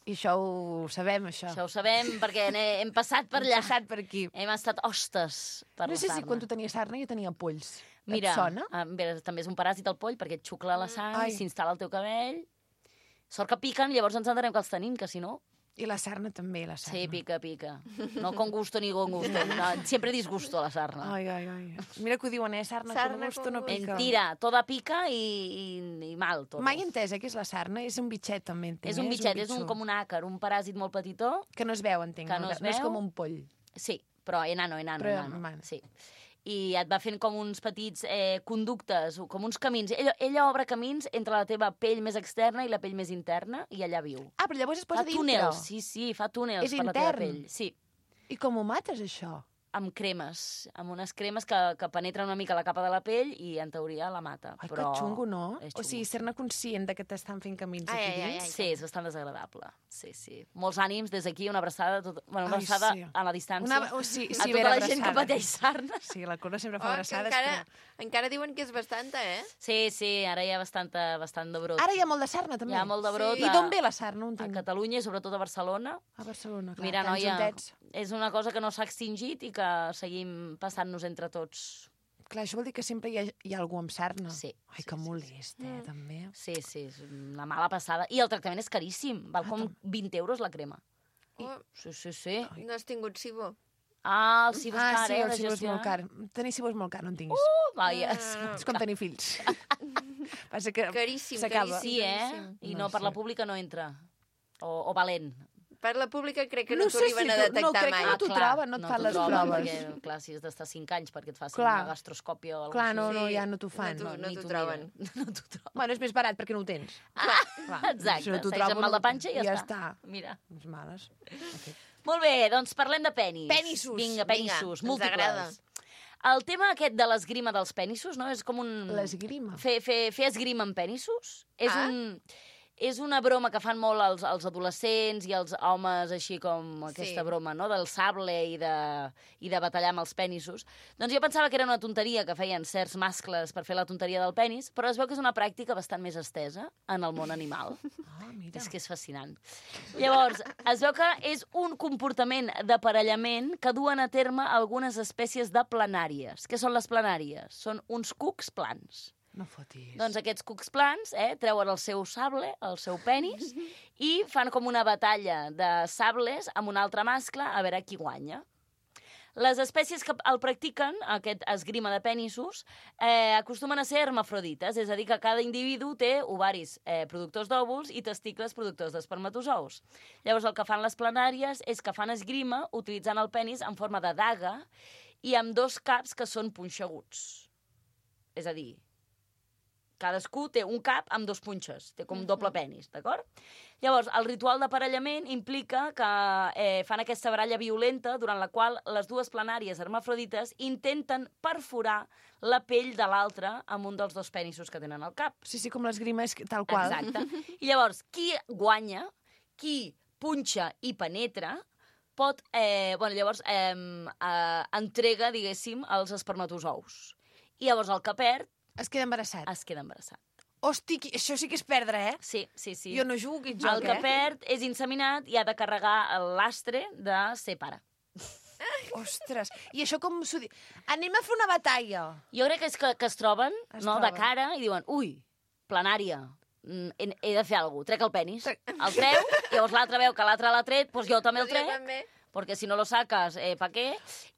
A: I això ho sabem, això.
I: Això ho sabem perquè n'he- hem passat per
A: Hem
I: allà.
A: passat per aquí.
I: Hem estat hostes per
A: No
I: la
A: sé
I: sarna.
A: si quan tu tenies sarna jo tenia polls.
I: Mira,
A: Et sona?
I: eh, bé, també és un paràsit el poll, perquè et xucla la sang,
A: Ai.
I: s'instal·la al teu cabell. Sort que piquen, llavors ens entenem que els tenim, que si no...
A: I la sarna també, la sarna.
I: Sí, pica, pica. No con gusto ni con gusto. No, siempre disgusto la sarna.
A: Ai, ai, ai. Mira que ho diuen, eh? Sarna,
F: Sarna
A: con gusto
F: con
A: no
F: gusto.
A: pica.
I: Mentira, toda pica i, i, i mal, tot.
A: Mai he entès, eh, què és la sarna? És un bitxet, també, entenc.
I: És un
A: eh?
I: bitxet, és un,
A: bitxo.
I: com un àcar, un paràsit molt petitó.
A: Que no es veu, entenc.
I: Que no es
A: no és
I: veu.
A: com un poll.
I: Sí, però enano, enano,
A: Però,
I: enano.
A: man.
I: Sí. I et va fent com uns petits eh, conductes, com uns camins. Ella, ella obre camins entre la teva pell més externa i la pell més interna, i allà viu.
A: Ah, però llavors es posa
I: Fa
A: dintre.
I: túnels, sí, sí, fa túnels
A: És
I: per la teva
A: intern.
I: pell. Sí,
A: I com ho mates, això?
I: amb cremes, amb unes cremes que, que penetren una mica la capa de la pell i, en teoria, la mata.
A: Ai,
I: però
A: que xungo, no?
I: és
A: O sigui,
I: xungo.
A: ser-ne conscient de que t'estan fent camins
F: Ai,
A: aquí
F: ai, ai,
A: dins.
F: ai.
I: Sí, és bastant desagradable. Sí, sí. Molts ànims des d'aquí, una abraçada, tot... bueno, una
A: Ai,
I: abraçada
A: sí.
I: a la distància.
A: Una, oh, sí, sí,
I: a
A: ben
I: tota la gent que
A: abraçada.
I: pateix sarna.
A: Sí, la Cora sempre
F: Oh,
A: fa
F: que
A: abraçades.
F: encara,
A: Però...
F: encara diuen que és bastanta, eh?
I: Sí, sí, ara hi ha bastanta, bastant de brot.
A: Ara hi ha molt de sarna, també.
I: Hi ha molt de brot
F: Sí.
A: I
I: a,
A: d'on ve la sarna? No
I: a
A: entenc.
I: Catalunya i sobretot a Barcelona.
A: A Barcelona, clar.
I: Mira,
A: tants
I: noia,
A: juntets.
I: és una cosa que no s'ha extingit i que seguim passant-nos entre tots.
A: Clar, això vol dir que sempre hi ha, hi ha algú amb sarna.
I: Sí,
A: Ai,
I: sí,
A: que
I: sí,
A: molest, eh, també.
I: Sí, sí, és una mala passada. I el tractament és caríssim. Val com vint euros la crema.
F: Oh,
I: Sí, sí, sí.
F: no has tingut Sibo.
I: Ah, el cibo és
A: Ah,
I: car,
A: sí,
I: eh,
A: el
I: de
A: cibo és
I: gestionar.
A: molt car. Tenir cibo és molt car, no en tinguis.
I: Uh, vaja.
A: És com tenir fills. Passa que
F: Caríssim,
A: s'acaba.
F: caríssim.
I: Sí, eh?
F: caríssim.
I: I
A: No
I: no, per la
A: sé.
I: pública no entra. O, o valent.
F: Per la pública crec que
A: No
F: no,
A: sé
F: t'arriben
A: si
F: a
A: tu- no,
F: detectar
A: crec que
F: mai.
A: no t'ho
I: clar,
A: troben, no et fan
I: t'ho
A: les
I: troben,
A: proves.
I: Perquè, clar, si has d'estar cinc anys perquè et facin
A: Clar.
I: una gastroscòpia o alguna
A: Clar,
I: cosa
A: no,
I: així.
A: no, ja no t'ho fan.
F: No t'ho- no
I: ni
F: t'ho
I: t'ho
F: troben.
I: miren. No t'ho troben.
A: Bueno, és més barat perquè no ho tens.
I: Ah,
A: Clar,
I: exacte.
A: si no t'ho
I: Segueix
A: trobo,
I: amb mal de
A: no-
I: panxa i ja,
A: ja
I: està.
A: està.
I: Mira.
A: Les males.
I: Molt bé, doncs parlem de penis.
A: Penissos.
I: Vinga,
F: Vinga,
I: penissos,
F: ens
I: múltiples.
F: agrada.
I: El tema aquest de l'esgrima dels penissos, no? És com un...
A: L'esgrima.
I: Fer, fer, fer esgrima amb penissos. És,
F: Ah.
I: un, és una broma que fan molt els, els adolescents i els homes, així com aquesta
F: Sí.
I: broma, no?, del sable i de, i de batallar amb els penissos. Doncs jo pensava que era una tonteria que feien certs mascles per fer la tonteria del penis, però es veu que és una pràctica bastant més estesa en el món animal.
A: Ah, mira.
I: És que és fascinant. Llavors, es veu que és un comportament d'aparellament que duen a terme algunes espècies de planàries. Què són les planàries? Són uns cucs plans.
A: No fotis.
I: Doncs aquests cucs plans eh, treuen el seu sable, el seu penis, i fan com una batalla de sables amb un altre mascle a veure qui guanya. Les espècies que el practiquen, aquest esgrima de penissos, eh, acostumen a ser hermafrodites, és a dir, que cada individu té ovaris eh, productors d'òvuls i testicles productors d'espermatozous. Llavors, el que fan les planàries és que fan esgrima utilitzant el penis en forma de daga i amb dos caps que són punxeguts. És a dir, cadascú té un cap amb dos punxes, té com doble penis, d'acord? Llavors, el ritual d'aparellament implica que eh, fan aquesta baralla violenta durant la qual les dues planàries hermafrodites intenten perforar la pell de l'altre amb un dels dos penissos que tenen al cap.
A: Sí, sí, com l'esgrima és tal qual.
I: Exacte. I llavors, qui guanya, qui punxa i penetra, pot, eh, bueno, llavors eh, eh, entrega, diguéssim, els espermatozous. I llavors el que perd...
A: Es queda embarassat.
I: Es queda embarassat.
A: Hosti, això sí que és perdre, eh?
I: Sí, sí, sí.
A: Jo no jugo aquest joc,
I: el que
A: eh?
I: perd és inseminat i ha de carregar l'astre de ser pare.
A: Ostres, i això com s'ho diu? Anem a fer una batalla.
I: Jo crec que és que, que es troben,
A: Es
I: no,
A: troben.
I: de cara i diuen, ui, planària, mm, he, he de fer alguna cosa, trec el penis. El treu, llavors l'altre veu que l'altre l'ha tret, doncs jo també el trec, perquè si no lo saques, eh, pa què?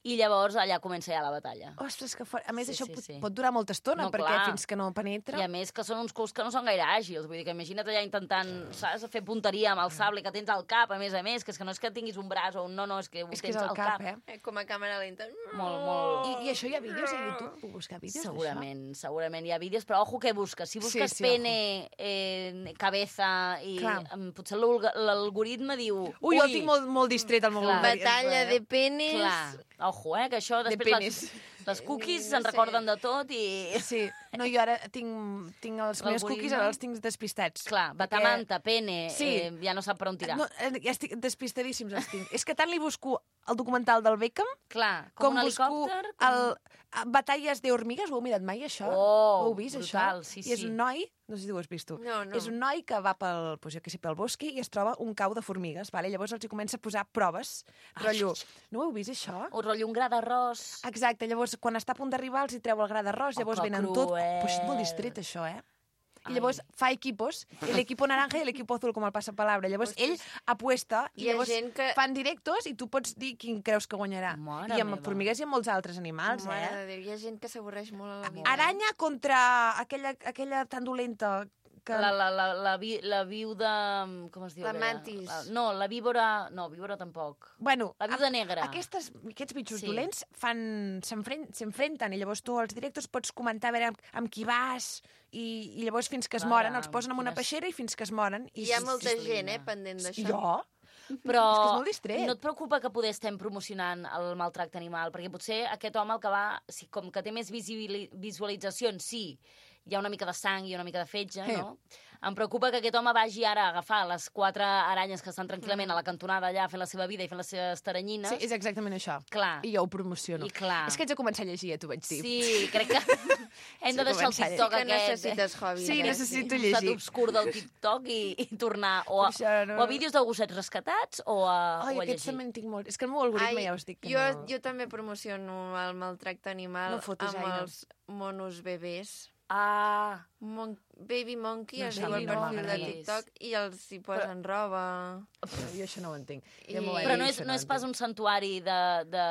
I: I llavors allà comença ja la batalla.
A: Ostres, que fort. A més,
I: Sí,
A: això
I: sí,
A: pot,
I: sí.
A: pot durar molta estona,
I: No,
A: perquè
I: clar.
A: fins que no penetra...
I: I a més que són uns culs que no són gaire àgils, vull dir que imagina't allà intentant, saps, fer punteria amb el sable que tens al cap, a més a més, que és que no és que tinguis un braç o un no, no, és que ho
A: És que
I: tens
A: és al
I: al
A: cap,
I: cap.
A: eh?
F: Com a càmera lenta.
I: Molt, molt...
A: I, I això hi ha vídeos a YouTube? Puc buscar vídeos d'això?
I: Segurament, segurament hi ha vídeos, però ojo que busques. Si busques
A: Sí, sí,
I: pene, eh, cabeza i
A: Clar.
I: em, potser l'alg- l'algoritme diu...
A: Ui, jo el tinc molt, molt distret al meu
I: Clar.
A: algoritme,
F: Batalla
A: eh?
F: de penis.
I: Clar, ojo, eh, que això
A: De
I: després
A: penis.
I: les, les cookies
F: No
I: se'n
F: sé.
I: recorden de tot i...
A: Sí, no, jo ara tinc, tinc els meus
I: L'algoritme.
A: cookies, ara els tinc despistats.
I: Clar,
A: Perquè-
I: batamanta, pene,
A: Sí.
I: eh, ja no sap per on tirar.
A: No, eh, ja estic despistadíssims els tinc. És que tant li busco el documental del Beckham
I: Clar, com,
A: com
I: un
A: busco
I: helicòpter...
A: el a Batalles de hormigues. Ho heu mirat mai, això?
I: Oh,
A: ho heu vist,
I: brutal,
A: això?
I: sí,
A: I és
I: sí.
A: un noi, no sé si ho has vist tu,
F: No, no.
A: és un noi que va pel, pues, jo què sé, pel bosc i es troba un cau de formigues, vale? Llavors els hi comença a posar proves, rotllo. No ho heu vist, això?
I: O rotllo un gra d'arròs.
A: Exacte, llavors quan està a punt d'arribar els hi treu el gra d'arròs,
I: Oh,
A: llavors
I: que
A: venen tot...
I: cruel.
A: Pues és molt distret, això, eh? I
I: Ai.
A: llavors fa equipos, el equipo naranja i l'equipo azul, com el passapalabra. Llavors ell apuesta i
F: Hi ha
A: llavors
F: gent que-
A: fan directos i tu pots dir quin creus que guanyarà.
I: Mare
A: I amb
I: meva.
A: formigues i amb molts altres animals,
F: Mare
A: eh?
F: de Déu, hi ha gent que s'avorreix molt a la vida.
A: Aranya contra aquella, aquella tan dolenta que...
I: La, la, la, la, vi, la viu de... Com es diu?
F: La
I: aquella?
F: mantis.
I: La, no, la víbora... No, víbora tampoc.
A: Bueno,
I: La viuda
A: a-
I: negra.
A: Aquestes, aquests bitxos
I: Sí.
A: sí. dolents fan s'enfren- s'enfrenten i llavors tu als directos pots comentar a veure amb, amb qui vas i, i llavors fins que es
I: Caram,
A: moren els posen en una
I: quines-
A: peixera i fins que es moren. I
F: Hi ha
A: sí,
F: molta
A: sí,
F: gent, eh, pendent d'això.
A: Jo?
I: Però
A: És que és molt distret.
I: no et preocupa que poder estem promocionant el maltracte animal, perquè potser aquest home el que va, sí, com que té més visibili- visualitzacions, sí, hi ha una mica de sang i una mica de fetge,
A: Sí.
I: no? Em preocupa que aquest home vagi ara a agafar les quatre aranyes que estan tranquil·lament a la cantonada allà fent la seva vida i fent les seves taranyines.
A: Sí, és exactament això.
I: Clar.
A: I jo ho promociono.
I: I clar.
A: És que haig de començar a llegir, ja t'ho vaig dir.
I: Sí, crec que hem de
A: Sí,
I: deixar el
A: començar a
I: TikTok
F: Que
I: aquest.
F: necessites hobby.
A: Sí,
F: aquest.
A: necessito
I: Un
A: llegir.
I: estat obscur del TikTok i, i tornar o a,
A: Per això no-
I: o a vídeos de gossets rescatats o a,
A: Ai,
I: o a
A: aquests
I: llegir.
A: també en tinc molt. És que el meu algoritme
F: Ai,
A: ja us dic que
F: jo,
A: no...
F: jo també promociono el maltracte animal
A: No fotis,
F: amb
A: Aina.
F: els monos bebès.
I: Ah,
F: Mon Baby Monkey
A: No
F: es
A: sé,
F: diu
A: a
F: el
A: mi no
F: perfil de
A: m'agrada.
F: TikTok i els hi posen roba.
A: Però jo això no ho entenc.
F: I-
A: Ja m'ho va
I: però
A: dir,
I: no és,
A: això
I: no és
A: ho
I: pas
A: entenc.
I: un santuari de, de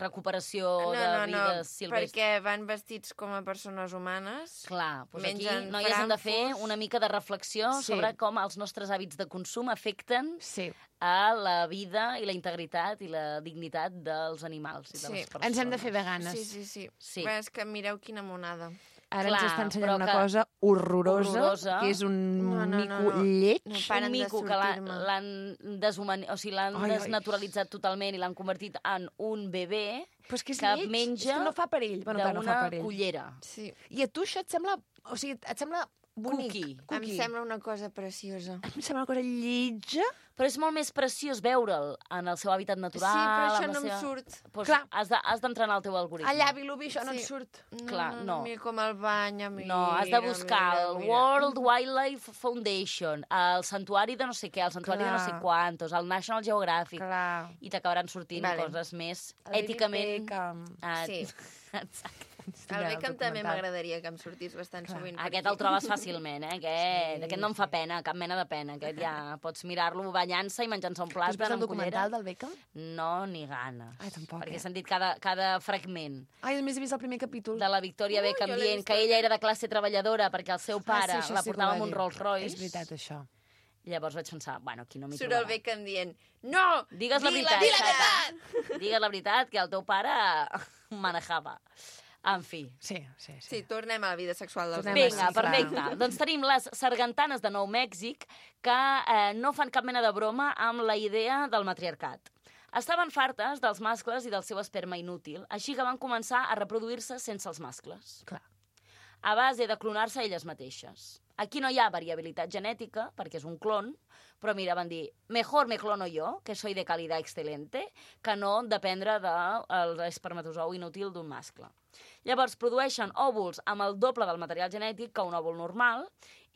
I: recuperació
F: No,
I: de
F: no, no,
I: vides silvestres.
F: perquè van vestits com a persones humanes.
I: Clar, doncs aquí
F: mengen
I: noies hem de fer
F: frankfurts.
I: una mica de reflexió
A: Sí.
I: sobre com els nostres hàbits de consum afecten
A: Sí.
I: a la vida i la integritat i la dignitat dels animals i de
F: Sí.
I: les persones.
A: Ens hem de fer veganes.
F: Sí, sí, sí.
I: Sí.
F: Bé, és que mireu quina monada.
A: Ara
I: Clar,
A: ens està ensenyant
I: però
A: una
I: que-
A: cosa horrorosa,
I: horrorosa.
A: que és un
F: No, no,
A: mico
F: no, no.
A: lleig.
F: No,
I: Un
F: paren de
I: mico que l'ha-
F: sortir-me.
I: l'han deshumani... o sigui, l'han
A: Ai, ai.
I: desnaturalitzat totalment i l'han convertit en un bebè
A: Però és que és
I: que
A: lleig.
I: menja
A: és que no fa per ell. Bueno, clar, no fa
I: d'una
A: per ell.
I: cullera.
F: Sí.
A: I a tu això et sembla... O sigui, et sembla bonic?
I: Cookie.
F: Em sembla una cosa preciosa.
A: Em sembla una cosa lletja.
I: Però és molt més preciós veure'l en el seu hàbitat natural.
F: Sí, però això
I: amb la
F: no em
I: seva...
F: surt.
I: Pues
A: Clar.
I: has de- has d'entrenar el teu algoritme.
A: Allà, Vilobí, això no
F: Sí.
A: et surt.
F: No,
I: Clar, no.
F: Mira com el banya, mira,
I: No, has de buscar
F: mira,
I: el
F: mira.
I: World Wildlife Foundation, el santuari de no sé què, el santuari
A: Clar.
I: de no sé quantos, el National Geographic,
A: Clar.
I: i t'acabaran sortint
F: Vale.
I: coses més
A: El David
I: èticament...
A: Beckham.
I: Ah,
F: Sí.
I: Exacte.
F: El Beckham també m'agradaria que em sortís bastant
A: Clar.
F: sovint. per
I: Aquest
F: aquí.
I: el trobes fàcilment, eh? Aquest,
A: Sí,
I: aquest no em fa pena, cap mena de pena. Aquest ja pots mirar-lo banyant-se i menjant-se un
A: Has
I: plat
A: vist el
I: amb
A: documental
I: cullera.
A: del Beckham?
I: No, ni ganes.
A: Ai, tampoc,
I: Perquè
A: eh?
I: he sentit cada, cada fragment
A: Ai, només he vist el primer capítol.
I: de la Victoria
F: Ui,
I: Beckham
F: jo l'he
I: dient
F: vist
I: que ella era de classe treballadora perquè el seu pare
A: ah, sí, això
I: la
A: sí que ho
I: portava
A: va
I: amb un
A: dir.
I: Rolls Royce.
A: És veritat, això.
I: Llavors vaig pensar, bueno, aquí no m'hi
F: Surt el
I: trobarà.
F: Beckham dient, no,
I: Digues la
F: di
I: veritat.
F: Di la veritat!
I: Digues la veritat, que el teu pare manejava. En fi.
A: Sí, sí, sí.
F: Sí, tornem a la vida sexual dels
A: Tornem
I: Vinga,
A: sí,
I: perfecte.
A: clar.
I: Doncs tenim les sargantanes de Nou Mèxic que eh, no fan cap mena de broma amb la idea del matriarcat. Estaven fartes dels mascles i del seu esperma inútil, així que van començar a reproduir-se sense els mascles.
A: Clar.
I: A base de clonar-se elles mateixes. Aquí no hi ha variabilitat genètica, perquè és un clon, però mira, van dir, mejor me clono yo, que soy de calidad excelente, que no dependre del espermatozou inútil d'un mascle. Llavors, produeixen òvuls amb el doble del material genètic que un òvul normal,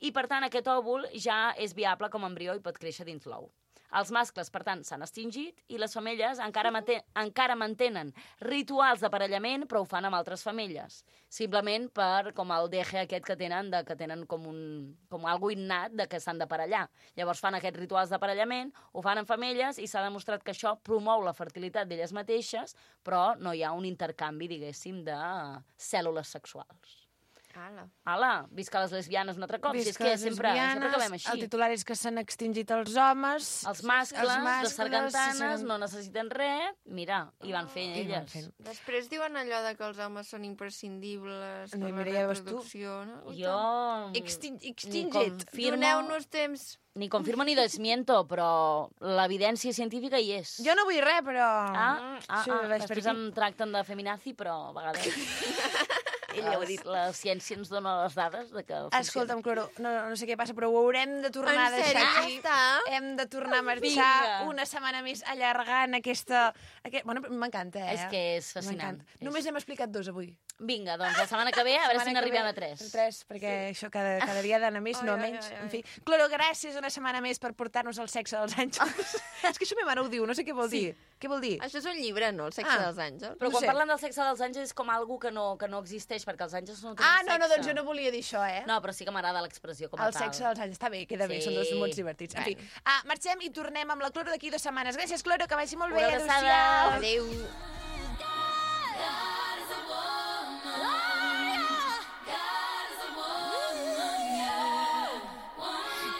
I: i, per tant, aquest òvul ja és viable com a embrió i pot créixer dins l'ou. Els mascles, per tant, s'han extingit i les femelles encara, mate encara mantenen rituals d'aparellament, però ho fan amb altres femelles. Simplement per com el deje aquest que tenen, de, que tenen com, un, com algo innat de que s'han d'aparellar. Llavors fan aquests rituals d'aparellament, ho fan amb femelles i s'ha demostrat que això promou la fertilitat d'elles mateixes, però no hi ha un intercanvi, diguéssim, de cèl·lules sexuals.
F: Ala.
I: Ala, visca les lesbianes un altre cop. Si és
A: Visca
I: que
A: les
I: sempre,
A: lesbianes,
I: sempre acabem així.
A: El titular és que s'han extingit els homes.
I: Els mascles,
A: els mascles
I: les sargantanes,
A: seran-
I: no necessiten res. Mira, i van fent
A: I van
I: elles.
A: fent.
F: Després diuen allò de que els homes són imprescindibles
A: No,
F: per la
A: mira, ja veus tu.
F: reproducció, no? Ui,
I: Jo...
A: Extin
I: ni
A: extingit.
I: confirmo,
F: Doneu-nos temps.
I: ni confirmo ni desmiento, però l'evidència científica hi és.
A: Jo no vull res, però...
I: Ah, ah,
A: Sí,
I: ah,
A: vaig per
I: després
A: aquí.
I: em tracten de feminazi, però a vegades... Ella ho ha dit, la ciència ens dona les dades de que funciona.
A: Escolta'm, Cloro, no, no sé què passa, però ho haurem de tornar a
F: En
A: deixar
F: sèrio?
A: aquí.
F: Ja està?
A: Hem de tornar a marxar
I: Vinga.
A: una setmana més allargant aquesta... Aquest... Bueno, m'encanta, eh?
I: És que és fascinant.
A: M'encanta. Només hem explicat dos avui.
I: Vinga, doncs la setmana que ve, a veure si
A: Setmana que
I: n'arribem
A: ve,
I: a tres.
A: Tres, perquè això cada, cada dia ha d'anar més,
F: Ai,
A: no
F: ai,
A: menys.
F: ai, ai.
A: En fi, Cloro, gràcies una setmana més per portar-nos el sexe dels àngels. És que això ma mare ho diu, no sé què vol dir. Què vol dir?
F: Això és un llibre, no? El sexe
A: Ah.
F: dels àngels.
I: Però
A: No
I: quan
A: sé.
I: parlen del sexe dels àngels és com algo que no, que no existeix, perquè els àngels no tenen
A: Ah, no, no,
I: sexe.
A: doncs jo no volia dir això, eh?
I: No, però sí que m'agrada l'expressió com a
A: El
I: tal.
A: sexe dels àngels. Està bé, queda bé,
I: Sí.
A: són dos mots divertits. En fi, ah, marxem i tornem amb la Cloro d'aquí dues setmanes. Gràcies, Cloro, que vagi molt bé.
I: Una abraçada.
A: Adéu-siau.
F: Adéu.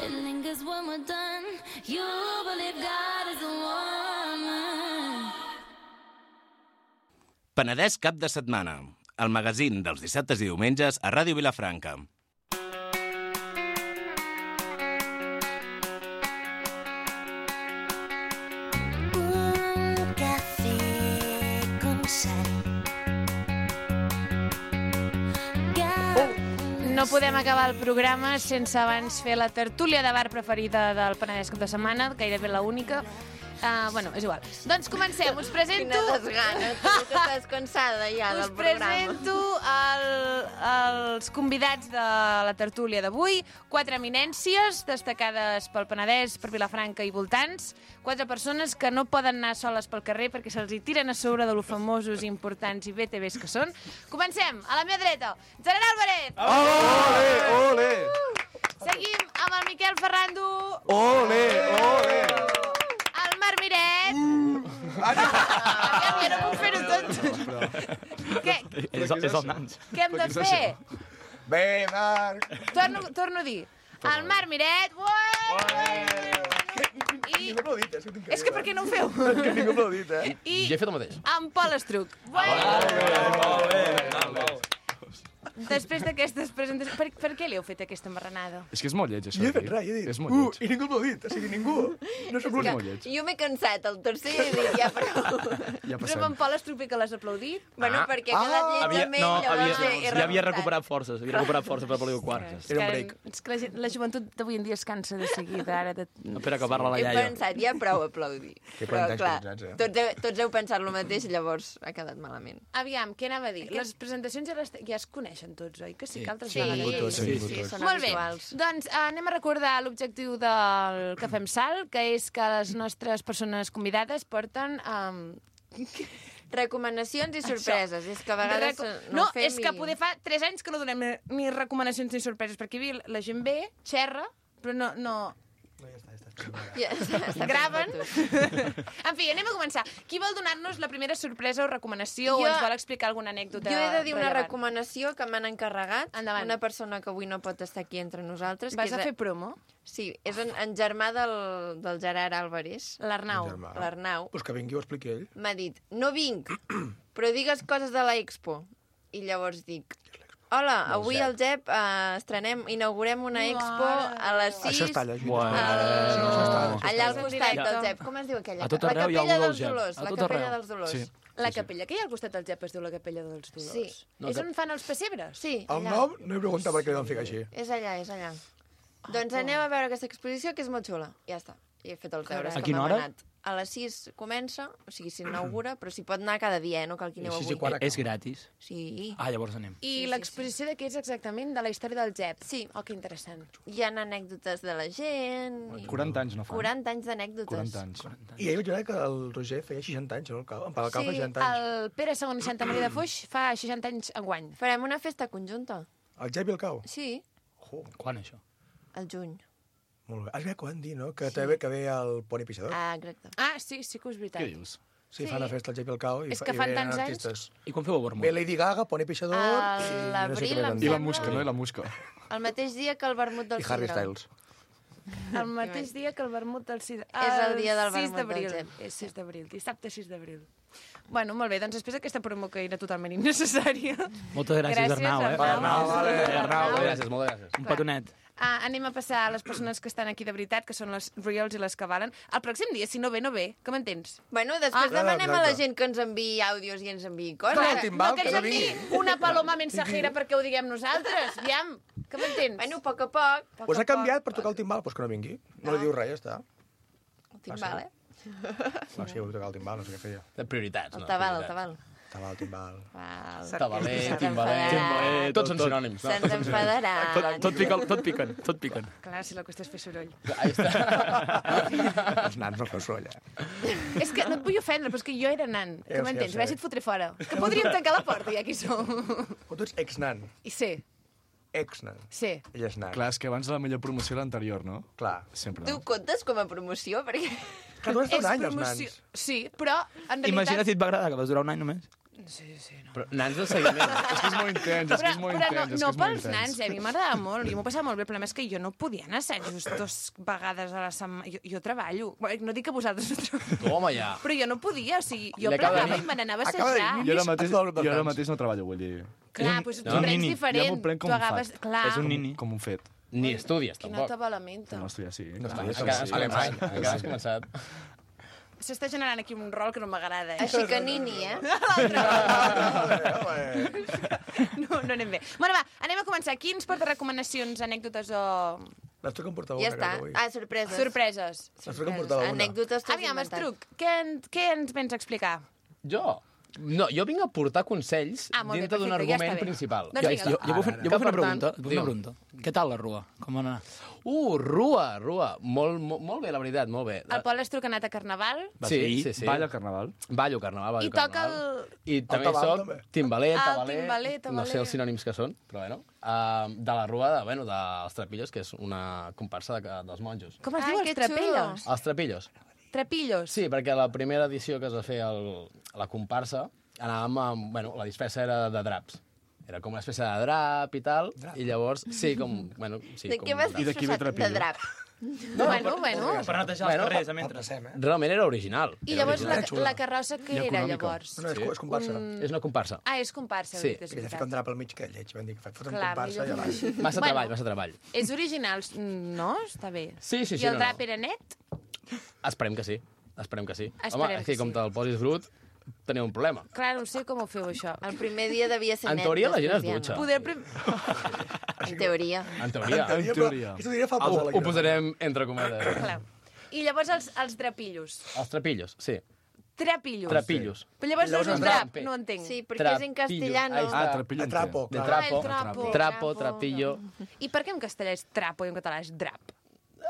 H: It lingers when we're done. You believe God is a woman.
B: Penedès cap de setmana. El magazín dels dissabtes i diumenges a Ràdio Vilafranca.
H: Un café con sal.
A: No podem acabar el programa sense abans fer la tertúlia de bar preferida del Penedès cap de setmana, gairebé la única. Uh, bueno, és igual. Doncs comencem. Us presento...
F: Quina desgana, tu, que estàs cansada ja
A: Us
F: del programa.
A: presento el, els convidats de la tertúlia d'avui. Quatre eminències destacades pel Penedès, per Vilafranca i voltants. Quatre persones que no poden anar soles pel carrer perquè se'ls hi tiren a sobre de lo famosos, importants i B T Vs que són. Comencem. A la meva dreta, Gerard Álvarez.
J: Ole, ole,
A: Seguim amb el Miquel Ferrando.
J: ole, ole.
A: El Marc Miret. Aviam, jo no puc fer-ho tot. Què,
J: És, és el nans.
A: què hem de fer?
J: Bé, Marc.
A: Torno, torno a dir. El Marc Miret. Ué! I...
J: Ningú aplaudit, és que tinc
A: És que per què no ho feu?
J: que ningú aplaudit, eh?
A: I
D: Jo he fet el mateix.
A: amb Pol Estruc. Ué! Després d'aquestes presentacions... Per, per què li heu fet aquesta marranada?
K: És que és molt lleig, això.
J: Jo he fet res, he dit.
K: És molt
J: Uh,
K: lleig.
J: i ningú aplaudit, o sigui, ningú. No sóc l'únic.
K: molt lleig.
F: Jo m'he cansat, el tercer i dic, ja prou.
K: Ja
A: Però
K: passem.
A: amb en Pol Estruc que l'has aplaudit?
F: Bueno, perquè ha quedat lleig
L: Havia,
F: amb ell,
L: no,
F: llavors
L: havia,
F: he
L: ja havia
F: remuntat.
L: recuperat forces, havia recuperat forces per aplaudir el quart.
A: És
J: Era un
A: que-
J: break.
A: És que la, gent, la joventut d'avui en dia es cansa de seguida. Ara de...
L: Espera que parla la
F: He
L: iaia.
F: pensat, ja prou aplaudir.
J: Que
F: Però,
J: planteig
F: clar,
J: cotitzats, eh?
F: tots, heu, tots heu pensat el mateix, llavors ha quedat malament.
A: Aviam, què anava a dir? Les presentacions ja, les, ja es coneixen tots, oi? Que sí, que altres
F: Sí,
A: vegades.
F: sí, sí, sí, són
A: Molt bé,
F: habituals.
A: doncs eh, anem a recordar l'objectiu del que fem sal, que és que les nostres persones convidades porten... Um,
F: Recomanacions i sorpreses. És que a vegades
A: reco-
F: no,
A: no,
F: ho fem
A: és que
F: i...
A: poder fa tres anys que no donem ni, ni recomanacions ni sorpreses, perquè aquí la gent ve, xerra, però no... no...
F: Ja, està, està
A: Graven.
F: fent
A: En fi, anem a començar. Qui vol donar-nos la primera sorpresa o recomanació
F: Jo-
A: o ens vol explicar alguna anècdota
F: Jo he de dir una
A: rellevant?
F: recomanació que m'han encarregat.
A: Endavant.
F: Una persona que avui no pot estar aquí entre nosaltres.
A: Vas
F: que
A: a
F: és
A: fer promo?
F: Sí, és en, en germà del, del Gerard Álvarez,
A: L'Arnau.
J: Germà.
F: l'Arnau.
J: Pues que vingui ho expliqui ell.
F: M'ha dit, no vinc, però digues coses de la Expo. I llavors dic, hola, avui al G E P uh, estrenem, inaugurem una expo a les sis.
J: Això es talla, això
G: Bueno.
F: al... allà al
A: En
F: costat
A: directe.
F: del G E P. Com es diu aquella?
L: A tot
F: La
L: arreu hi ha
F: Capella
L: algú del
F: dels
L: G E P.
F: Dolors.
L: A
F: La
L: tot
F: Capella
L: arreu.
F: dels Dolors.
L: Sí.
A: La capella que hi ha al costat del G E P es diu la capella dels Dolors.
F: Sí.
L: No,
A: És
L: que-
A: on fan els pessebres?
F: Sí,
J: El
F: allà.
J: nom no he preguntat per què li van ficar així.
F: És allà, és allà. Doncs anem a veure aquesta exposició, que és molt xula. Ja està. I he fet els deures.
L: A
F: que
L: quina
F: m'ha
L: hora?
F: manat. A les sis comença, o sigui, s'inaugura, però s'hi pot anar cada dia, eh? No cal que aneu
J: sis i
F: avui.
J: quart.
L: És gratis.
F: Sí.
L: Ah, llavors anem.
A: I
F: Sí, sí,
A: l'exposició de què és exactament? De la història del G E P?
F: Sí.
A: Oh, que interessant.
F: Hi ha anècdotes de la gent... i-
K: quaranta anys no fan.
F: quaranta anys d'anècdotes.
K: quaranta anys.
J: I ahir vaig veure que el Roger feia seixanta anys, no? El Cau, en Pau Cau fa
A: Sí,
J: seixanta anys.
A: el Pere segon i Santa Maria de Foix fa seixanta anys enguany.
F: Farem una festa conjunta.
J: El Jep i el Cau?
F: Sí,
J: Oh,
L: Quan, això?
F: al juny.
J: molt bé. Has vist que van dir, no? Que també que ve el Poni Pixador.
F: Ah, exacte.
A: Ah, sí, sí que és veritat.
L: Què dius?
J: Sí,
F: sí.
J: fan la festa al Jep i el Cau. I
A: És
J: fa-
A: que
J: i
A: fan
J: venen
A: tants anys.
J: artistes.
L: I quan feu el vermut?
J: Ve Lady Gaga, Poni Pixador...
F: A
J: i
F: l'abril,
J: què
F: em
J: més.
K: I la
F: sembla.
K: musca, no? I la musca.
F: El mateix dia que el vermut del
J: I Harry
F: Sidra.
J: Styles.
A: El mateix dia que el vermut del Sidra.
F: És el dia del
A: sis
F: vermut
A: d'abril.
F: del G E P.
A: És sis d'abril, dissabte sis d'abril. Bueno, molt bé, doncs després d'aquesta promo que era totalment innecessària...
L: Moltes gràcies,
A: Gràcies,
L: Arnau, eh?
A: Arnau.
J: Arnau, vale.
B: Arnau, moltes gràcies, moltes gràcies.
L: Un petonet.
A: Ah, anem a passar a les persones que estan aquí de veritat, que són les reals i les que valen. El pròxim dia, si no ve, no ve. Que m'entens?
F: Bueno, després
A: Ah,
F: demanem a la
J: exacte.
F: gent que ens enviï àudios i ens enviï coses.
J: Clar,
F: Ara,
J: timbal,
A: no que
J: que
A: ens
J: no
A: enviï
J: vingui.
A: una paloma mensajera perquè ho diguem nosaltres. Aviam, que m'entens?
F: Bueno, a poc a poc.
A: Poc
J: Pues
A: a
J: ha canviat
A: poc.
J: per tocar el timbal, pues que no vingui. No li diu res, ja està.
F: El timbal, eh?
J: Va, sí, vull tocar el timbal, no sé què feia.
B: De prioritats,
F: El
B: no?
F: tabal, el
B: Prioritats.
F: tabal.
J: Estava el timbal.
F: Val.
B: Tabaler,
F: Se'ns
B: timbaler...
F: enfadarà.
B: Tots són sinònims.
F: Se'ns enfadarà.
L: Tot, tot, piquen, tot piquen, tot piquen.
A: Clar, si la qüestió és fer soroll.
B: Ahí està.
J: Els nans no feu soroll, eh?
A: És que no et vull ofendre, però és que jo era nan.
J: Ja
A: Que
J: ho sé,
A: m'entens?
J: ja ho
A: A veure
J: sé.
A: si et fotré fora. És que podríem tancar la porta, ja aquí som.
J: Però tu ets ex-nan.
A: I sé,
J: Ex-nan.
A: sé.
J: Ell és nan.
K: Clar, és que abans la millor promoció era l'anterior, no?
J: Clar.
K: Sempre.
F: Tu
K: No?
F: comptes com a promoció? Perquè...
J: Que tu has estat
A: És
J: un any, els
A: promoció-
J: nans.
A: Sí, però en realitat...
L: Imagina't si et va agradar, que vas durar un any només.
A: Sí, sí, no.
B: Però nans de seguiment.
K: És que és molt intens, és que
A: Però,
K: és molt
A: però
K: intens.
A: no,
K: és
A: no
K: que és molt
A: pels
K: intens.
A: nans, eh? A mi m'agradava molt, jo m'ho passava molt bé. El problema és que jo no podia anar a assajos dues vegades a la setmana. Jo, jo treballo. Bueno, no dic que vosaltres no treballeu.
B: Toma ja.
A: Però jo no podia, o sigui, jo
B: Li acaba de
A: plegava
B: dir-
A: i me n'anava a
J: acaba de dir
A: assajar.
K: Jo ara mateix,
J: Has de
K: jo ara
J: nans.
K: mateix no treballo, vull dir...
A: Clar, doncs tu
K: No.
A: prens
K: Nini. Jo
A: diferent.
K: m'ho prenc com
A: Tu
K: un
A: agafes...
K: fat.
A: Clar,
L: És un nini.
K: Com un fet.
B: Ni estudies,
A: quina
B: tampoc.
A: tabalamenta.
K: No estudiar, sí.
J: No
K: clar.
J: estudies,
B: Encara
J: sí.
B: alemany, encara has començat.
A: S'està generant aquí un rol que no m'agrada, eh?
F: Així que nini, eh?
A: No, no anem bé. Bueno, va, anem a començar. Qui ens porta recomanacions, anècdotes o...
J: L'Estruc em portava
F: Ja
J: una,
F: està.
J: crec, avui.
F: Ah, sorpreses.
A: sorpreses?
J: L'Estruc em portava una.
F: Anècdotes t'has
A: Aviam,
F: inventat.
A: Estruc, què, en- què ens vens a explicar?
B: Jo? No, jo vinc a portar consells
A: Ah, molt bé,
B: dintre d'un
A: perfecte, ja
B: argument
A: està bé.
B: principal.
A: Doncs
L: Jo,
A: vinga.
L: jo, jo puc fer, jo
B: Que,
L: puc fer una
B: per tant,
L: pregunta. Puc fer una
B: digue'm.
L: pregunta. Què tal la rua? Com va anar?
B: Uh, Rua, Rua. Molt, molt, molt bé, la veritat, molt bé.
A: El Pol Estruc ha anat a Carnaval
L: Vas
B: Sí,
L: dir?
B: sí, sí.
K: Balla al carnaval.
B: Ballo carnaval, ballo
A: i toca
B: carnaval.
A: el...
B: I també
J: tabal,
B: soc
J: també.
B: timbaler,
A: Ah, el
B: tabaler,
A: timbaler,
B: no
A: tabaler.
B: sé els sinònims que són, però bueno. Uh, de la Rua, de, bueno, dels Trapillos, que és una comparsa de, dels monjos.
A: Com es
F: Ai,
A: diu?
F: que
A: Els trapellos?
B: Els Trapillos.
A: Trapillos?
B: Sí, perquè la primera edició que es va fer el, a la comparsa anàvem amb... Bueno, la disfressa era de draps. Era com una espècie de drap i tal, i llavors, sí, com... Bueno, sí,
F: De
B: com
F: què vas
B: drap.
K: I d'aquí ve
F: disfressat? De
K: Trapillo.
F: drap.
A: No, bueno, bueno.
L: Per netejar
B: Bueno,
L: els carrers, a mentre.
J: Passem, eh?
B: Realment era original.
A: I
B: Era
A: llavors la,
B: original.
A: la carrossa què
K: I
A: era,
K: econòmica.
A: llavors?
J: No, no, és, és comparsa.
A: Un-
B: És una comparsa.
A: Ah, és comparsa,
B: Sí.
A: sí. és
J: I ella fica un
A: veritat.
J: drap al mig que lleig. Van dir que foten
A: Clar,
J: comparsa i
A: millor
J: avall.
A: que-
B: Massa
A: Bueno.
B: treball, massa treball.
A: És original, no? Està bé.
B: Sí, sí, sí.
A: I el
B: no,
A: drap
B: no.
A: era net?
B: Esperem que sí. Esperem que sí.
A: Esperem
B: Home, és que
A: que
B: com
A: sí.
B: te'l posis brut, teniu un problema.
A: Clar, no sé com ho feu, això.
F: El primer dia devia ser
B: En
F: net.
B: teoria, la gent es
F: després ja no.
B: dutxa.
A: Poder... Prim...
F: En teoria.
B: En teoria.
K: En teoria.
J: Aquesta teoria fa
B: Ho,
J: por.
B: ho posarem entre cometes.
A: Clar. I llavors els, els drapillos.
B: Els trapillos, sí.
A: Trapillos.
B: Trapillos.
A: Però llavors no és
J: Llavors
A: un
J: és
A: drap,
B: drap.
A: no entenc.
F: Sí, perquè és en castellano.
B: Ahí
K: Ah,
B: està.
K: trapillo.
J: De trapo,
B: De
J: clar.
B: trapo.
A: Ah, el trapo.
B: Trapo, trapillo.
A: I per què en castellà és trapo i en català és drap?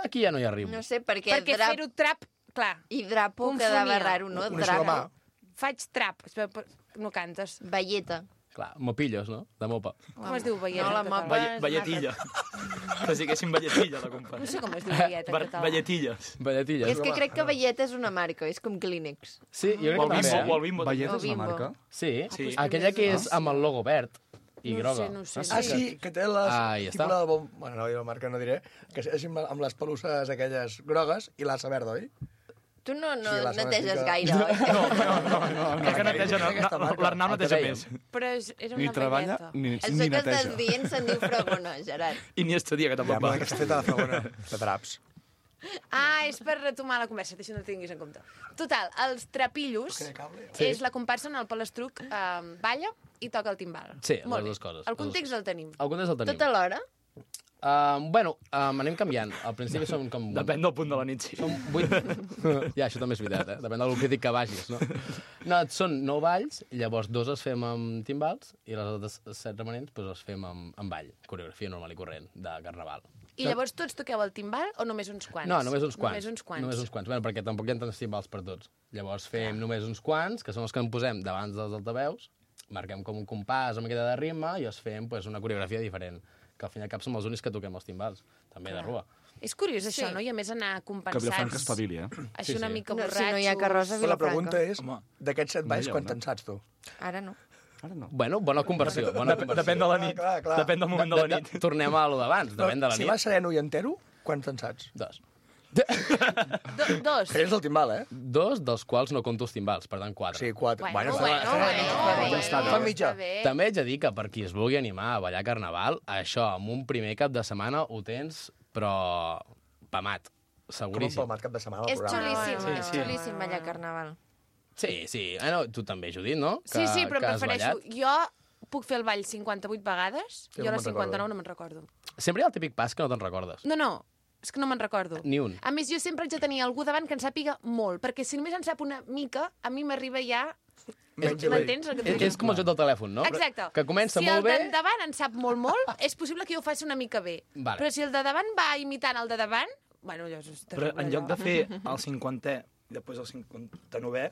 B: Aquí ja no hi arribo.
F: No sé, perquè,
A: Perquè
F: drap
A: fer-ho trap, clar,
F: i drapo
A: confonia.
F: quedava raro, no?
J: Una sola mà.
F: Drap.
A: faig trap. Espera, però no cantes.
F: Velleta.
B: Clar, mopillos, no? De mopa.
A: Com es diu velleta
F: No, la
A: en català?
F: mopa.
L: Valle, valletilla. Que diguéssim valletilla, la compa.
A: No sé com es diu velleta en
L: Var-
A: català.
L: Valletilles.
B: Valletilles.
F: És que crec que Velleta és una marca, és com Kleenex.
B: Sí, jo crec
L: O el
B: que també.
L: bimbo, o
B: eh?
L: el bimbo.
K: Valleta
F: O
K: és una
F: Bimbo.
K: marca?
B: Sí,
L: Sí.
B: aquella que és amb el logo verd i
A: No
B: groga.
A: sé, no sé.
J: Ah, sí, que té les...
B: Ah, ja
J: tipus
B: està.
J: de bom... Bueno, no diré la marca, no diré. Que és amb, amb les pelusses aquelles grogues i l'assa verda, oi?
F: Tu no, no
J: Sí, la zona
F: neteges
J: fica-
F: gaire, oi?
L: No, no, no, no, no, que neteja, no, no, l'Arnau neteja més.
A: Però és, era
K: Ni
A: una
K: treballa
A: velleta.
K: ni,
F: Això
K: ni
F: que estàs
K: neteja.
F: dient se'n diu fragona, Gerard.
L: I ni estudia, que
J: Ja,
L: tampoc
J: però
L: va.
J: que està feta de fragona.
K: De draps.
A: Ah, és per retomar la conversa, això no ho tinguis en compte. Total, els trapillos
B: Sí.
A: és la comparsa on el Palestruc eh, balla i toca el timbal.
B: Sí,
A: Molt
B: les
A: bé.
B: dues coses.
A: El context el tenim.
B: El context el tenim.
F: Tot alhora?
B: Uh, bueno, um, anem canviant. Al principi som com...
L: Depèn del punt de la nit, sí.
B: Som vuit... ja, això també és veritat, eh? Depèn del crític que vagis, no? No, són nou balls, i llavors dos els fem amb timbals i les altres set remanents doncs, els fem amb, amb ball, coreografia normal i corrent, de carnaval.
A: I llavors tots toqueu el timbal o només uns quants?
B: No, només uns quants.
A: Només uns quants.
B: Només uns quants, bueno, perquè tampoc hi ha tants timbals per tots. Llavors fem ja. només uns quants, que són els que en posem davant dels altaveus, marquem com un compàs amb miqueta de ritme i els fem pues, una coreografia diferent, que al fin i al cap som els únics que toquem els timbals, també
A: Clar.
B: de rua.
A: És curiós
F: Sí.
A: això, no? I a més anar
K: Que
A: compensats.
K: Vilafranca espavili, eh?
A: Així
B: Sí,
A: una
B: sí.
A: mica
F: No,
A: borratxos.
F: si no hi ha carròs a
J: Però la pregunta
F: Vilafranca.
J: és,
L: Home,
J: d'aquests set balls,
K: no hi ha,
J: quants
K: no?
J: en saps, tu?
F: Ara no.
K: Ara no.
B: Bueno, bona conversió, bona
L: Dep
B: conversió.
L: depèn de la nit.
J: Clar, clar.
L: Depèn del moment de la nit.
B: Tornem a lo d'abans, depèn de la
J: Si
B: nit.
J: vas sereno i entero, quants en saps?
B: Dos.
A: Do dos.
J: Que és el timbal, eh?
B: Dos, dels quals no conto els timbals, per tant, quatre.
J: Sí, quatre.
A: Bueno,
J: fa-
A: bueno,
J: fa-
A: bueno,
J: fa-
A: bueno,
J: ja està,
A: bueno,
J: fa mitja.
A: està bé.
B: També haig de dir que per qui es vulgui animar a ballar carnaval, això, amb un primer cap de setmana ho tens, però pamat,
J: Com un
B: seguríssim.
J: palmat cap de setmana al
F: És
J: programa.
F: xulíssim,
A: Sí,
F: és
A: sí.
F: xulíssim ballar carnaval.
B: Sí, sí. Eh, no, tu també, Judit, no?
A: Sí, sí, però
B: que has
A: prefereixo...
B: ballat.
A: Jo puc fer el ball cinquanta-vuit vegades
J: Sí,
A: i
J: no
A: a
J: me'n
A: les cinquanta-nou no me'n recordo.
B: Sempre hi ha el típic pas que no te'n recordes.
A: No, no, és que no me'n recordo.
B: Ni un.
A: A més, jo sempre haig de tenir algú davant que en sàpiga molt, perquè si només en sap una mica, a mi m'arriba ja...
J: Menys
A: M'entens el que et
B: És,
A: vull dir?
B: és com el joc del telèfon, no?
A: Exacte.
B: Que comença
A: si
B: molt bé...
A: Si el de davant en sap molt, molt, és possible que jo ho faci una mica bé.
B: Vale.
A: Però si el de davant va imitant el de davant, bueno, allò és
L: Però
A: terrible.
L: en lloc de
A: allò.
L: fer el cinquantè i després el cinquanta-novè,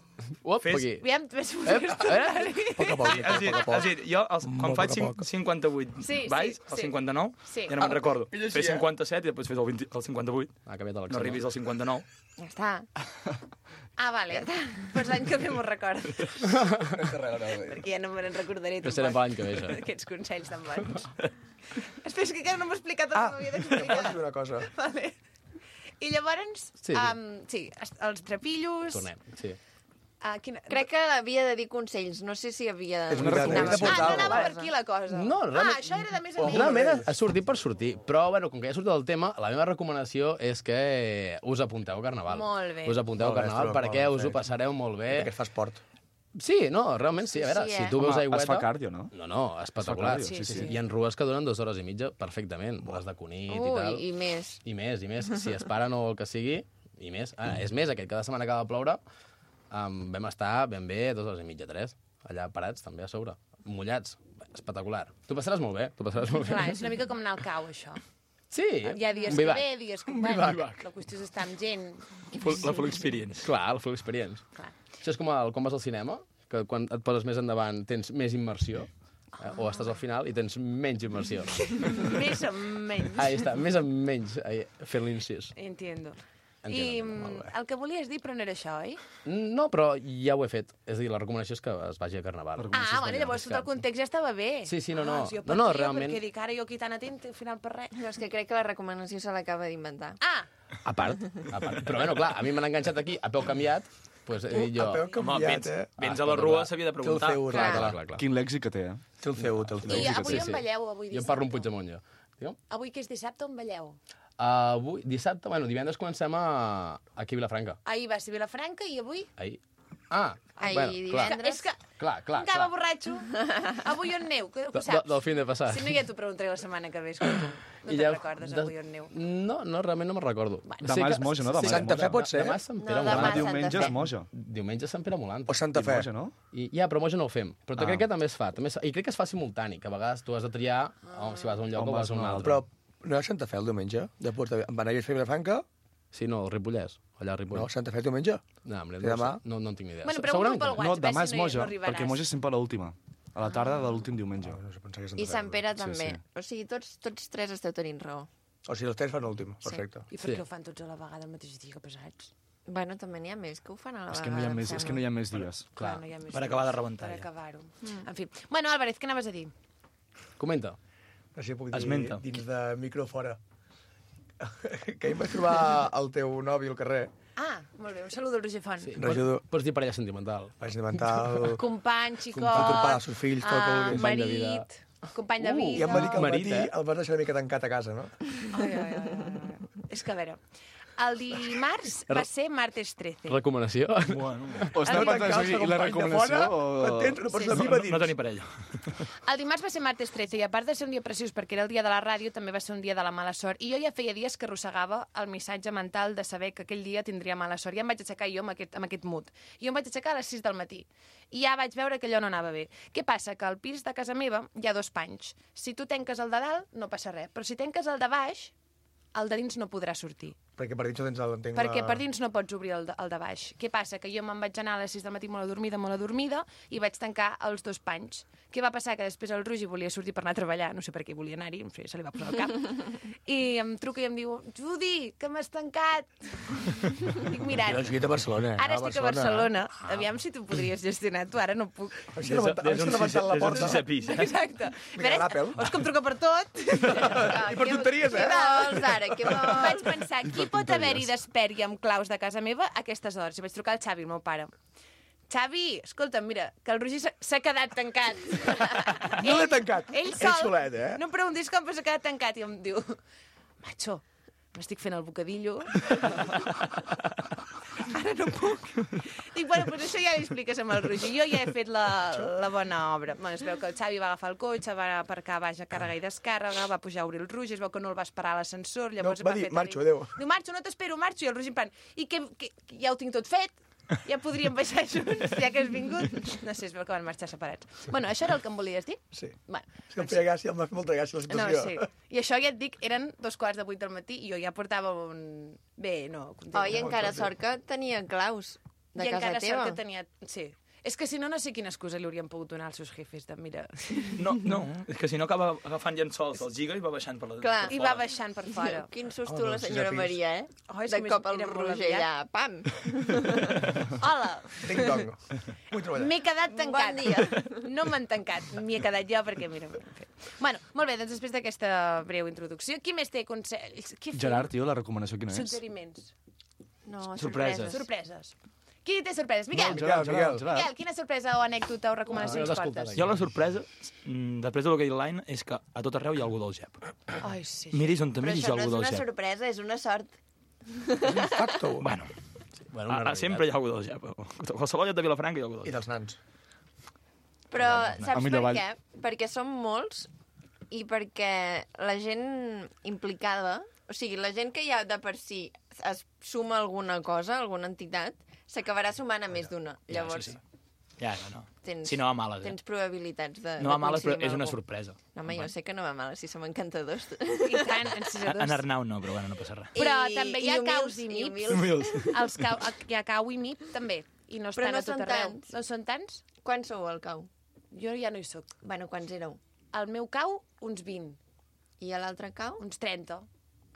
B: Uop,
L: fes-
B: aquí.
A: Aviam, ves
B: Eh, eh?
J: Poc a poc,
L: Sí, és a dir,
J: poc a
L: és
J: poc.
L: a dir, jo, els, quan
J: Molt
L: faig
J: poc a poc.
L: cinquanta-vuit
A: Sí, sí,
L: balls, el
A: sí.
L: cinquanta-nou,
A: Sí.
L: ja no me'n recordo.
J: I així,
L: Fes
J: eh?
L: cinquanta-set i després fes el, vint, el cinquanta-vuit.
B: Ha canviat
L: No arribis al cinquanta-nou.
F: Ja està.
A: Ah, vale. Pues l'any que ve m'ho recordo.
J: Carrera, no, bé.
A: Perquè ja no me'n recordaré.
B: Que serà per l'any que ve, això.
A: Aquests consells tan bons. Espera, és que encara no m'ho he explicat tot
J: Ah,
A: el que m'havia
J: em pots
A: d'explicar.
J: dir una cosa?
A: Vale. I llavors,
B: Sí, sí.
A: Um, sí, es- els trapillos...
B: Tornem, sí.
A: Uh, quina...
F: Crec que havia de dir consells. No sé si havia de...
J: És una recomanació.
F: Anava-
J: de portar
A: Ah, no
J: alguna
A: anava
J: cosa.
A: per aquí la cosa.
B: No, realment-
A: Ah, això era de més a
J: Oh,
A: més.
B: Realment ha- ha sortit per sortir, però bueno, com que ja ha sortit el tema, la meva recomanació és que us apunteu a Carnaval.
A: Molt bé.
B: Us apunteu a
J: Molt bé,
B: Carnaval
J: Estruc,
B: perquè
J: molt
B: us ho
J: bé.
B: passareu molt bé.
J: Perquè es fa esport.
B: Sí, no, realment sí. A veure,
F: Sí,
B: si
F: eh?
B: tu veus
K: Home,
B: aigüeta...
K: es fa cardio, no?
B: No, no, espectacular.
K: cardio, sí, sí.
B: Hi ha rues que duren dues hores i mitja perfectament, les de Cunit i tal.
F: Ui, i més.
B: I més, i més. Si es paren o el que sigui, i més. Ah, és més, aquest cada setmana que va ploure um, vam estar ben bé dues hores i mitja, tres, allà parats també a sobre, mullats. Espectacular. Tu passaràs molt bé, tu passaràs molt bé.
A: Clar, és una mica com anar al cau, això.
B: Sí,
A: Hi ha dies
B: un
A: que
B: vivac.
A: ve, dies que...
B: Un
A: Bueno,
B: vivac.
A: la qüestió és estar amb gent.
L: Full, la full experience.
B: Clar, el full experience.
A: Clar.
B: Això és com el, quan vas al cinema, que quan et poses més endavant tens més immersió, eh? O estàs al final i tens menys immersió.
A: Més o menys.
B: Ahí està, més o menys, ahí, fent l'incís.
A: Entiendo.
B: Entiendo,
A: I
B: molt
A: mm,
B: bé.
A: el que volies dir, però no era això, oi?
B: No, però ja ho he fet. És a dir, la recomanació és que es vagi a Carnaval.
A: Ah, bueno, llavors tot el context ja estava bé.
B: Sí, sí, no, no.
A: Ah, si jo
B: No, no,
A: patia
B: realment-
A: Perquè dic, ara jo aquí tan atent, al final per res.
F: No, és que crec que la recomanació se l'acaba d'inventar.
A: Ah,
B: A part, a part. Però bueno, clar, a mi m'han enganxat aquí a peu canviat, doncs he dit jo...
J: A peu
L: Home,
J: canviat,
L: vens,
J: eh?
L: vens
B: Ah,
L: a la
B: clar,
L: rua,
B: clar.
L: s'havia de
J: Té el
L: preguntar.
J: C U,
B: Clar,
J: clar,
B: clar, clar, clar.
K: Quin lèxic que té, eh?
J: Té el C U, té el C U.
A: i
B: sí que
A: avui
B: sí,
A: on
B: sí.
A: balleu, avui
B: Jo
A: dissabte?
B: em parlo amb Puigdemont, jo. Digue'm?
A: Avui, que és dissabte, on balleu?
B: Uh, avui, dissabte, bueno, divendres comencem a... aquí a Vilafranca.
A: Ahir va ser Vilafranca i avui...
B: Ahir. Ah,
F: Ahir,
B: bueno, clar,
F: divendres.
A: És que
B: clar, clar,
A: encara
B: clar.
A: borratxo. Avui on neu, que ho
B: De,
A: saps?
B: de, del fin de passat.
A: Si no, ja t'ho preguntaré la setmana que ve, escolta. No
B: I
A: te'n
B: ja-
A: recordes,
B: de-
A: avui on neu?
B: No, no, realment no me'n recordo.
K: Demà és Moja, no? Demà és
J: Santa Fe
K: Moja.
J: pot ser?
B: Demà és Sant Pere
F: No,
B: Molant.
F: demà
K: Demà diumenge
F: Santa
K: és
F: Fe.
K: Moja.
B: Diumenge és Sant Pere Molant.
J: O Santa
K: I
J: Fe.
K: Moja, no?
B: I, ja, però Moja no ho fem. Però
K: Ah.
B: crec que també es fa. També es fa. I crec que es fa simultani, que a vegades tu has de triar oh, si vas a un lloc
K: On
B: o
K: vas
B: vas a un
K: a un
B: altre.
J: Però no és Santa Fe el diumenge? De Porta... Van anar a fer Vilafranca?
B: Sí, no, el Ripollès, allà a Ripoll.
J: No, Santa Fe diumenge?
B: No, hombre,
J: I
B: no,
J: demà?
B: sé. no, no en tinc ni idea.
A: Bueno,
B: Se-
A: pregunto
B: segurament
A: pel
B: que no.
K: No,
A: WhatsApp,
K: demà
A: si
K: és
A: no hi- no
K: Moja,
A: arribaràs.
K: perquè Moja és sempre l'última. A la tarda de l'últim diumenge.
J: No, no sé, pensava que Santa
F: I
J: Fe.
F: Sant Pere
K: Sí,
F: també.
K: sí.
F: O sigui, tots, tots tres esteu tenint raó.
J: O sigui, els tres fan l'últim. Perfecte.
A: I per
B: Sí.
A: què ho fan tots a la vegada el mateix dia, que pesats?
F: Bueno, també n'hi ha més que ho fan a la
K: És
F: vegada.
K: que no hi ha
F: em
K: més, és que no hi ha més dies.
A: Clar, no hi ha més
L: per
A: temps
L: acabar de rebentar,
A: Per
L: ja.
A: acabar-ho. Mm. En fi. Bueno, Álvarez, què anaves a dir?
B: Comenta.
J: No sé si puc dir
L: Esmenta.
J: dins de micro fora. Que ahir em vaig trobar el teu nòvio al carrer
A: Ah, molt bé, un saludo al Roger Font.
B: Sí.
J: Regidor.
B: Pots, pots dir parella sentimental.
J: Parella sentimental.
A: Company, xicot...
J: Company dels seus fills, tot el que
A: ah,
J: vulguis.
A: marit, company de vida...
J: Uh, I em va dir que al
B: Marit,
J: matí
B: eh?
J: el vas deixar una mica tancat a casa, no?
A: Ai, ai, ai, ai. És que, a veure, el dimarts va ser martes trece.
B: Recomanació?
K: Bueno.
L: O estava pensant si la recomanació o...
J: M'entens? Una persona
A: Sí, sí.
J: viva dins.
L: No tenir parella.
A: El dimarts va ser martes trece i a part de ser un dia preciós perquè era el dia de la ràdio, també va ser un dia de la mala sort. I jo ja feia dies que arrossegava el missatge mental de saber que aquell dia tindria mala sort. Ja em vaig aixecar jo amb aquest, amb aquest mood. I jo em vaig aixecar a les sis del matí. I ja vaig veure que allò no anava bé. Què passa? Que al pis de casa meva hi ha dos panys. Si tu tanques el de dalt, no passa res. Però si tanques el de baix, el de dins no podrà sortir.
J: Perquè per dins no tens el... Entenc
A: Perquè
J: la...
A: per dins no pots obrir el de, el de baix. Què passa? Que jo me'n vaig anar a les sis del matí molt adormida, molt adormida, i vaig tancar els dos panys. Què va passar? Que després el Roger volia sortir per anar a treballar, no sé per què volia anar-hi, no sé, se li va posar al cap. I em truca i em diu, Judi, que m'has tancat. Dic, mira,
J: Jo he escrit a Barcelona. eh?
A: ara estic a Barcelona. Aviam si tu podries gestionar, tu ara no puc.
J: Has levantat la porta.
L: pis, eh?
A: Exacte.
J: Vinga, ràpel.
A: Veus com truca per tot?
J: I per tonteries, eh?
F: Què vols, ara? Què vols?
A: Vaig pensar, qui pot haver-hi despert i amb claus de casa meva a aquestes hores? I vaig trucar al Xavi, el meu pare. Xavi, escolta, mira, que el Roger s'ha- s'ha quedat tancat.
J: No l'he tancat.
A: Ell
J: Ell
A: sol.
J: solet, eh?
A: No em preguntis com, però s'ha quedat tancat. I em diu, macho, m'estic fent el bocadillo. Ara no puc. Dic, bueno, doncs això ja li expliques amb el Roger. Jo ja he fet la, la bona obra. Bueno, es veu que el Xavi va agafar el cotxe, va aparcar baix a càrrega i descàrrega, va pujar a obrir el Roger, es veu que no el va esperar a l'ascensor, llavors
J: No, va dir,
A: fer...
J: marxo, adéu.
A: Diu, marxo, no t'espero, marxo. I el Roger en plan, i que, que, que ja ho tinc tot fet? Ja podríem baixar junts, ja que has vingut? No sé, es veu que van marxar separats. Bueno, això era el que em volies dir?
J: Sí.
A: Bueno,
J: És que em feia gràcia, em va fer molta gràcia la
A: no,
J: situació.
A: sí. I això ja et dic, eren dos quarts de vuit del matí i jo ja portava un... Bé, no, contenta.
F: Oh, i encara sort que tenia claus de
A: I
F: casa
A: encara
F: teva.
A: sort que tenia... Sí. És que si no, no sé quina excusa li haurien pogut donar als seus jefes de, mira...
L: No, no, és que si no acaba agafant llençols del giga i va baixant per la...
F: Clar.
A: I va baixant per fora.
F: Quin susto
J: Oh,
F: la
J: doncs,
F: senyora
J: sisè pis.
F: Maria, eh?
A: Oh, és
F: de
A: que
F: cop
A: més-
F: el
A: era molt
F: Roger
A: aviat.
F: allà, pam!
A: Hola!
J: Ding-dong. Vull treballar.
A: M'he quedat tancat.
F: Bon dia.
A: No m'han tancat, m'hi he quedat jo perquè, mira... En fi. Bueno, molt bé, doncs després d'aquesta breu introducció, qui més té consells? Què fem?
K: Gerard, tio, la recomanació quina és?
A: Suggeriments.
F: No,
L: Sorpreses.
A: Sorpreses. Qui té sorpreses? Miquel!
J: Gerard, Miguel.
A: Miquel, quina sorpresa o anècdota o recomanació
B: Ah,
A: ens
B: has escoltat
A: portes?
B: aquí.
L: Jo la sorpresa, mm, després de lo que he dit l'any, és que a tot arreu hi ha algú del G E P.
A: Ai, sí.
L: Miris on te
F: Però
L: miris hi
F: això
L: ha
F: no és
L: algú del
F: una
L: G E P.
F: sorpresa, és una sort.
J: Facto.
L: Bueno,
B: Bueno,
L: a, a, sempre hi ha algú del G E P. A qualsevol lloc de Vilafranca hi ha algú del
J: I
L: G E P.
J: dels nans.
F: Però
K: A
F: saps per
K: millor vall.
F: què? Perquè som molts i perquè la gent implicada, o sigui, la gent que ja de per si es suma alguna cosa, alguna entitat, s'acabarà sumant a més d'una.
L: Ja,
F: Llavors,
L: això sí. Ja, no, no.
F: tens,
L: Si no va a males, eh?
F: tens probabilitats de,
L: No
F: de
L: va a males, però
F: coincidir amb
L: és una
F: algú.
L: sorpresa.
F: No, home, jo sé que no va a males, si som encantadors.
A: I tant, en sis a
L: En
A: dos.
L: Arnau no, però bueno, no passa res.
A: Però
F: I-
A: també hi ha
F: i humils,
A: caus i mips.
F: humils.
A: Els cau, hi ha cau i mip, també. I no
F: Però
A: estan
F: no
A: a tot
F: són
A: arreu.
F: tants.
A: No són tants?
F: Quants sou al cau?
A: Jo ja no hi soc.
F: Bueno, quants éreu?
A: Al meu cau, uns vint.
F: I a l'altre cau?
A: Uns trenta.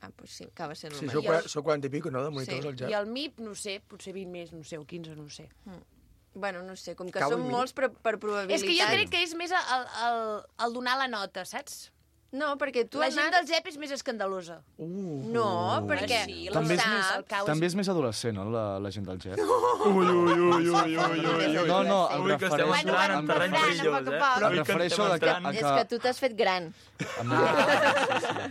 F: Ah, doncs sí, acaba sent el
J: Sí,
F: mateix.
J: sou, qua- sou quaranta i pico, no, de monitors
F: Sí.
J: al
A: I
J: Jap?
A: el mip, no sé, potser vint més, no sé, o quinze, no sé.
F: Bueno, no sé, com que
J: Cau i
F: som
J: mi.
F: molts, però per probabilitat...
A: És que jo crec que és més el, el, el donar la nota, saps?
F: No, perquè tu
A: La
F: has
A: gent
F: anat...
A: del G E P és més escandalosa.
J: Uh.
F: No, perquè...
A: Ah, sí,
F: tu
K: També és
F: saps-
K: més-
A: el cau
K: També
A: és...
K: és més adolescent, no, la, la gent del G E P?
L: Ui, ui, ui, ui, ui, ui.
K: No, no, em
L: Ui, que estem
K: refereixo...
L: entrant en
K: em-
L: terreny
A: Fran,
L: perillós,
A: a poc a
L: eh?
A: poc.
K: Em
L: Ui, que
K: refereixo
L: estem
K: de que-
L: entrant.
K: a
F: És que tu t'has fet gran.
K: Em,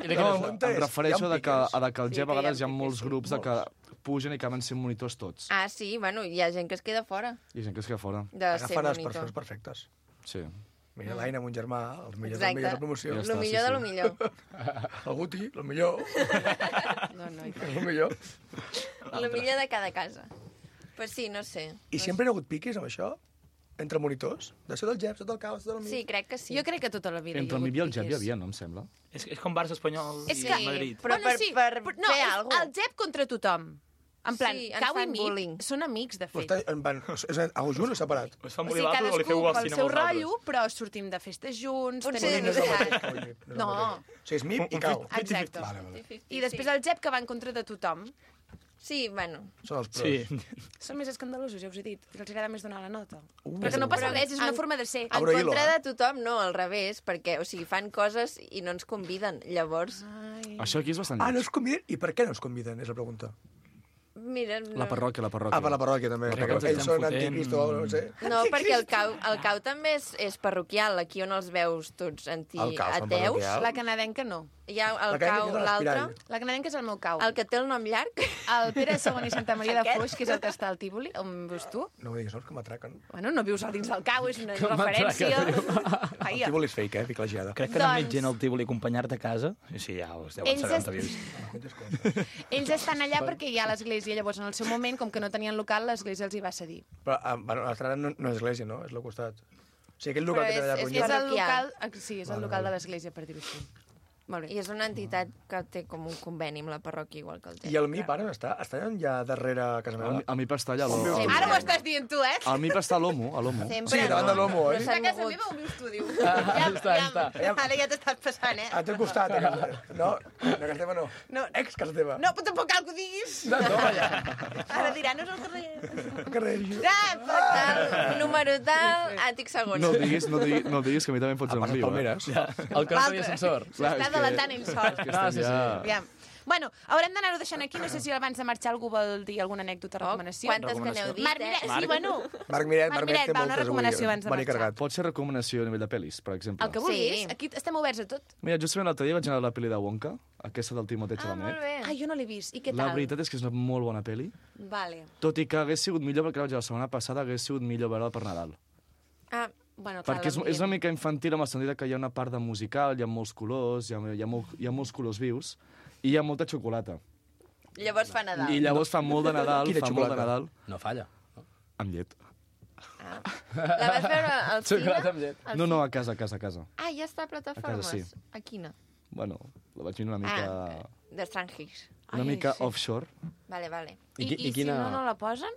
J: I de
K: no,
J: què
K: em
J: és?
K: refereixo
J: Hi ha
K: de que,
J: piques.
K: a de que al
A: Sí,
K: G E P
A: que
K: a
A: hi ha
K: vegades hi ha
A: piques,
K: molts
A: sí,
K: grups de que pugen i acaben sent monitors tots.
F: Ah, sí, bueno, hi ha gent que es queda fora
K: I gent que es queda fora.
F: de ser
J: Agafen les
F: monitor.
J: persones perfectes.
K: Sí.
J: Mira l'Aina amb un germà, els millors,
F: Exacte.
J: el millor de promoció.
K: Ja
F: Lo
K: està,
F: millor
K: sí,
F: de lo
K: sí.
F: millor.
J: El Guti, el millor.
A: No, no,
J: El millor.
F: Lo millor de cada casa. Pues sí, no sé.
J: I sempre hi ha hagut piques amb això? Entre monitors? De ser del Jep, tot el caos, tot el mig?
F: Sí, crec que sí.
A: Jo crec que tota la vida
K: Entre el
A: hi ha
K: Mib i el
A: hagut
K: Jep hi
A: piques.
K: havia, no em sembla?
L: És, és com Barça espanyol
A: És
L: i
A: que...
L: Madrid.
F: Però
A: bueno,
F: per-
A: sí,
F: per
A: però- no,
F: fer
A: és
F: alguna
A: el Jep contra tothom. En plan,
F: Sí, ens
A: Cau i
F: fan
A: Mip
F: bullying.
A: són amics, de
J: Però
A: fet.
J: està, en van, és algú junt o separat?
L: O es fan
A: O
L: bullir
A: sigui,
L: l'altre o li feu
A: cadascú
L: el
A: pel
L: cine
A: seu
L: amb els altres.
A: rotllo, però sortim de festes junts,
F: Potser
A: tenim
F: no és el
A: amistat.
J: Cau i Mip, no. és el
A: No.
J: mateix. O sigui, és Mip i Cau.
A: Exacte.
J: Vale, vale.
A: I després el Jep, que va en contra de tothom.
F: Sí, bueno.
J: Són els pros.
L: Sí.
A: Són més escandalosos, ja us he dit. I els agrada més donar la nota.
J: Uh,
A: Perquè no passa
F: Però
A: res, és una
F: en-
A: forma de ser.
F: En
J: Abro hilo,
F: contra
J: eh?
F: de tothom, no, al revés, perquè, o sigui, fan coses i no ens conviden. Llavors,
A: Ai.
K: Això aquí és bastant
J: Ah, no
K: lleig.
J: es conviden? I per què no es conviden, és la pregunta.
F: Mira, no.
K: La parròquia, la parròquia.
J: Ah, per la parròquia, també.
L: Perquè ens
J: Ells
L: estem
J: són
L: fotent.
J: anticristo, no sé.
F: No, perquè el cau, el cau també és, és parroquial, aquí on els veus tots
J: El cau són
F: anti-ateus.
J: parroquial.
A: La canadenca no.
F: Hi ha el
J: La canadenca
F: cau,
J: és de
F: l'altre,
J: l'Espirall.
A: La canadenca és el meu cau.
F: el que té el nom llarg.
A: El Pere segon i Santa Maria de
F: Aquest?
A: Foix, que és el que està al Tívoli, on vius tu.
J: No ho diguis, no, que m'atraquen.
A: Bueno, no vius al dins del cau, és una
B: Que
A: referència.
J: El
A: Vaja.
J: Tívoli és fake, eh? Fica la geada.
L: Crec que doncs...
A: Doncs-
L: més gent al Tívoli a acompanyar-te a casa. I sí, ja us deuen
A: Ells
L: saber
A: es-
L: on vius.
A: Ells estan allà perquè hi ha l'església. Llavors, en el seu moment, com que no tenien local, l'església els hi va cedir.
J: Però, ah, bueno, l'estrada no, no és església, no? És al costat. O sigui, aquell local
F: Però
J: que té allà
F: és- és
J: Ronyó.
A: És el
F: Parroquial.
A: local, ah, sí, és el local de l'església, per dir-ho així. Molt bé.
F: I és una entitat que té com un conveni amb la parròquia, igual que el té.
J: I el M I P ara està, està ja darrere a casa
K: El,
J: meva.
K: mi- el M I P està allà.
J: On vius
K: El,
J: tu?
A: Ara ho estàs dient tu, eh?
K: el M I P està a l'Omo, a l'Omo.
F: Sempre,
J: Sí, davant de l'Omo, oi?
F: No
A: A
F: s'han
A: casa
F: mogut.
A: meva on vius tu, diu.
B: Ah,
A: Ja,
B: està,
A: ja,
B: està.
A: Ara ja t'estàs passant, eh?
J: A teu costat, a casa teva. No, a casa teva no.
A: No.
J: Ex casa teva.
A: No, però tampoc cal que ho diguis.
B: No, no, ja.
A: Ara dirà, no és el carrer.
J: Al carrer.
A: Ah,
F: Tal, número tal, àtic segon.
K: No el diguis, no el diguis, no el diguis, que a mi també em fots
J: A
K: en
J: passes
K: viu.
J: palmeres.
K: Eh?
B: El que no tenia ascensor.
K: Clar,
A: S'està
K: és que-
A: delatant ell sol.
K: que
B: No,
K: estem
B: sí, sí.
K: ja-
A: Aviam. Bueno, haurem d'anar-ho deixant aquí. No sé si abans de marxar algú vol dir alguna anècdota o
F: Oh,
A: recomanació.
F: quantes que n'heu dit,
A: Marc
F: eh?
A: Miret, sí, bueno.
J: Marc Miret,
A: Marc
J: Marc
A: Miret,
J: Miret té
A: va, una
J: moltes
A: recomanació
J: avui.
A: abans de
J: Venir
A: marxar.
J: carregat.
K: Pot ser recomanació a nivell de pel·lis, per exemple.
A: El que vulguis.
F: Sí.
A: Aquí estem oberts a tot.
K: Mira, justament l'altre dia vaig anar a la pel·li de Wonka, aquesta del Timothée
F: Ah,
K: Chalamet.
F: molt bé.
A: Ah, jo no l'he vist. I què
K: La
A: tal?
K: veritat és que és una molt bona pel·li.
A: Vale.
K: Tot i que hagués sigut millor, perquè la vaig veure la setmana passada, hagués sigut millor veure-la per Nadal.
F: Ah,
A: Bueno, clar,
K: Perquè és,
A: l'ambient.
K: és una mica infantil amb el sentit que hi ha una part de musical, hi ha molts colors, hi ha, hi ha, molt, hi ha molts colors vius, i hi ha molta xocolata.
F: llavors fa Nadal.
K: I llavors fa molt de Nadal,
J: Quina
K: fa molt de
J: xocolata?
K: Nadal,
B: No falla.
K: amb llet.
F: Ah. La vas veure al cine?
B: Xocolata amb llet.
F: Al
K: No, no,
F: cine?
K: a casa, a casa, a casa.
F: Ah, ja està a plataformes.
K: A casa, sí.
F: A quina?
K: Bueno, la vaig mirar una mica,
F: Ah, de Strangis.
K: una
A: Ai,
K: mica
A: sí.
K: offshore.
F: Vale, vale.
A: I,
B: I qui-
A: i,
B: i quina-
A: si no, no la posen?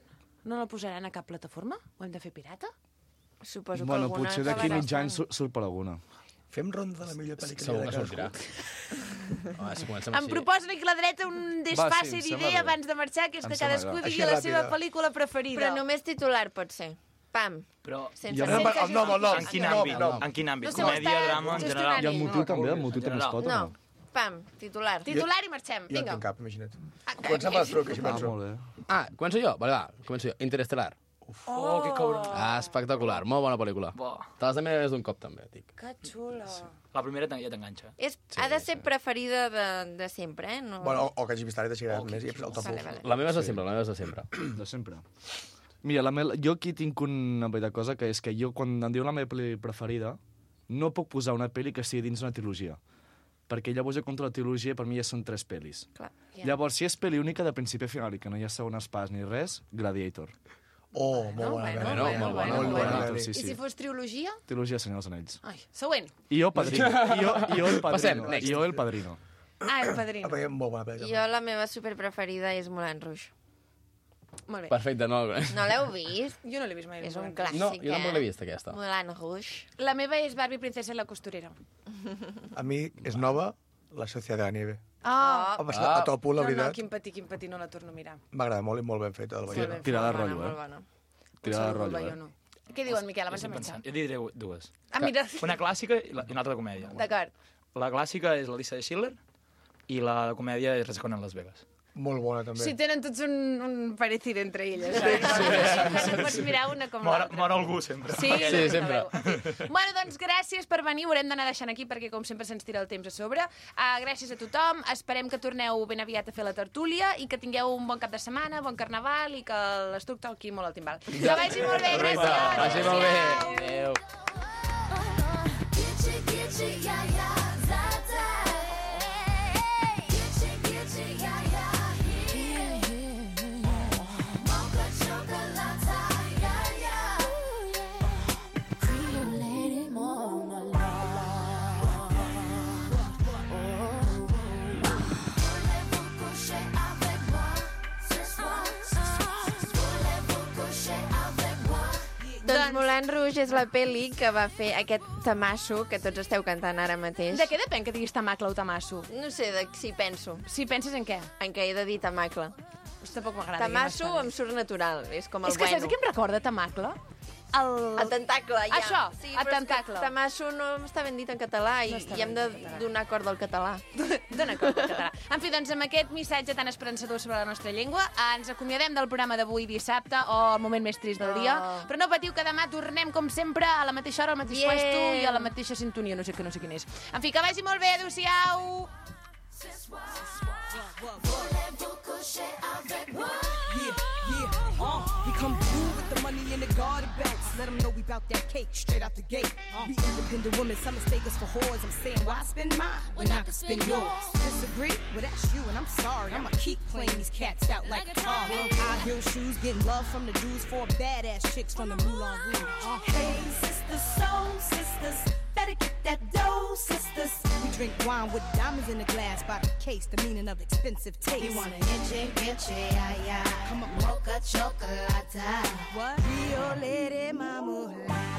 A: No la posaran a cap plataforma? Ho hem de fer pirata?
F: Suposo
K: Bueno,
F: que alguna
K: potser d'aquí
F: acabarà
K: mig any
F: estant.
K: sur- surt per alguna.
J: Fem ronda de la millor pel·li que hi ha
B: Segur
J: de
B: que
J: cadascú.
B: sortirà. Home, si comencem
A: Em
B: així...
A: proposen aquí a la dreta un desfase
K: sí, em
A: d'idea
K: sembla bé.
A: abans de marxar, que és
K: Em
A: que
K: sembla
A: cadascú
K: bé.
A: digui
J: Així
A: la seva
J: ràpida.
A: pel·lícula preferida.
F: Però només titular pot ser. Pam.
L: Però
F: Sense,
K: Jo-
F: sense
J: El nom, el nom.
L: en quin
J: El nom,
L: àmbit?
J: el nom.
L: En quin àmbit?
A: No sé,
L: Comèdia,
A: està
L: drama, en
A: gestionant.
L: general?
K: I el motiu
L: No,
K: també, el
L: en
K: motiu també es
L: general.
K: pot o
F: No.
K: no?
F: Pam, titular.
A: Titular i marxem.
J: Jo en
A: Vinga.
J: tinc cap, imagina't.
A: Ah,
J: Comencem per les truques, així
K: Ah,
J: penso.
K: molt bé.
B: Ah, començo jo? Vale, va, començo jo. Interestelar.
L: Oh, que cabron.
B: Ah, espectacular, molt bona pel·lícula.
L: Bo.
B: Te l'has de mirar més d'un cop, també, dic.
A: Que xula.
L: La primera ja t'enganxa.
F: És, ha de ser preferida de, de sempre, eh? No...
J: Bueno, o, o que hagi vist ara i deixaràs més i el top
F: Vale,
J: un.
F: vale.
B: La meva és de sempre, la meva és de sempre.
K: De sempre. Mira, la me... jo aquí tinc una petita cosa, que és que jo, quan em diuen la meva pel·li preferida, no puc posar una pel·li que estigui dins una trilogia. Perquè llavors jo contra la trilogia, per mi ja són tres pel·lis.
F: Clar.
A: Ja.
K: Llavors, si és pel·li única de principi a final i que no hi ha segones parts ni res, Gladiator.
J: Oh, molt bona.
A: bueno,
J: pel·li.
B: bueno, molt bona,
J: molt
B: molt
J: bona.
K: bona.
J: pel·li.
K: Sí,
A: I
K: sí.
A: si fos trilogia?
K: Trilogia de Senyor dels Anells.
A: Ai, següent.
K: I jo, Padrino. I jo, i jo el Padrino.
B: Passem, next.
K: I jo el Padrino.
A: Ah, el
J: Ah,
A: padrino.
J: perquè és molt bona pel·li.
F: Jo la meva superpreferida és Moulin Rouge.
A: Molt bé.
B: Perfecte, no...
F: No l'heu vist?
A: Jo no l'he vist mai.
F: És un
A: Moulin
F: clàssic,
B: No, jo tampoc
F: eh?
B: l'he vist, aquesta.
F: Moulin Rouge.
A: Rouge. La meva és Barbie, princesa i la costurera.
J: A mi és nova, La Sociedad de la Nieve.
A: Ah,
J: Va passar a top un, la
A: no, no,
J: veritat.
A: quin patir, quin patir, no la torno a mirar.
J: M'agrada molt i molt ben feta.
F: Molt
J: Sí.
F: ben
K: Tirada de
F: fet,
K: rotllo,
F: bona,
K: eh?
F: molt bona.
K: Tirada de
A: Segur,
K: rotllo,
A: jo
K: eh?
A: no. Què diuen, Miquel, abans de
L: Estic
A: marxar?
L: pensant. Jo diré dues.
A: Ah, mira.
L: Una clàssica i la- i una altra de comèdia.
A: D'acord.
L: La clàssica és la llista de Schindler i la de comèdia és Resacón en Las Vegas.
J: Molt bona, també.
A: Sí, tenen tots un, un parecido entre elles. Sí, sí, sí. Pots mirar una com
L: Mor,
A: l'altra.
L: mor algú, sempre.
A: Sí,
B: Sí, sempre.
A: Bueno, doncs gràcies per venir. Ho haurem d'anar deixant aquí perquè, com sempre, se'ns tira el temps a sobre. Uh, gràcies a tothom. Esperem que torneu ben aviat a fer la tertúlia i que tingueu un bon cap de setmana, bon carnaval i que l'estuc toqui molt al timbal. Que vagi molt bé,
B: Correcte,
A: gràcies.
B: vagi molt bé.
A: Adéu.
B: Adéu.
H: Gitchy, gitchy, yeah, yeah, zata. Gitchy, gitchy, yeah, yeah, yeah. Mocha chocolate, yeah, yeah. Cream lady, Mona Voulez-vous coucher avec moi ce soir? Voulez-vous coucher avec moi?
F: Doncs Moulin Rouge és la pel·li que va fer aquest tamasso que tots esteu cantant ara mateix.
A: De què depèn que diguis tamacle o tamasso?
F: No sé, de si penso.
A: Si penses en què?
F: En què he de dir tamacle.
A: Pues tampoc m'agrada.
F: Tamasso em surt natural, és com el
A: És que
F: bueno.
A: saps què em recorda tamacle? El,
F: el tentacle, ja.
A: Això,
F: sí,
A: el tentacle.
F: Tamasso no està ben dit en català i, no i hem de donar cort al català.
A: Dona cort al català. En fi, doncs amb aquest missatge tan esperançador sobre la nostra llengua, ens acomiadem del programa d'avui dissabte, o el moment més trist del dia, oh. però no patiu que demà tornem, com sempre, a la mateixa hora, al mateix yeah. puesto i a la mateixa sintonia, no sé que no sé quin és. En fi, que vagi molt bé, adéu-siau!
M: Yeah, yeah, uh, we come through with the money in the garter belts. Let them know we bout that cake straight out the gate. Uh, be independent women, some mistake us for whores. I'm saying, why spend mine when I can spend yours? Disagree? Well, that's you, and I'm sorry. I'ma keep playing these cats out like a tar. High heel shoes, getting love from the dudes, four badass chicks from the Moulin Rouge. Uh, hey, sisters, soul sisters, better get that dough, sisters. We drink wine with diamonds in the glass by the case, the meaning of expensive taste.
N: You want an inche, inche, ay, ay.
M: Come on,
N: mocha chocolate.
M: What? Rio Lady Mama.